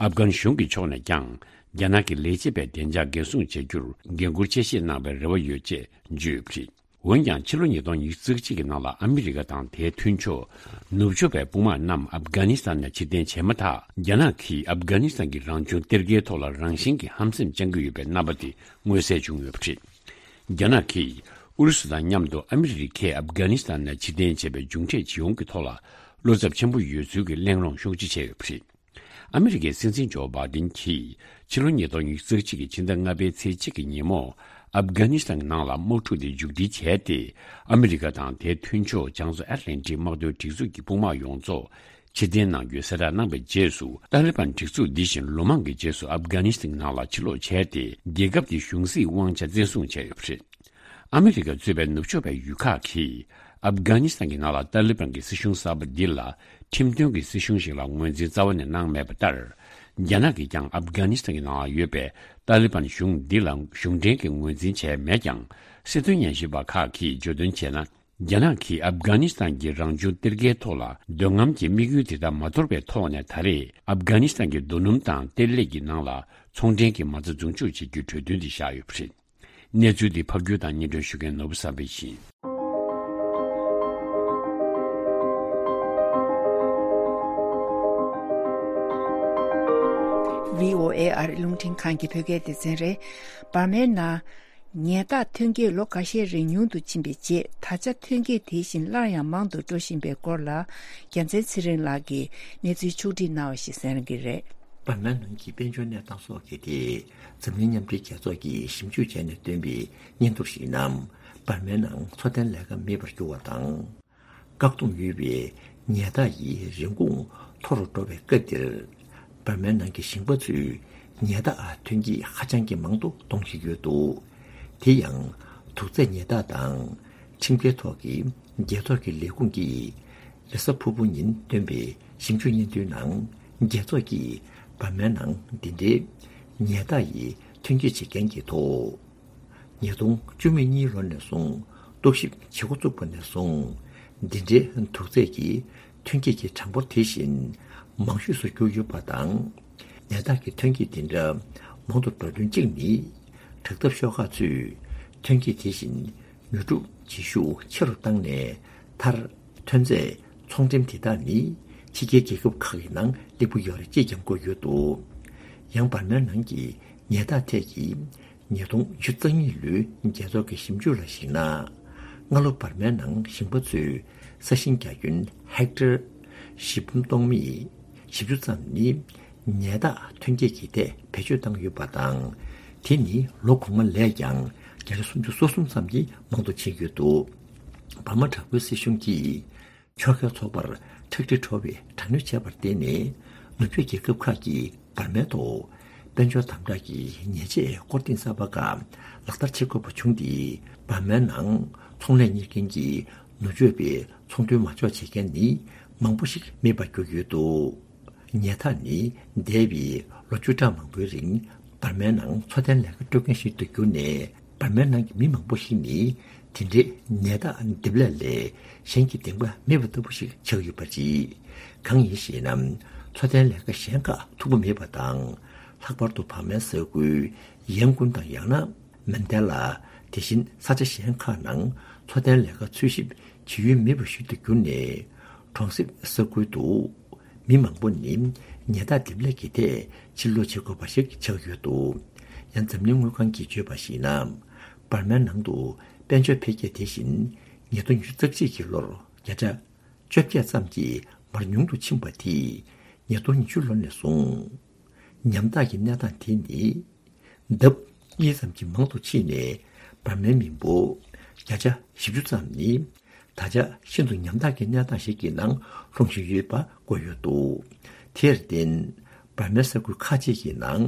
ཨབ་གྷན་གཞུང་གི་ཕྱོགས་ནས་ཀྱང་། རྒྱ་ནག་གི་ལས་བྱེད་པའི་བདེ་འཇགས་འགན་སྲུང་བྱེད་རྒྱུར་འགན་འཁུར་ཆེ་བཞེས་གནང་བའི་རེ་བ་ཡོད་ཅེས་བརྗོད་ཡོད་པ་རེད། འོན་ཀྱང་། ཕྱི་ལོ་ཉིས་སྟོང་ཉི་ཤུ་རྩ་གཅིག་གི་ནང་ལ་ཨ་མི་རི་ཀ་དང་དེའི་མཐུན་ཕྱོགས་ནུབ་ཕྱོགས་པའི་དཔུང་དམག་རྣམས་ཨབ་གྷ་ནི་སི་ཐན་ནས་ཕྱིར་འཐེན་བྱས་མ་ཐག། རྒྱ་ནག་གིས་ཨབ་གྷ་ནི་སི་ཐན་གྱི་རང་བྱུང་གཏེར་ཁའི་ཐོག་ལ་རང་བཞིན་གྱིས་ཧམ་སེམས་བཅངས་ཀྱི་ཡོད་པའི་རྣམ་པ་དེ་མངོན་གསལ་བྱུང་ཡོད་པ་རེད། རྒྱ་ནག་གིས་ ཨུ་རུ་སུ་དང་མཉམ་དུ་ཨ་མི་རི་ཁས་ཨབ་གྷ་ནི་སི་ཐན་ནང་ཕྱིར་འཐེན་བྱས་པའི་མཇུག་འབྲས་ཇི་ཡོང་གི་ཐོག་ལ་བློ་འཚབ་ཆེན་པོ་ཡོད་ཚུལ་གྱི་གླེང་སློང་ཤུགས་ཆེ་བྱས་ཡོད་པ་རེད། ཨ་མི་རི་ཀའི་སྲིད་འཛིན་ཇོ་བྷའི་ཌེན་གྱིས་ཕྱི་ལོ་ཉིས་སྟོང་ཉི་ཤུ་རྩ་གཅིག་གི་ཕྱི་ཟླ་ལྔ་པའི་ཚེས་གཅིག་གི་ཉིན་མོ། ཨབ་གྷ་ནི་སི་ཐན་གྱི་ནང་ལ་དམག་འཁྲུག་དེ་མཇུག་སྒྲིལ་བྱས་ཏེ། ཨ་མི་རི་ཀ་དང་དེའི་མཐུན་ཕྱོགས་བྱང་མཚོ་ཨེཊ་ལན་ཊིག་དམག་དོན་སྒྲིག་འཛུགས་ཀྱི་དཔུང་དམག་ཡོངས་རྫོགས་ཕྱིར་འཐེན་གནང་རྒྱུའི་གསལ་བསྒྲགས་གནང་བའི་རྗེས་སུ། ཏཱ་ལི་བན་སྒྲིག་འཛུགས་འདི་བཞིན་ལོ་མང་གི་རྗེས་སུ་ཨབ་གྷ་ནི་སི་ཐན་གྱི་ནང་ལ་ཕྱིར་ལོག་བྱས་ཏེ། རྒྱལ་ཁབ་དེའི་གཞུང་སྲིད་དབང་ཆ་བཙན་བཟུང་བྱས་ཡོད་པ་རེད། ཨ་མི་རི་ཀ་གཙོས་པའི་ནུབ་ཕྱོགས་པའི་ཡུལ་ཁག་གིས་ཨབ་གྷ་ནི་སི་ཐན་གྱི་ནང་ལ་ཏཱ་ལི་བན་གྱི་སྲིད་གཞུང་གསར་པ་འདི་ལ་ཁྲིམས་མཐུན་གྱི་སྲིད་གཞུང་ཞིག་ལ་ངོས་འཛིན་རྩ་བ་ནས་གནང་མེད་པ་ལྟར། རྒྱ་ནག་གིས་ཀྱང་ཨབ་གྷ་ནི་སི་ཐན་གྱི་ནང་ལ་ཡོད་པའི་ཏཱ་ལི་བན་གཞུང་འདི་ལ་གཞུང་འབྲེལ་གྱི་ངོས་འཛིན་བྱས་མེད་ཀྱང་། སྲིད་དོན་ཉམས་ཞིབ་པ་ཁག་གིས་བརྗོད་དོན་བྱས་ན། རྒྱ་ནག་གིས་ཨབ་གྷ་ནི་སི་ཐན་གྱི་རང་བྱུང་གཏེར་ཁའི་ཐོག་ལ་འདོད་རྔམ་གྱི་དམིགས་ཡུལ་དེ་དག་མ་དོར་བའི་ཐོག་ནས། ད་རེས་ཨབ་གྷ་ནི་སི་ཐན་གྱི་རྡོ་སྣུམ་དང་གཏེར་ལས་ཀྱི་ནང་ལ་ཚོང་འབྲེལ་གྱི་མ་རྩ་འཛུགས་འཇུག་བྱེད་རྒྱུའི་གྲོས་མཐུན་དེ་བཞག་ཡོད་པ་རེད། གནས་ཚུལ་འདི་ཕབ་སྒྱུར་དང་སྙན་སྒྲོན་ཞུ་མཁན་ནོར་བུ་བསམ་འཕེལ་ཡིན། ཝི་ཨོ་ཨེ་ཨ་རི་རླུང་འཕྲིན་ཁང་གི་བོད་སྐད་སྡེ་ཚན་རེད། འབར་མའི་ནང་ཉལ་ཐག་ཐོན་སྐྱེད་ལོ་ཁ་ཤས་རིང་ཉུང་དུ་ཕྱིན་པའི་རྗེས། ད་ཆ་ཐོན་སྐྱེད་དེ་བཞིན་སླར་ཡང་མང་དུ་འགྲོ་བཞིན་པའི་སྐོར་ལ། རྒྱལ་མཚན་ཚེ་རིང་ལགས་ཀྱིས་གནས་ཚུལ་ཕྱོགས་བསྒྲིགས་གནང་བ་ཞིག་གསན་གྱི་རེད། འབར་མའི་ནང་གི་དཔལ་འབྱོར་གནས་སྟངས་སོགས་ཀྱི་ཐད་འཛམ་གླིང་མཉམ་འབྲེལ་རྒྱལ་ཚོགས་ཀྱིས་ཞིབ་འཇུག་བྱས་ནས་བཏོན་པའི་སྙན་ཐོ་ཞིག་ནང་། འབར་མའི་ནང་འཚོ་རྟེན་ལས་ཀ་མེད་པར་གྱུར་བ་དང་། བཀག་སྡོམ་ཡོད་པའི་ཉལ་ཐག་གི་རིན་གོང་མཐོ་རུ་འགྲོ་བའི་སྐབས་འདིར། འབར་མའི་ནང་གི་ཞིང་པ་ཚོས་ཉལ་ཐག་ཐོན་སྐྱེད་ཧ་ཅང་གི་མང་དུ་གཏོང་བཞིན་ཡོད་འདུག་དེ་ཡང་། དུག་རྫས་ཉལ་ཐག་དང་ཁྲིམས་འགལ་ཐོག་གི་རྒྱལ་ཚོགས་ཀྱི་ལས་ཁུངས་ཀྱིས་རེས་གཟའ་ཕུར་བུ་ཉིན་བཏོན་པའི་ཞིབ་འཇུག་སྙན་ཐོའི་ནང་། རྒྱལ་ཚོགས་ཀྱིས་འབར་མའི་ནང་འདི་འདྲའི་ཉལ་ཐག་ཡི་ཐོན་སྐྱེད་བྱེད་མཁན་གྱི་ཐོག་ཉིས་སྟོང་བཅུ་མེད་གཉིས་ལོ་ནས་བཟུང་རྟོག་ཞིབ་བྱེད་འགོ་བཙུགས་པ་ནས་བཟུང་། འདི་འདྲའི་དུག་རྫས་ཀྱི་ཐོན་སྐྱེད་ཀྱི་གྲངས་འབོར་དེ་བཞིན་མང་ཤོས་སུ་གྱུར་ཡོད་པ་དང་། ཉལ་ཐག་གི་ཐོན་སྐྱེད་འདི་འདྲ་མང་དུ་འགྲོ་དོན་གཅིག་ནི། དྲག་འཐབ་ཤོག་ཁག་ཚོས་ཐོན་སྐྱེད་དེ་བཞིན་ཉོ་སྒྲུབ་བྱེད་ཤུགས་ཆེ་རུ་བཏང་ནས། མཐར་ཐོན་རྫས་ཚོང་འགྲེམས་དེ་དག་ནི་ཕྱི་རྒྱལ་རྒྱལ་ཁབ་ཁག་གི་ནང་སླེབས་ཀྱི་ཡོད་རེད་ཅེས་ཀྱང་བཀོད་ཡོད་འདུག་ཡང་འབར་མའི་ནང་གི་ཉལ་ཐག་ཐད་ཀྱི་ཉིས་སྟོང་ཉི་ཤུ་རྩ་གཉིས་ལོའི་རྒྱལ་ཚོགས་ཀྱི་ཞིབ་འཇུག་ལ་གཞིགས་ན། སྔ་ལོ་འབར་མའི་ནང་ཞིང་པ་ཚོས་ས་ཞིང་རྒྱ་ཁྱོན་ཧེག་ཊར་བཞི་འབུམ་སྟོང་མེད་བཞི་བཅུ་ཙམ་ནི་ཉལ་ཐག་ཐོན་སྐྱེད་ཀྱི་ཐད་བེད་སྤྱོད་བཏང་ཡོད་པ་དང་། དེ་ནི་ལོ་གོང་མ་ལས་ཀྱང་བརྒྱ་ཆ་སུམ་ཅུ་སོ་གསུམ་ཙམ་གྱིས་མང་དུ་ཕྱིན་ཡོད་འདུག་འབར་མ་དྲག་པོའི་སྲིད་གཞུང་གིས་ཕྱོགས་འགལ་ཚོགས་པར་ཁྲག་དྲི་བྲོ་བའི་དྲག་གནོན་བྱས་པར་བརྟེན་ནས། ནུབ་ཕྱོགས་རྒྱལ་ཁབ་ཁག་གིས་འབར་མའི་ཐོག་དཔལ་འབྱོར་དམ་དྲག་གི་ཉེས་ཆད་སྐོར་ཐེངས་གསར་པ་ཁག་ལག་བསྟར་བྱེད་དགོས་པ་བྱུང་སྟེ། འབར་མའི་ནང་ཚོང་ལས་གཉེར་མཁན་གྱི་ནུབ་ཕྱོགས་པའི་ཚོང་དོན་མ་འཇོག་བྱེད་མཁན་ནི་མང་པོ་ཞིག་མེད་པར་གྱུར་ཡོད་འདུག་ཉལ་ཐག་ནི་འདས་པའི་ལོ་བཅུ་ཕྲག་མང་པོའི་རིང་འབར་མའི་ནང་འཚོ་རྟེན་ལས་ཀ་སྤྲོད་མཁན་ཞིག་ཏུ་གྱུར་ནས། འབར་མའི་ནང་གི་མི་མང་པོ་ཞིག་ནི་དེ་འདྲའི་ཉལ་ཐག་འདེབས་ལས་ལས་གཞན་གྱི་འདེམས་ཀ་མེད་པ་ལྟ་བུ་ཞིག་ཆགས་ཡོད་པ་རེད། གང་ཡིན་ཞེ་ན། འཚོ་རྟེན་ལས་ཀ་གཞན་ཁག་མཐུག་པོ་མེད་པ་དང་། ལྷག་པར་དུ་འབར་མའི་ས་ཁུལ་ཡན་ཀུན་དང་། ཡང་ན་མན་ཌེ་ལ། དེ་བཞིན་ས་ཆ་གཞན་ཁག་ནང་འཚོ་རྟེན་ལས་ཀ་འཚོལ་ཞིབ་བྱེད་ཡུལ་མེད་པ་ཞིག་ཏུ་གྱུར་ནས། གྲོང་གསེབ་ས་ཁུལ་དུ་མི་མང་པོ་ནི་ཉལ་ཐག་འདེབས་ལས་ཀྱི་ཐད་ཕྱིར་ལོག་བྱེད་དགོས་པ་ཞིག་ཆགས་ཡོད་འདུག་ཡང་འཛམ་གླིང་དངུལ་ཁང་གིས་བརྗོད་པར་གཞིགས་ན། འབར་མའི་ནང་དུ་དཔལ་འབྱོར་འཕེལ་རྒྱས་དེ་བཞིན་ཉིས་སྟོང་ཉི་ཤུ་རྩ་གཅིག་གི་ལོར་བརྒྱ་ཆ་བཅོ་བརྒྱད་ཙམ་གྱིས་མར་ཉུང་དུ་ཕྱིན་པ་དེས། ཉིས་སྟོང་ཉི་ཤུ་ལོ་ནས་བཟུང་ཉམ་ཐག་གི་གནས་སྟངས་དེ་ནི། ལྡབ་གཉིས་ཙམ་གྱིས་མང་དུ་ཕྱིན་ནས། འབར་མའི་མི་འབོར་བརྒྱ་ཆ་བཞི་བཅུ་ཙམ་ནི། ད་ཆ་ཤིན་ཏུ་ཉམ་ཐག་གི་གནས་སྟངས་ཤིག་གི་ནང་ལྷུང་བཞིན་ཡོད་པ་བཀོད་ཡོད་འདུག་དེར་བརྟེན། འབར་མའི་ས་ཁུལ་ཁག་ཅིག་གི་ནང་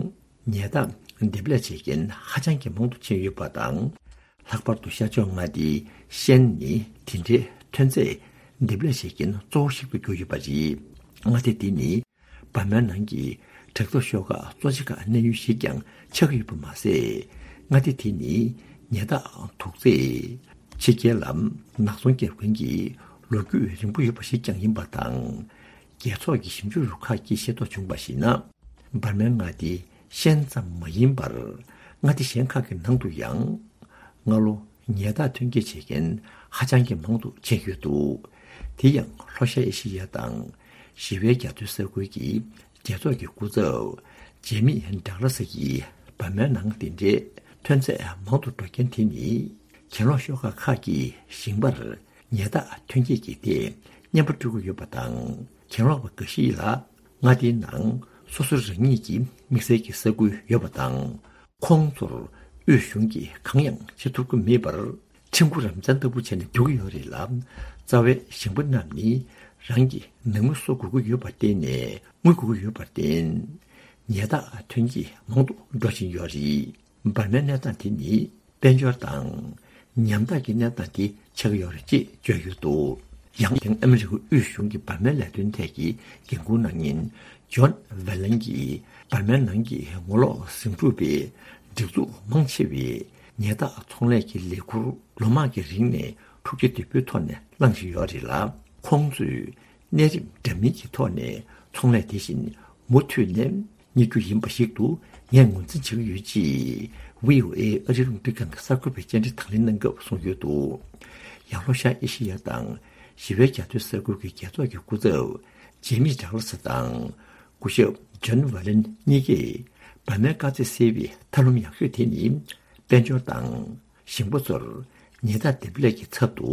ཉལ་ཐག་འདེབས་ལས་བྱེད་མཁན་ཧ་ཅང་གི་མང་དུ་ཕྱིན་ཡོད་པ་དང་། ལྷག་པར་དུ་ཤར་ཕྱོགས་མངའ་སྡེ་ཤན་ནི་དེ་འདྲའི་ཐོན་རྫས་འདེབས་ལས་བྱེད་མཁན་གཙོ་བོ་ཞིག་ཏུ་གྱུར་ཡོད་པ་རེད། མངའ་སྡེ་འདི་ནི། འབར་མའི་ནང་གི་དྲག་འཐབ་ཤོག་ཁག་གཙོ་ཆེ་ཁག་གནས་ཡུལ་ཞིག་ཀྱང་ཆགས་ཡོད་པ་མ་ཟད། མངའ་སྡེ་དེ་ནི་ཉལ་ཐག་དུག་རྫས་ཕྱི་རྒྱལ་ལ་ནག་ཚོང་བརྒྱབ་མཁན་གྱི་ལོ་རྒྱུས་རིང་པོ་ཡོད་པ་ཞིག་ཀྱང་ཡིན་པ་དང་། རྒྱལ་ཚོགས་ཀྱི་ཞིབ་འཇུག་རུ་ཁག་གིས་ཤེས་རྟོགས་བྱུང་བར་གཞིགས་ན། འབར་མའི་མངའ་སྡེ་ཤན་ཙམ་མ་ཡིན་པར་མངའ་སྡེ་གཞན་ཁག་གི་ནང་དུ་ཡང་། སྔ་ལོ་ཉལ་ཐག་ཐོན་སྐྱེད་བྱེད་མཁན་ཧ་ཅང་གི་མང་དུ་ཕྱིན་ཡོད་འདུག་དེ་ཡང་ལྷོ་ཤར་ཨེ་ཤེ་ཡ་དང་ཞི་བའི་རྒྱ་མཚོའི་ས་ཁུལ་གྱི་རྒྱལ་ཚོགས་ཀྱི་སྐུ་ཚབ་ཇེ་མི་ཌག་ལ་སི་ཡིས་འབར་མའི་ནང་དེ་འདྲའི་ཐོན་རྫས་མང་དུ་འགྲོ་རྐྱེན་དེ་ནི། གྱེན་ལོག་ཤོག་ཁག་ཁག་གིས་ཞིང་པར་ཉལ་ཐག་ཐོན་སྐྱེད་ཀྱི་ཐད་བརྙན་པར་སྤྲོད་ཀྱི་ཡོད་པ་དང་། གྱེན་ལོག་པ་འགའ་ཞིག་ལ་མངའ་སྡེའི་ནང་སོ་སོ་རང་ཉིད་ཀྱི་དམིགས་བསལ་གྱི་ས་ཁུལ་ཡོད་པ་དང་། ཁོང་ཚོར་དབུས་གཞུང་གིས་གང་ཡང་བྱེད་ཐུབ་ཀྱི་མེད་པར། ཁྲིམས་འགོ་རམ་འཚང་ལྟ་བུ་བྱས་ནས་སྡོད་ཀྱི་ཡོད་རེད་ལ། རྩ་བའི་ཞིང་པ་རྣམས་ནི་རང་གི་ནང་མི་གསོ་དགོས་ཀྱི་ཡོད་པར་བརྟེན་ནས། དངུལ་དགོས་ཀྱི་ཡོད་པར་བརྟེན། ཉལ་ཐག་ཐོན་སྐྱེད་མང་དུ་འགྲོ་བཞིན་ཡོད་རེད། འབར་མའི་གནས་སྟངས་དེ་ནི་དཔལ་འབྱོར་དང་ཉམ་ཐག་གི་གནས་སྟངས་དེ་ཆགས་ཀྱི་ཡོད་རེད་ཅེས་བརྗོད་ཡོད་འདུག། ཡང་ཨ་མི་རི་ཀའི་དབུས་གཞུང་གི་འབར་མའི་ལས་དོན་ཐད་ཀྱི་འགན་འཁུར་གནང་མཁན་ཇོན་ཝེ་ལན་གྱིས། འབར་མའི་ནང་གི་ངོ་ལོག་ཟིང་འཁྲུག་པའི་སྒྲིག་འཛུགས་མང་ཆེ་བས་ཉལ་ཐག་ཚོང་ལས་ཀྱི་ལས་ཁུར་ལོ་མང་གི་རིང་ནས་འཁྲུག་ཆ་དོད་པོའི་ཐོག་ནས་བླངས་བཞིན་ཡོད་རེད་ལ། ཁོང་ཚོས་གནས་རིམ་འདྲ་མིན་གྱི་ཐོག་ནས་ཚོང་ལས་དེ་བཞིན་མུ་མཐུད་ནས་གཉེར་རྒྱུ་ཡིན་པ་ཞིག་ཏུ་ངས་ངོས་འཛིན་བྱེད་ཀྱི་ཡོད་ཅེས་བྷི་ཨོ་ཨེ་ཨ་རིའི་རླུང་འཕྲིན་ཁང་གི་གསར་འགོད་པས་བཅར་འདྲི་དང་ལེན་གནང་སྐབས་གསུངས་ཡོད་འདུག། ཡང་ལྷོ་ཤར་ཨེ་ཤི་ཡ་དང་ཞི་བའི་རྒྱ་མཚོའི་ས་ཁུལ་གྱི་རྒྱལ་ཚོགས་ཀྱི་སྐུ་ཚབ་ཇེ་མི་ཌག་ལ་སི་དང་། སྐུ་ཞབས་ཇོན་ཝ་ལན་གཉིས་ཀས་འབར་མའི་དཀའ་ཚེགས་སེལ་བའི་ཐབས་ལམ་ཡག་ཤོས་དེ་ནི། དཔལ་འབྱོར་དང་ཞིང་པ་ཚོར་ཉལ་ཐག་འདེབས་ལས་ཀྱི་ཚབ་ཏུ་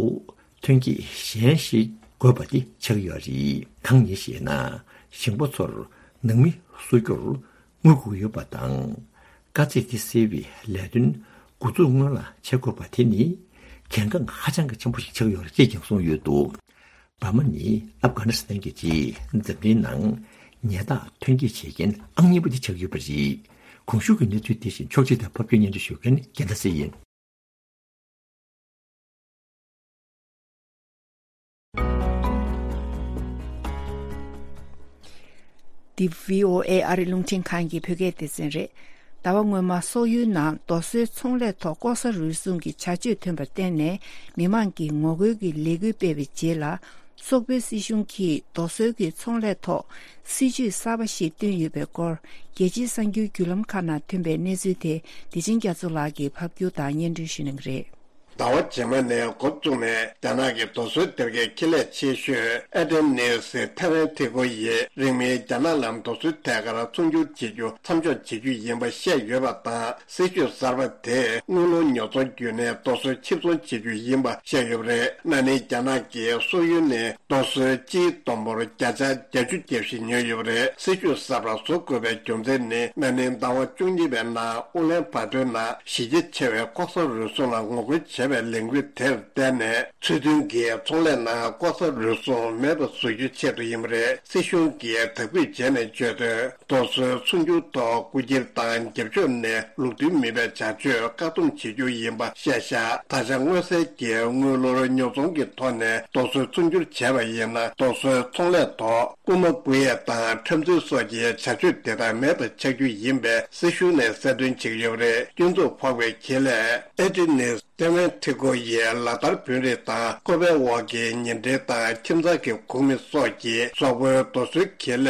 ཐོན་སྐྱེད་གཞན་ཞིག་དགོས་པ་དེ་ཆགས་ཡོད་རེད། གང་ཡིན་ཞེ་ན། ཞིང་པ་ཚོར་ནང་མི་གསོ་རྒྱུར་དངུལ་དགོས་ཡོད་པ་དང་། དཀའ་ཚེགས་དེ་སེལ་བའི་ལས་དོན་འགོ་འཛུགས་སྔོན་ལ་བྱེད་དགོས་པ་དེ་ནི་གལ་འགངས་ཧ་ཅང་གི་ཆེན་པོ་ཞིག་ཆགས་ཡོད་རེད་ཅེས་ཀྱང་གསུངས་ཡོད་འདུག། འབར་མ་ནི་ཨབ་གྷ་ནི་སི་ཐན་གྱི་རྗེས་འཛམ་གླིང་ནང་ཉལ་ཐག་ཐོན་སྐྱེད་བྱེད་མཁན་ཨང་གཉིས་པ་དེ་ཆགས་ཡོད་པ་རེད། གོང་ཞུས་ཀྱི་གནས་ཚུལ་དེ་བཞིན་ཕྱོགས་སྒྲིག་དང་ཕབ་སྒྱུར་སྙན་སྒྲོན་ཞུ་མཁན་རྒྱལ་མཚན་ཡིན། འདི་བྷི་ཨོ་ཨེ་ཨ་རི་རླུང་འཕྲིན་ཁང་གི་བོད་སྐད་སྡེ་ཚན་རེད། ཟླ་བ་སྔོན་མ་སོག་ཡུལ་ནང་རྡོ་སོལ་ཚོང་ལས་ཐོག་ལྐོག་ཟ་རུལ་སུངས་ཀྱི་བྱ་སྤྱོད་ཐོན་པར་བརྟེན་ནས་མི་མང་གིས་ངོ་རྒོལ་གྱི་ལས་འགུལ་སྤེལ་བའི་རྗེས་ལ། སོག་པོའི་སྲིད་གཞུང་གིས་རྡོ་སོལ་གྱི་ཚོང་ལས་ཐོག་སྲིད་ཇུས་གསར་པ་ཞིག་བཏོན་ཡོད་པའི་སྐོར། རྒྱལ་སྤྱིའི་གསར་འགྱུར་བརྒྱུད་ལམ་ཁག་ནང་ཐོན་པའི་གནས་ཚུལ་དེ་བདེ་ཆེན་རྒྱ་མཚོ་ལགས་ཀྱིས་ཕབ་སྒྱུར་དང་སྙན་སྒྲོན་ཞུ་གནང་གི་རེད། ཟླ་བ་རྗེས་མ་ནས་འགོ་བཙུགས་ནས་རྒྱ་ནག་གི་རྡོ་སོལ་སྡེར་ཁའི་ཁེ་ལས་ཆེ་ཤོས་ཨེ་ཏེ་ནེ་སི་ཐེ་ཝན་ཐི་ཀོ་ཡིས་རིང་མིན་རྒྱ་ནག་ལ་རྡོ་སོལ་ཐད་ཀར་ཚོང་སྒྱུར་བྱེད་རྒྱུ་མཚམས་འཇོག་བྱེད་རྒྱུ་ཡིན་པ་བཤད་ཡོད་པ་དང་། སྲིད་ཇུས་གསར་པ་དེས་དངུལ་ལོར་ཉོ་ཚོང་བརྒྱུད་ནས་རྡོ་སོལ་ཕྱིར་ཚོང་བྱེད་རྒྱུ་ཡིན་པ་བཤད་ཡོད་པ་རེད། ན་ནིང་རྒྱ་ནག་གིས་སོག་ཡུལ་ནས་རྡོ་སོལ་སྤྱིའི་བསྡོམས་འབོར་བརྒྱ་ཆ་བརྒྱད་ཅུ་བརྒྱབ་བཞིན་ཉོས་ཡོད་པ་རེད། སྲིད་ཇུས་གསར་པ་བཟོ་དགོས་པའི་རྒྱུ་མཚན་ནི། ན་ནིང་ཟླ་བ་བཅུ་གཉིས་པའི་ནང་ཨུ་ལན་བྷ་ཏོའི་ནང་གཞི་རྒྱ་ཆེ་བའི་ལྐོག་ཟ་རུལ་སུངས་ལ་ངོ་རྒོལ་བྱས་པའི་ལས་འགུལ་དེར་བརྟེན་ནས། ཚུལ་མཐུན་གྱི་ཚོང་ལས་ནང་ལྐོག་ཟ་རུལ་སུངས་མེད་པ་བཟོ་རྒྱུའི་ཆེད་དུ་ཡིན་པ་རེད། སྲིད་གཞུང་གིས་དག་འབུད་བྱས་ནས་བརྗོད་དོན། རྡོ་སོལ་ཚོང་སྒྱུར་ཐོག་རྐུ་འཁྱེར་དང་རྒྱབ་ཕྱོགས་ནས་ལུགས་མཐུན་མིན་པའི་བྱ་སྤྱོད་བཀག་སྡོམ་བྱེད་རྒྱུ་ཡིན་པ་བཤད་བཞག། ད་ཆ་མངོན་གསལ་གྱིས་དངུལ་ལོར་ཉོ་ཚོང་གི་ཐོག་ནས་རྡོ་སོལ་ཚོང་སྒྱུར་བྱས་པ་ཡིན་ན། རྡོ་སོལ་ཚོང་ལས་ཐོག་རྐུ་མ་རྐུ་ཡས་དང་འཁྲབ་འཛིང་སོགས་ཀྱི་བྱ་སྤྱོད་དེ་དག་མེད་པ་ཆགས་རྒྱུ་ཡིན་པའི་སྲིད་གཞུང་ནས་གསལ་སྟོན་བྱེད་ཀྱི་ཡོད་པ་རེད། སྐྱོན་འཛུགས་ཕོག་པའི་ཁེ་ལས་ཨེ་ཏི་ནེ་སི་ཐེ་ཝན་ཐི་ཀོ་ཡིས་ལག་བསྟར་བོད་རིགས་དང་ཁོ་པའི་འོག་གི་ཉེ་འབྲེལ་དང་ཁྱིམ་ཚང་གི་ཁོངས་མི་སོགས་ཀྱིས་སོག་པོའི་རྡོ་སོལ་ཁེ་ལས་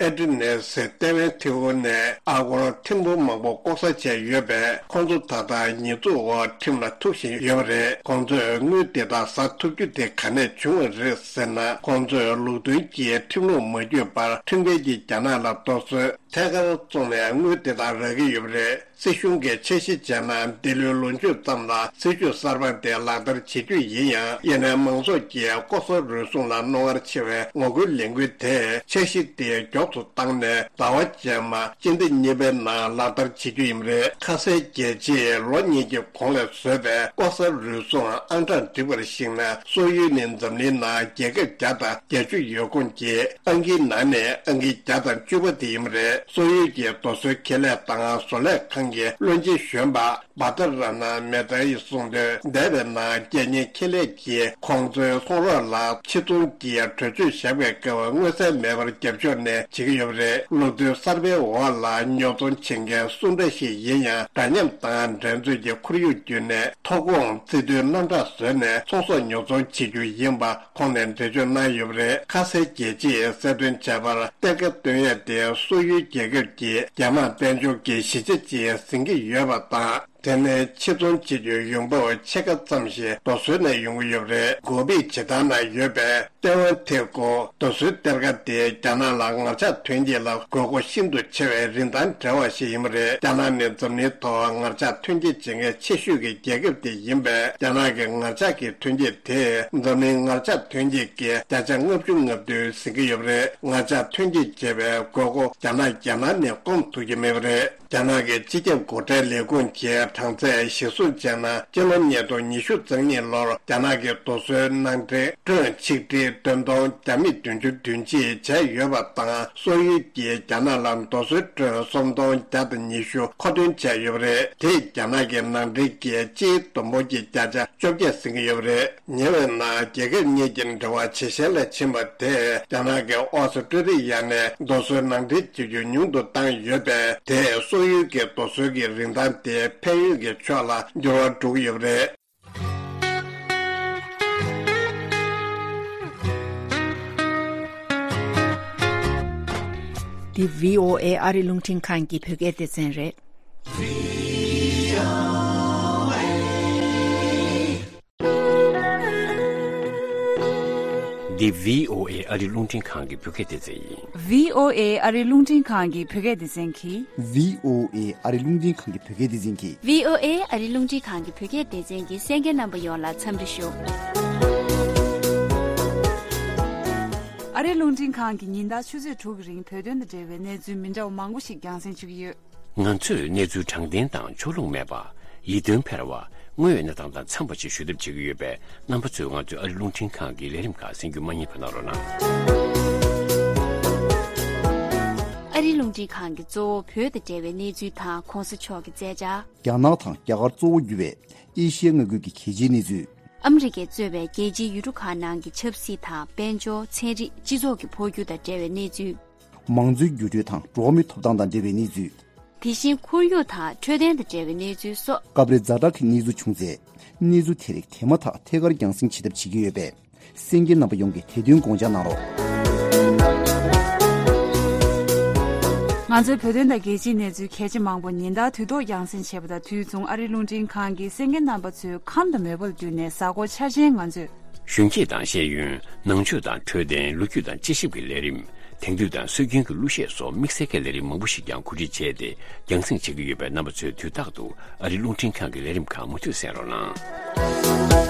ཨེ་ཏི་ནེ་སི་ཐེ་ཝན་ཐི་ཀོ་ནས་ཨ་སྒོར་ཐེར་འབུམ་མང་པོ་ལྐོག་ཟ་བྱས་ཡོད་པས། ཁོང་ཚོ་ད་ལྟ་ཉེས་འཛུགས་འོག་ཁྲིམས་ལ་ཐུག་བཞིན་ཡོད་པ་རེད། ཁོང་ཚོས་དངུལ་དེ་དག་ཟ་ཐུབ་རྒྱུ་དེ་ག་ནས་བྱུང་བ་རེད་ཟེར་ན། ཁོང་ཚོས་ལུགས་མཐུན་གྱི་ཁྲིམས་ལུགས་མ་བརྒྱུད་པར་ཁྲིམས་འགལ་གྱིས་རྒྱ་ནག་ལ་རྡོ་སོལ་ཐད་ཀར་བཙོངས་ནས་དངུལ་དེ་དག་རག་གི་ཡོད་པ་རེད། སྲིད་གཞུང་གིས་འཆར་གཞི་བྱས་ན། འདི་ལོའི་ལོ་མཇུག་ཙམ་ལ་སྲིད་ཇུས་གསར་པ་དེ་ལག་བསྟར་བྱེད་རྒྱུ་ཡིན་ཡང་། ཡིན་ནའི་མང་ཚོགས་ཀྱིས་ལྐོག་ཟ་རུལ་སུངས་ལ་རྣོ་ངར་ཆེ་བའི་ངོ་རྒོལ་ལས་འགུལ་དེས་འཆར་གཞི་དེ་མགྱོགས་སུ་བཏང་ནས། ཟླ་བ་རྗེས་མ་སྤྱི་ཟླ་གཉིས་པའི་ནང་ལག་བསྟར་བྱེད་རྒྱུ་ཡིན་པ་རེད། ཁ་སའི་རྒྱལ་སྤྱིས་ལོ་གཉིས་ཀྱི་གོང་ལ་བཟོས་པའི་ལྐོག་ཟ་རུལ་སུངས་ཨང་གྲངས་བསྒྲིགས་པར་གཞིགས་ན། སོག་ཡུལ་ནི་འཛམ་གླིང་ནང་རྒྱལ་ཁབ་བརྒྱ་དང་བརྒྱད་ཅུ་ཡོད་ཁུངས་ཀྱི་ཨང་ཀིའི་ནང་ནས་ཨང་ཀི་བརྒྱ་དང་བཅུ་པ་དེ་ཡིན་པ་རེད། སོག་ཡུལ་གྱི་རྡོ་སོལ་ཁེ་ལས་དང་བཟོ་ལས་ཁང་གི་བློན་ཆེན་གཞོན་པ་བྷ་ཏར་ར་ན་མེ་ཏཱ་ཡིས་གསུངས་དོན། འདས་པའི་ནང་རྒྱལ་གཉེར་ཁེ་ལས་ཀྱིས་ཁོང་ཚོའི་ཚོང་རོགས་ལ་ཕྱིར་ཚོང་གི་གྲོས་ཆོད་བཞག་པའི་སྐབས་མངོན་གསལ་མེད་པར་རྒྱབ་ཕྱོགས་ནས་བྱེད་ཀྱི་ཡོད་པ་རེད། ལུགས་མཐུན་གསར་པའི་འོག་ལ་ཉོ་ཚོང་བྱེད་མཁན་སུ་འདྲ་ཞིག་ཡིན་ཡང་། འདྲ་མཉམ་དང་འགྲན་རྩོད་ཀྱི་ཁོར་ཡུག་བརྒྱུད་ནས་ཐོ་ཁོངས་རྩིས་ཐོའི་རྣམ་གྲངས་བཟོས་ནས་ཚོང་ཟོག་ཉོ་ཚོང་བྱེད་རྒྱུ་ཡིན་པ། ཁོང་ནས་འགྲེལ་བརྗོད་གནང་ཡོད་པ་རེད། ཁ་སའི་རྒྱལ་སྤྱིས་གསལ་སྟོན་བྱས་པར། གཏན་འཁེལ་བཏོན་ཡས་དེ་སོག་ཡུལ་རྒྱལ་ཁབ་ཀྱི་རྒྱལ་དམངས་དཔལ་འབྱོར་གྱི་གཞི་ཆ་ཅིག་ཟིན་གྱི་ཡོད་པ་དང་ དེ་ནི་ཕྱིར་ཚོང་བྱེད་རྒྱུའི་ཡོང་འབབ་ཕྱེད་ཀ་ཙམ་ཞིག་རྡོ་སོལ་ནས་ཡོང་གི་ཡོད་པ་རེད། གོ་བིད་བྱེ་ཐང་ན་ཡོད་པའི་ཏེ་ཝན་ཐེ་ཀོ་རྡོ་སོལ་གཏེར་ཁ་དེ་རྒྱ་ནག་ལ་ངར་ལྕགས་ཐོན་སྐྱེད་ལ་དགོས་མཁོ་ཤིན་ཏུ་ཆེ་བའི་རིན་ཐང་བྲལ་བ་ཞིག་ཡིན་པ་རེད། རྒྱ་ནག་ནི་འཛམ་གླིང་ཐོག་ངར་ལྕགས་ཐོན་སྐྱེད་བྱེད་མཁན་ཆེ་ཤོས་ཀྱི་རྒྱལ་ཁབ་དེ་ཡིན་པས། རྒྱ་ནག་གི་ངར་ལྕགས་ཀྱི་ཐོན་སྐྱེད་དེས་འཛམ་གླིང་ངར་ལྕགས་ཐོན་སྐྱེད་ཀྱི་བརྒྱ་ཆ་ལྔ་བཅུ་ང་བདུན་ཟིན་གྱི་ཡོད་པ་རེད། ངར་ལྕགས་ཐོན་སྐྱེད་བྱེད་པའི་དགོས་མཁོ་རྒྱ་ནག་རྒྱལ་ནང་ནས་སྐོང་ཐུབ་ཀྱི་མེད་པ་རེད། རྒྱ་ནག་གི་སྤྱི་ཁྱབ་སྒོ་ཁྲལ་ལས་ཁུངས་ཀྱིས་གྲངས་ཚད་གཞིར་བཟུང་བྱས་ན། སྤྱི་ལོ་ཉིས་སྟོང་ཉི་ཤུ་རྩ་གཉིས་ལོར་རྒྱ་ནག་གི་རྡོ་སོལ་ནང་འདྲེན་ཊོན་ཆིག་ཁྲི་བདུན་སྟོང་བརྒྱ་མེད་བདུན་ཅུ་དོན་གཅིག་བྱས་ཡོད་པ་དང་། སོག་ཡུལ་གྱིས་རྒྱ་ནག་ལ་རྡོ་སོལ་ཊོན་སུམ་སྟོང་བརྒྱ་དང་ཉི་ཤུ་མཁོ་འདོན་བྱས་ཡོད་པ་རེད། དེས་རྒྱ་ནག་གི་ནང་འདྲེན་གྱི་སྤྱིའི་བསྡོམས་འབོར་གྱི་བརྒྱ་ཆ་བཅོ་བརྒྱད་ཟིན་གྱི་ཡོད་པ་རེད། ཉེ་བའི་ནང་རྒྱལ་ཁབ་གཉིས་ཀྱི་འབྲེལ་བ་ཇེ་ཞན་ལ་ཕྱིན་པ་དེས་རྒྱ་ནག་གི་ཨོ་སི་ཀྲི་ལི་ཡ་ནས་རྡོ་སོལ་ནང་འདྲེན་བྱེད་རྒྱུ་ཉུང་དུ་བཏང་ཡོད་པས། དེས་སོག་ཡུལ་གྱི་རྡོ་སོལ་གྱི་རིན་ཐང་དེ་ཕན་ཡོན་གྱི་ཕྱོགས་ལ་འགྱུར་བ་འགྲོ་གི་ཡོད་པ་རེད། འདི་བྷི་ཨོ་ཨེ་ཨ་རི་རླུང་འཕྲིན་ཁང་གི་བོད་སྐད་སྡེ་ཚན་རེད། འདི་བྷི་ཨོ་ཨེ་ཨ་རི་རླུང་འཕྲིན་ཁང་གི་བོད་སྐད་སྡེ་ཚན་ཡིན། བྷི་ཨོ་ཨེ་ཨ་རི་རླུང་འཕྲིན་ཁང་གི་བོད་སྐད་སྡེ་ཚན་གྱིས། བྷི་ཨོ་ཨེ་ཨ་རི་རླུང་འཕྲིན་ཁང་གི་བོད་སྐད་སྡེ་ཚན་གྱིས། བྷི་ཨོ་ཨེ་ཨ་རི་རླུང་འཕྲིན་ཁང་གི་བོད་སྐད་སྡེ་ཚན་གྱི་གསན་མཁན་རྣམ་པ་ཡོངས་ལ་འཚམས་འདྲི་ཞུ། ཨ་རི་རླུང་འཕྲིན་ཁང་གིས་ཉིན་ལྟར་ཆུ་ཚོད་དྲུག་གི་རིང་བོད་དོན་དང་འབྲེལ་བའི་གནས་ཚུལ་མི་འདྲ་བ་མང་པོ་ཞིག་རྒྱང་སྲིང་ཞུ་གི་ཡོད། ང་ཚོས་གནས་ཚུལ་དྲང་བདེན་དང་ཕྱོགས་ལྷུང་མེད་པ། ཡིད་རྟོན་འཕེར་བ། དངོས་ཡོད་གནས་སྟངས་དང་འཚམས་པ་ཞིག་ཞུ་ཐབས་བྱེད་ཀྱི་ཡོད་པས། རྣམ་པ་ཚོས་ང་ཚོའི་ཨ་རི་རླུང་འཕྲིན་ཁང་གི་ལས་རིམ་ཁག་གསན་རྒྱུ་མ་བསྙེལ་བ་གནང་རོགས་གནང་། ཨ་རི་རླུང་འཕྲིན་ཁང་གིས་གཙོ་བོ་བོད་དང་འབྲེལ་བའི་གནས་ཚུལ་དང་གོང་ས་མཆོག་གི་མཛད་འཆར། རྒྱ་ནག་དང་རྒྱ་གར་གཙོ་བོ་གྱུར་བའི་ཨེ་ཤི་ཡའི་མངའ་ཁུལ་གྱི་གལ་ཆེའི་གནས་ཚུལ། ཨ་མི་རི་ཀས་གཙོས་པའི་རྒྱལ་སྤྱིའི་ཡུལ་གྲུ་ཁག་ནང་གི་ཆབ་སྲིད་དང་དཔལ་འབྱོར། ཚན་རིག་སྤྱི་ཚོགས་ཀྱི་འཕོ་འགྱུར་དང་འབྲེལ་བའི་གནས་ཚུལ། མང་གཙོའི་འགྱུར་འགྲོས་དང་འགྲོ་བ་མིའི་ཐོབ་ཐང་དང་འབྲེལ་བའི་གནས་ཚུལ། དེ་བཞིན་ཁོར་ཡུག་དང་འཕྲོད་བསྟེན་དང་འབྲེལ་བའི་གནས་ཚུལ་སོགས། སྐབས་རེ་ཛ་དྲག་གི་གནས་ཚུལ་བྱུང་ཚེ། གནས་ཚུལ་དེ་རིགས་དེ་མ་ཐག་ཐད་ཀར་རྒྱང་སྲིང་བྱེད་ཐབས་བྱེད་ཀྱི་ཡོད་པས། གསན་མཁན་རྣམ་པ་ཡོངས་ཀྱིས་དེ་དོན་དགོངས་འཇགས་གནང་རོགས། ང་ཚོའི་བོད་དོན་དང་རྒྱལ་སྤྱིའི་གནས་ཚུལ་གལ་ཆེ་མང་པོ་ཉིན་ལྟར་དུས་ཐོག་རྒྱང་སྲིང་བྱེད་པ་དང་། དུས་མཚུངས་ཨ་རིའི་རླུང་འཕྲིན་ཁང་གིས་གསན་མཁན་རྣམ་པ་ཚོའི་ཁམས་དང་མོས་པ་ལ་བསྟུན་ནས་གཟའ་འཁོར་འཆར་ཅན་ང་ཚོས། གཞོན་སྐྱེས་དང་ཤེས་ཡོན། ནང་ཆོས་དང་འཕྲོད་བསྟེན། ལོ་རྒྱུས་དང་དཔྱད་ཞིབ་ཀྱི་ལས་རིམ། དེང་དུས་དང་སྲོལ་རྒྱུན་གྱི་གླུ་གཞས་སོགས་དམིགས་བསལ་གྱི་ལས་རིམ་མང་པོ་ཞིག་ཀྱང་གོ་སྒྲིག་བྱས་ཏེ་རྒྱང་སྲིང་བྱེད་ཀྱི་ཡོད་པས། རྣམ་པ་ཚོས་དུས་རྟག་ཏུ་ཨ་རིའི་རླུང་འཕྲིན་ཁང་གི་ལས་རིམ་ཁག་མུ་མཐུད་གསན་རོགས་གནང་།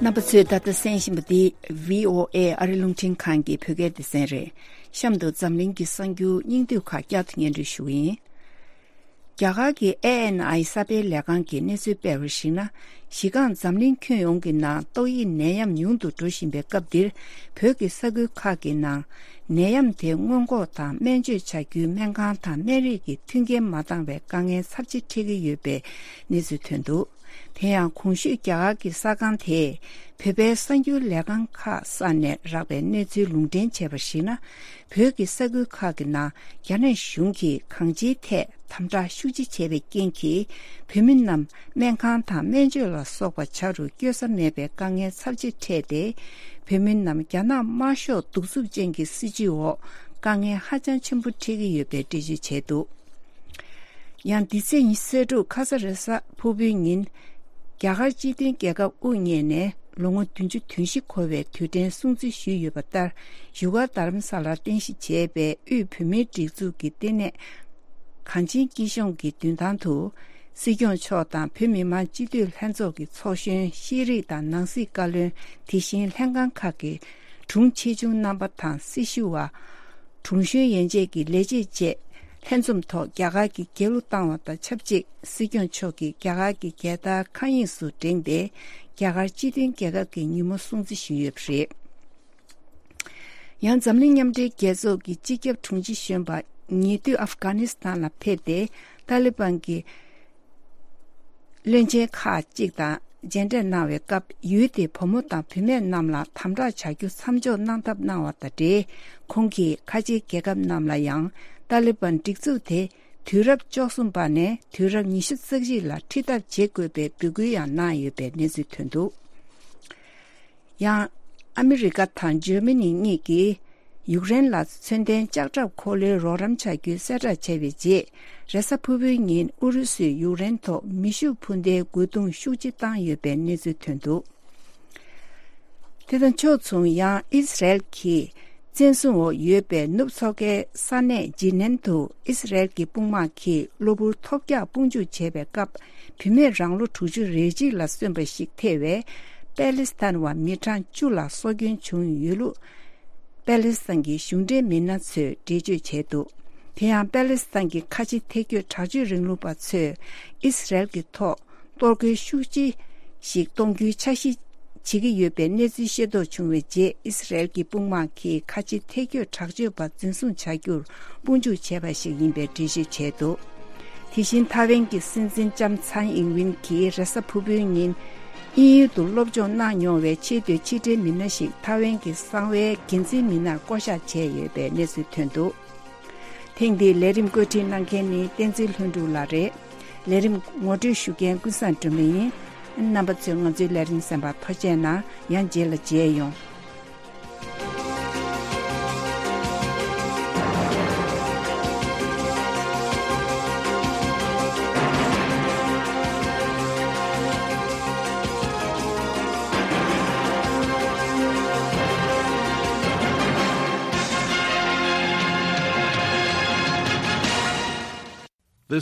རྣམ་པ་ཚོས་ད་ལྟ་གསན་བཞིན་པ་འདི་བྷི་ཨོ་ཨེ་ཨ་རིའི་རླུང་འཕྲིན་ཁང་གི་བོད་སྐད་སྡེ་ཚན་རེད། གཤམ་དུ་འཛམ་གླིང་གི་གསར་འགྱུར་སྙིང་བསྡུས་ཁག་བསྐྱར་དུ་སྙན་སྒྲོན་ཞུ་གི་ཡིན། རྒྱ་གར་གྱི་ཨེ་ཨེན་ཨའི་གསར་སྤེལ་ལས་ཁང་གིས་གནས་ཚུལ་སྤེལ་བར་གཞིགས་ན། གཞི་རྐང་འཛམ་གླིང་ཁྱོན་ཡོངས་ཀྱི་ནང་ཏོག་དབྱིབས་ནད་ཡམས་ཉུང་དུ་འགྲོ་བཞིན་པའི་སྐབས་འདིར། བོད་ཀྱི་ས་ཁུལ་ཁག་གི་ནང་ནད་ཡམས་དེ་སྔོན་འགོག་དང་སྨན་བཅོས་བྱ་རྒྱུའི་སྨན་ཁང་དང་སྨན་རིགས་ཀྱི་མཐུན་རྐྱེན་མ་འདང་བའི་དཀའ་ངལ་ཚབས་ཆེ་འཕྲད་ཀྱི་ཡོད་པའི་གནས་ཚུལ་ཐོན་འདུག་དེ་ཡང་གོང་ཞུས་རྒྱ་གར་གྱི་གསར་ཁང་དེས་བོད་པའི་གསར་འགྱུར་ལས་ཁང་ཁག་གསར་ནས་རག་པའི་གནས་ཚུལ་ལུང་འདྲེན་བྱས་པར་གཞིགས་ན། བོད་ཀྱི་ས་ཁུལ་ཁག་གི་ནང་རྒྱ་ནག་གཞུང་གིས་གང་ཅིའི་ཐད་དམ་དྲག་ཤུགས་ཆེ་བྱས་པའི་རྐྱེན་གྱིས། བོད་མི་རྣམས་སྨན་ཁང་དང་སྨན་བཅོས་ལ་སོགས་པ་བྱ་རུ་བསྐྱོད་ས་མེད་པའི་དཀའ་ངལ་ཚབས་ཆེ་འཕྲད་དེ། བོད་མི་རྣམས་རྒྱ་ནག་དམར་ཤོག་གདུག་རྩུབ་ཅན་གྱི་སྲིད་བྱུས་འོག་དཀའ་ངལ་ཧ་ཅང་ཆེན་པོ་འཕྲད་ཀྱི་ཡོད་པའི་འགྲེལ་བརྗོད་བྱས་འདུག་ཡང་འདི་ཚེས་ཉི་ཤུ་རྩ་དྲུག་ཁ་ས་རེ་ས་ཕུར་བུའི་ཉིན། རྒྱ་གར་སྤྱི་མཐུན་རྒྱལ་ཁབ་དབུ་བརྙེས་ནས་ལོ་ངོ་བདུན་ཅུ་དོན་བཞི་འཁོར་བའི་དུས་དྲན་སྲུང་བརྩི་ཞུས་ཡོད་པ་ལྟར། བཞུགས་སྒར་རྡ་རམ་ས་ལར་རྟེན་གཞི་བྱས་པའི་དབུས་བོད་མིའི་སྒྲིག་འཛུགས་ཀྱི་ལྟེ་གནས་གངས་ཅན་སྐྱིད་གཤོངས་ཀྱི་མདུན་ཐང་དུ། སྲིད་སྐྱོང་མཆོག་དང་བོད་མི་མང་སྤྱི་འཐུས་ལྷན་ཚོགས་ཀྱི་ཚོགས་གཞོན། ཤེས་རིག་དང་ནང་སྲིད་བཀའ་བློན། དེ་བཞིན་ལྷན་ཁང་ཁག་གི་དྲུང་ཆེ་ཆུང་རྣམ་པ་དང་སྲི་ཞུ་བ། དྲུང་གཞོན་ཡན་ཆད་ཀྱི་ལས་བྱེད་བཅས་ལྷན་འཛོམས་ཐོག་རྒྱ་གར་གྱི་རྒྱལ་གླུ་བཏང་བ་དང་ཆབས་ཅིག་སྲིད་སྐྱོང་མཆོག་གིས་རྒྱ་གར་གྱི་རྒྱལ་དར་མཁའ་དབྱིངས་སུ་བསྒྲེངས་ཏེ། རྒྱ་གར་སྤྱི་མཐུན་རྒྱལ་ཁབ་ཀྱི་ཉིན་མོ་སྲུང་བརྩི་ཞུས་ཡོད་པ་རེད། ཡང་འཛམ་གླིང་མཉམ་འབྲེལ་རྒྱལ་ཚོགས་ཀྱི་སྤྱི་ཁྱབ་དྲུང་ཆེ་གཞོན་པ་ཉེ་དུས་ཨབ་གྷ་ནི་སི་ཐན་ལ་ཕེབས་ཏེ། ཏཱ་ལི་བན་གྱི་བློན་ཆེན་ཁག་ཅིག་དང་མཇལ་འཕྲད་གནང་བའི་སྐབས། ཡུལ་དེའི་བུ་མོ་དང་བུད་མེད་རྣམས་ལ་དམ་དྲག་བྱ་རྒྱུ་མཚམས་འཇོག་གནང་ཐབས་གནང་བ་དང་འབྲེལ། ཁོང་གིས་ཁ་ཆེའི་རྒྱལ་ཁབ་རྣམས་ལ་ཡང་ཏཱ་ལི་བན་སྒྲིག་འཛུགས་དེ་དུས་རབས་བཅུ་གསུམ་པ་ནས་དུས་རབས་ཉི་ཤུ་རྩ་གཅིག་ལ་ཁྲིད་ཐབས་བྱེད་དགོས་པའི་འབོད་སྐུལ་ཡང་གནང་ཡོད་པའི་གནས་ཚུལ་ཐོན་འདུག་ཡང་། ཨ་མི་རི་ཀ་དང་འཇར་མ་ནི་གཉིས་ཀྱིས་ཡུཀ་རེན་ལ་མཚོན་ལྡན་ལྕགས་ཁྲབ་འཁོར་ལོའི་རོགས་རམ་བྱ་རྒྱུའི་གསལ་བསྒྲགས་བྱས་པའི་རྗེས། རེས་གཟའ་ཕུར་བུའི་ཉིན་ཨུ་རུ་སུས་ཡུཀ་རེན་ཐོག་མེ་ཤུགས་འཕུར་མདེལ་རྒོལ་རྡུང་ཤུགས་ཆེ་བཏང་ཡོད་པའི་གནས་ཚུལ་ཐོན་འདུག་དེ་དང་ཕྱོགས་མཚུངས། ཡང་ཨིས་རལ་གྱིས་བཙན་བཟུང་འོག་ཡོད་པའི་ནུབ་མཚོ་ཁའི་ས་གནས་ཇི་ནན་དུ་ཨིས་རལ་གྱི་དཔུང་དམག་གིས་གློ་བུར་ཐོལ་རྒྱག་དཔུང་འཇུག་བྱས་པའི་སྐབས། བུད་མེད་རང་ལོ་དྲུག་ཅུ་རེ་གཅིག་ལ་སོན་པ་ཞིག་ཐེ་བའི་པེ་ལི་སི་ཐན་བ་མི་གྲངས་བཅུ་ལ་སྲོག་སྐྱོན་བྱུང་ཡོད་ལུགས། པེ་ལི་སི་ཐན་གྱི་གཞུང་འབྲེལ་མི་སྣ་ཚོས་འགྲེལ་བརྗོད་བྱས་འདུག་དེ་ཡང་པེ་ལི་སི་ཐན་གྱི་ཁ་ཆེ་ཐལ་སྐྱོད་དྲག་སྤྱོད་རིང་ལུགས་པ་ཚོས་ཨིས་རལ་གྱི་ཐོག་གཏོར་རྒོལ་ཤུགས་ཆེ་ཞིག་གཏོང་རྒྱུའི་འཆར་གཞི་བྱེད་ཀྱི་ཡོད་པའི་གནས་ཚུལ་ཤེས་རྟོགས་བྱུང་བའི་རྗེས། ཨིས་རལ་གྱི་དཔུང་དམག་གིས་ཁ་ཆེ་ཐལ་སྐྱོད་དྲག་སྤྱོད་པ་འཛིན་བཟུང་བྱ་རྒྱུར་དཔུང་འཇུག་བྱས་པ་ཞིག་ཡིན་པའི་འགྲེལ་བརྗོད་བྱས་འདུག་དེ་བཞིན་ཐའེ་ཝན་གྱི་སྲིད་འཛིན་ལྕམ་ཚན་ཨིང་ཝིན་གྱིས་རེས་གཟའ་ཕུར་བུའི་ཉིན་དབྱིན་ཡུལ་དུ་སློབ་སྦྱོང་གནང་མྱོང་བའི་ཆེས་མཐོའི་ཕྱི་འབྲེལ་མི་སྣ་ཞིག་ཐའེ་ཝན་གྱི་གསང་བའི་འགན་འཛིན་མི་སྣར་བསྐོ་གཞག་བྱས་ཡོད་པའི་གནས་ཚུལ་ཐོན་འདུག་ཐེངས་འདིའི་ལས་རིམ་བཀོད་སྒྲིག་གནང་མཁན་ནི་བསྟན་འཛིན་ལྷུན་གྲུབ་ལགས་རེད། ལས་རིམ་ངོ་སྤྲོད་ཞུ་མཁན་ཀུན་བཟང་སྒྲོལ་མ་ཡིན། རྣམ་པ་ཚོས་ང་ཚོའི་ལས་རིམ་གསན་པར་ཐུགས་རྗེ་གནང་། ཡང་རྗེས་ལ་མཇལ་ཡོང་།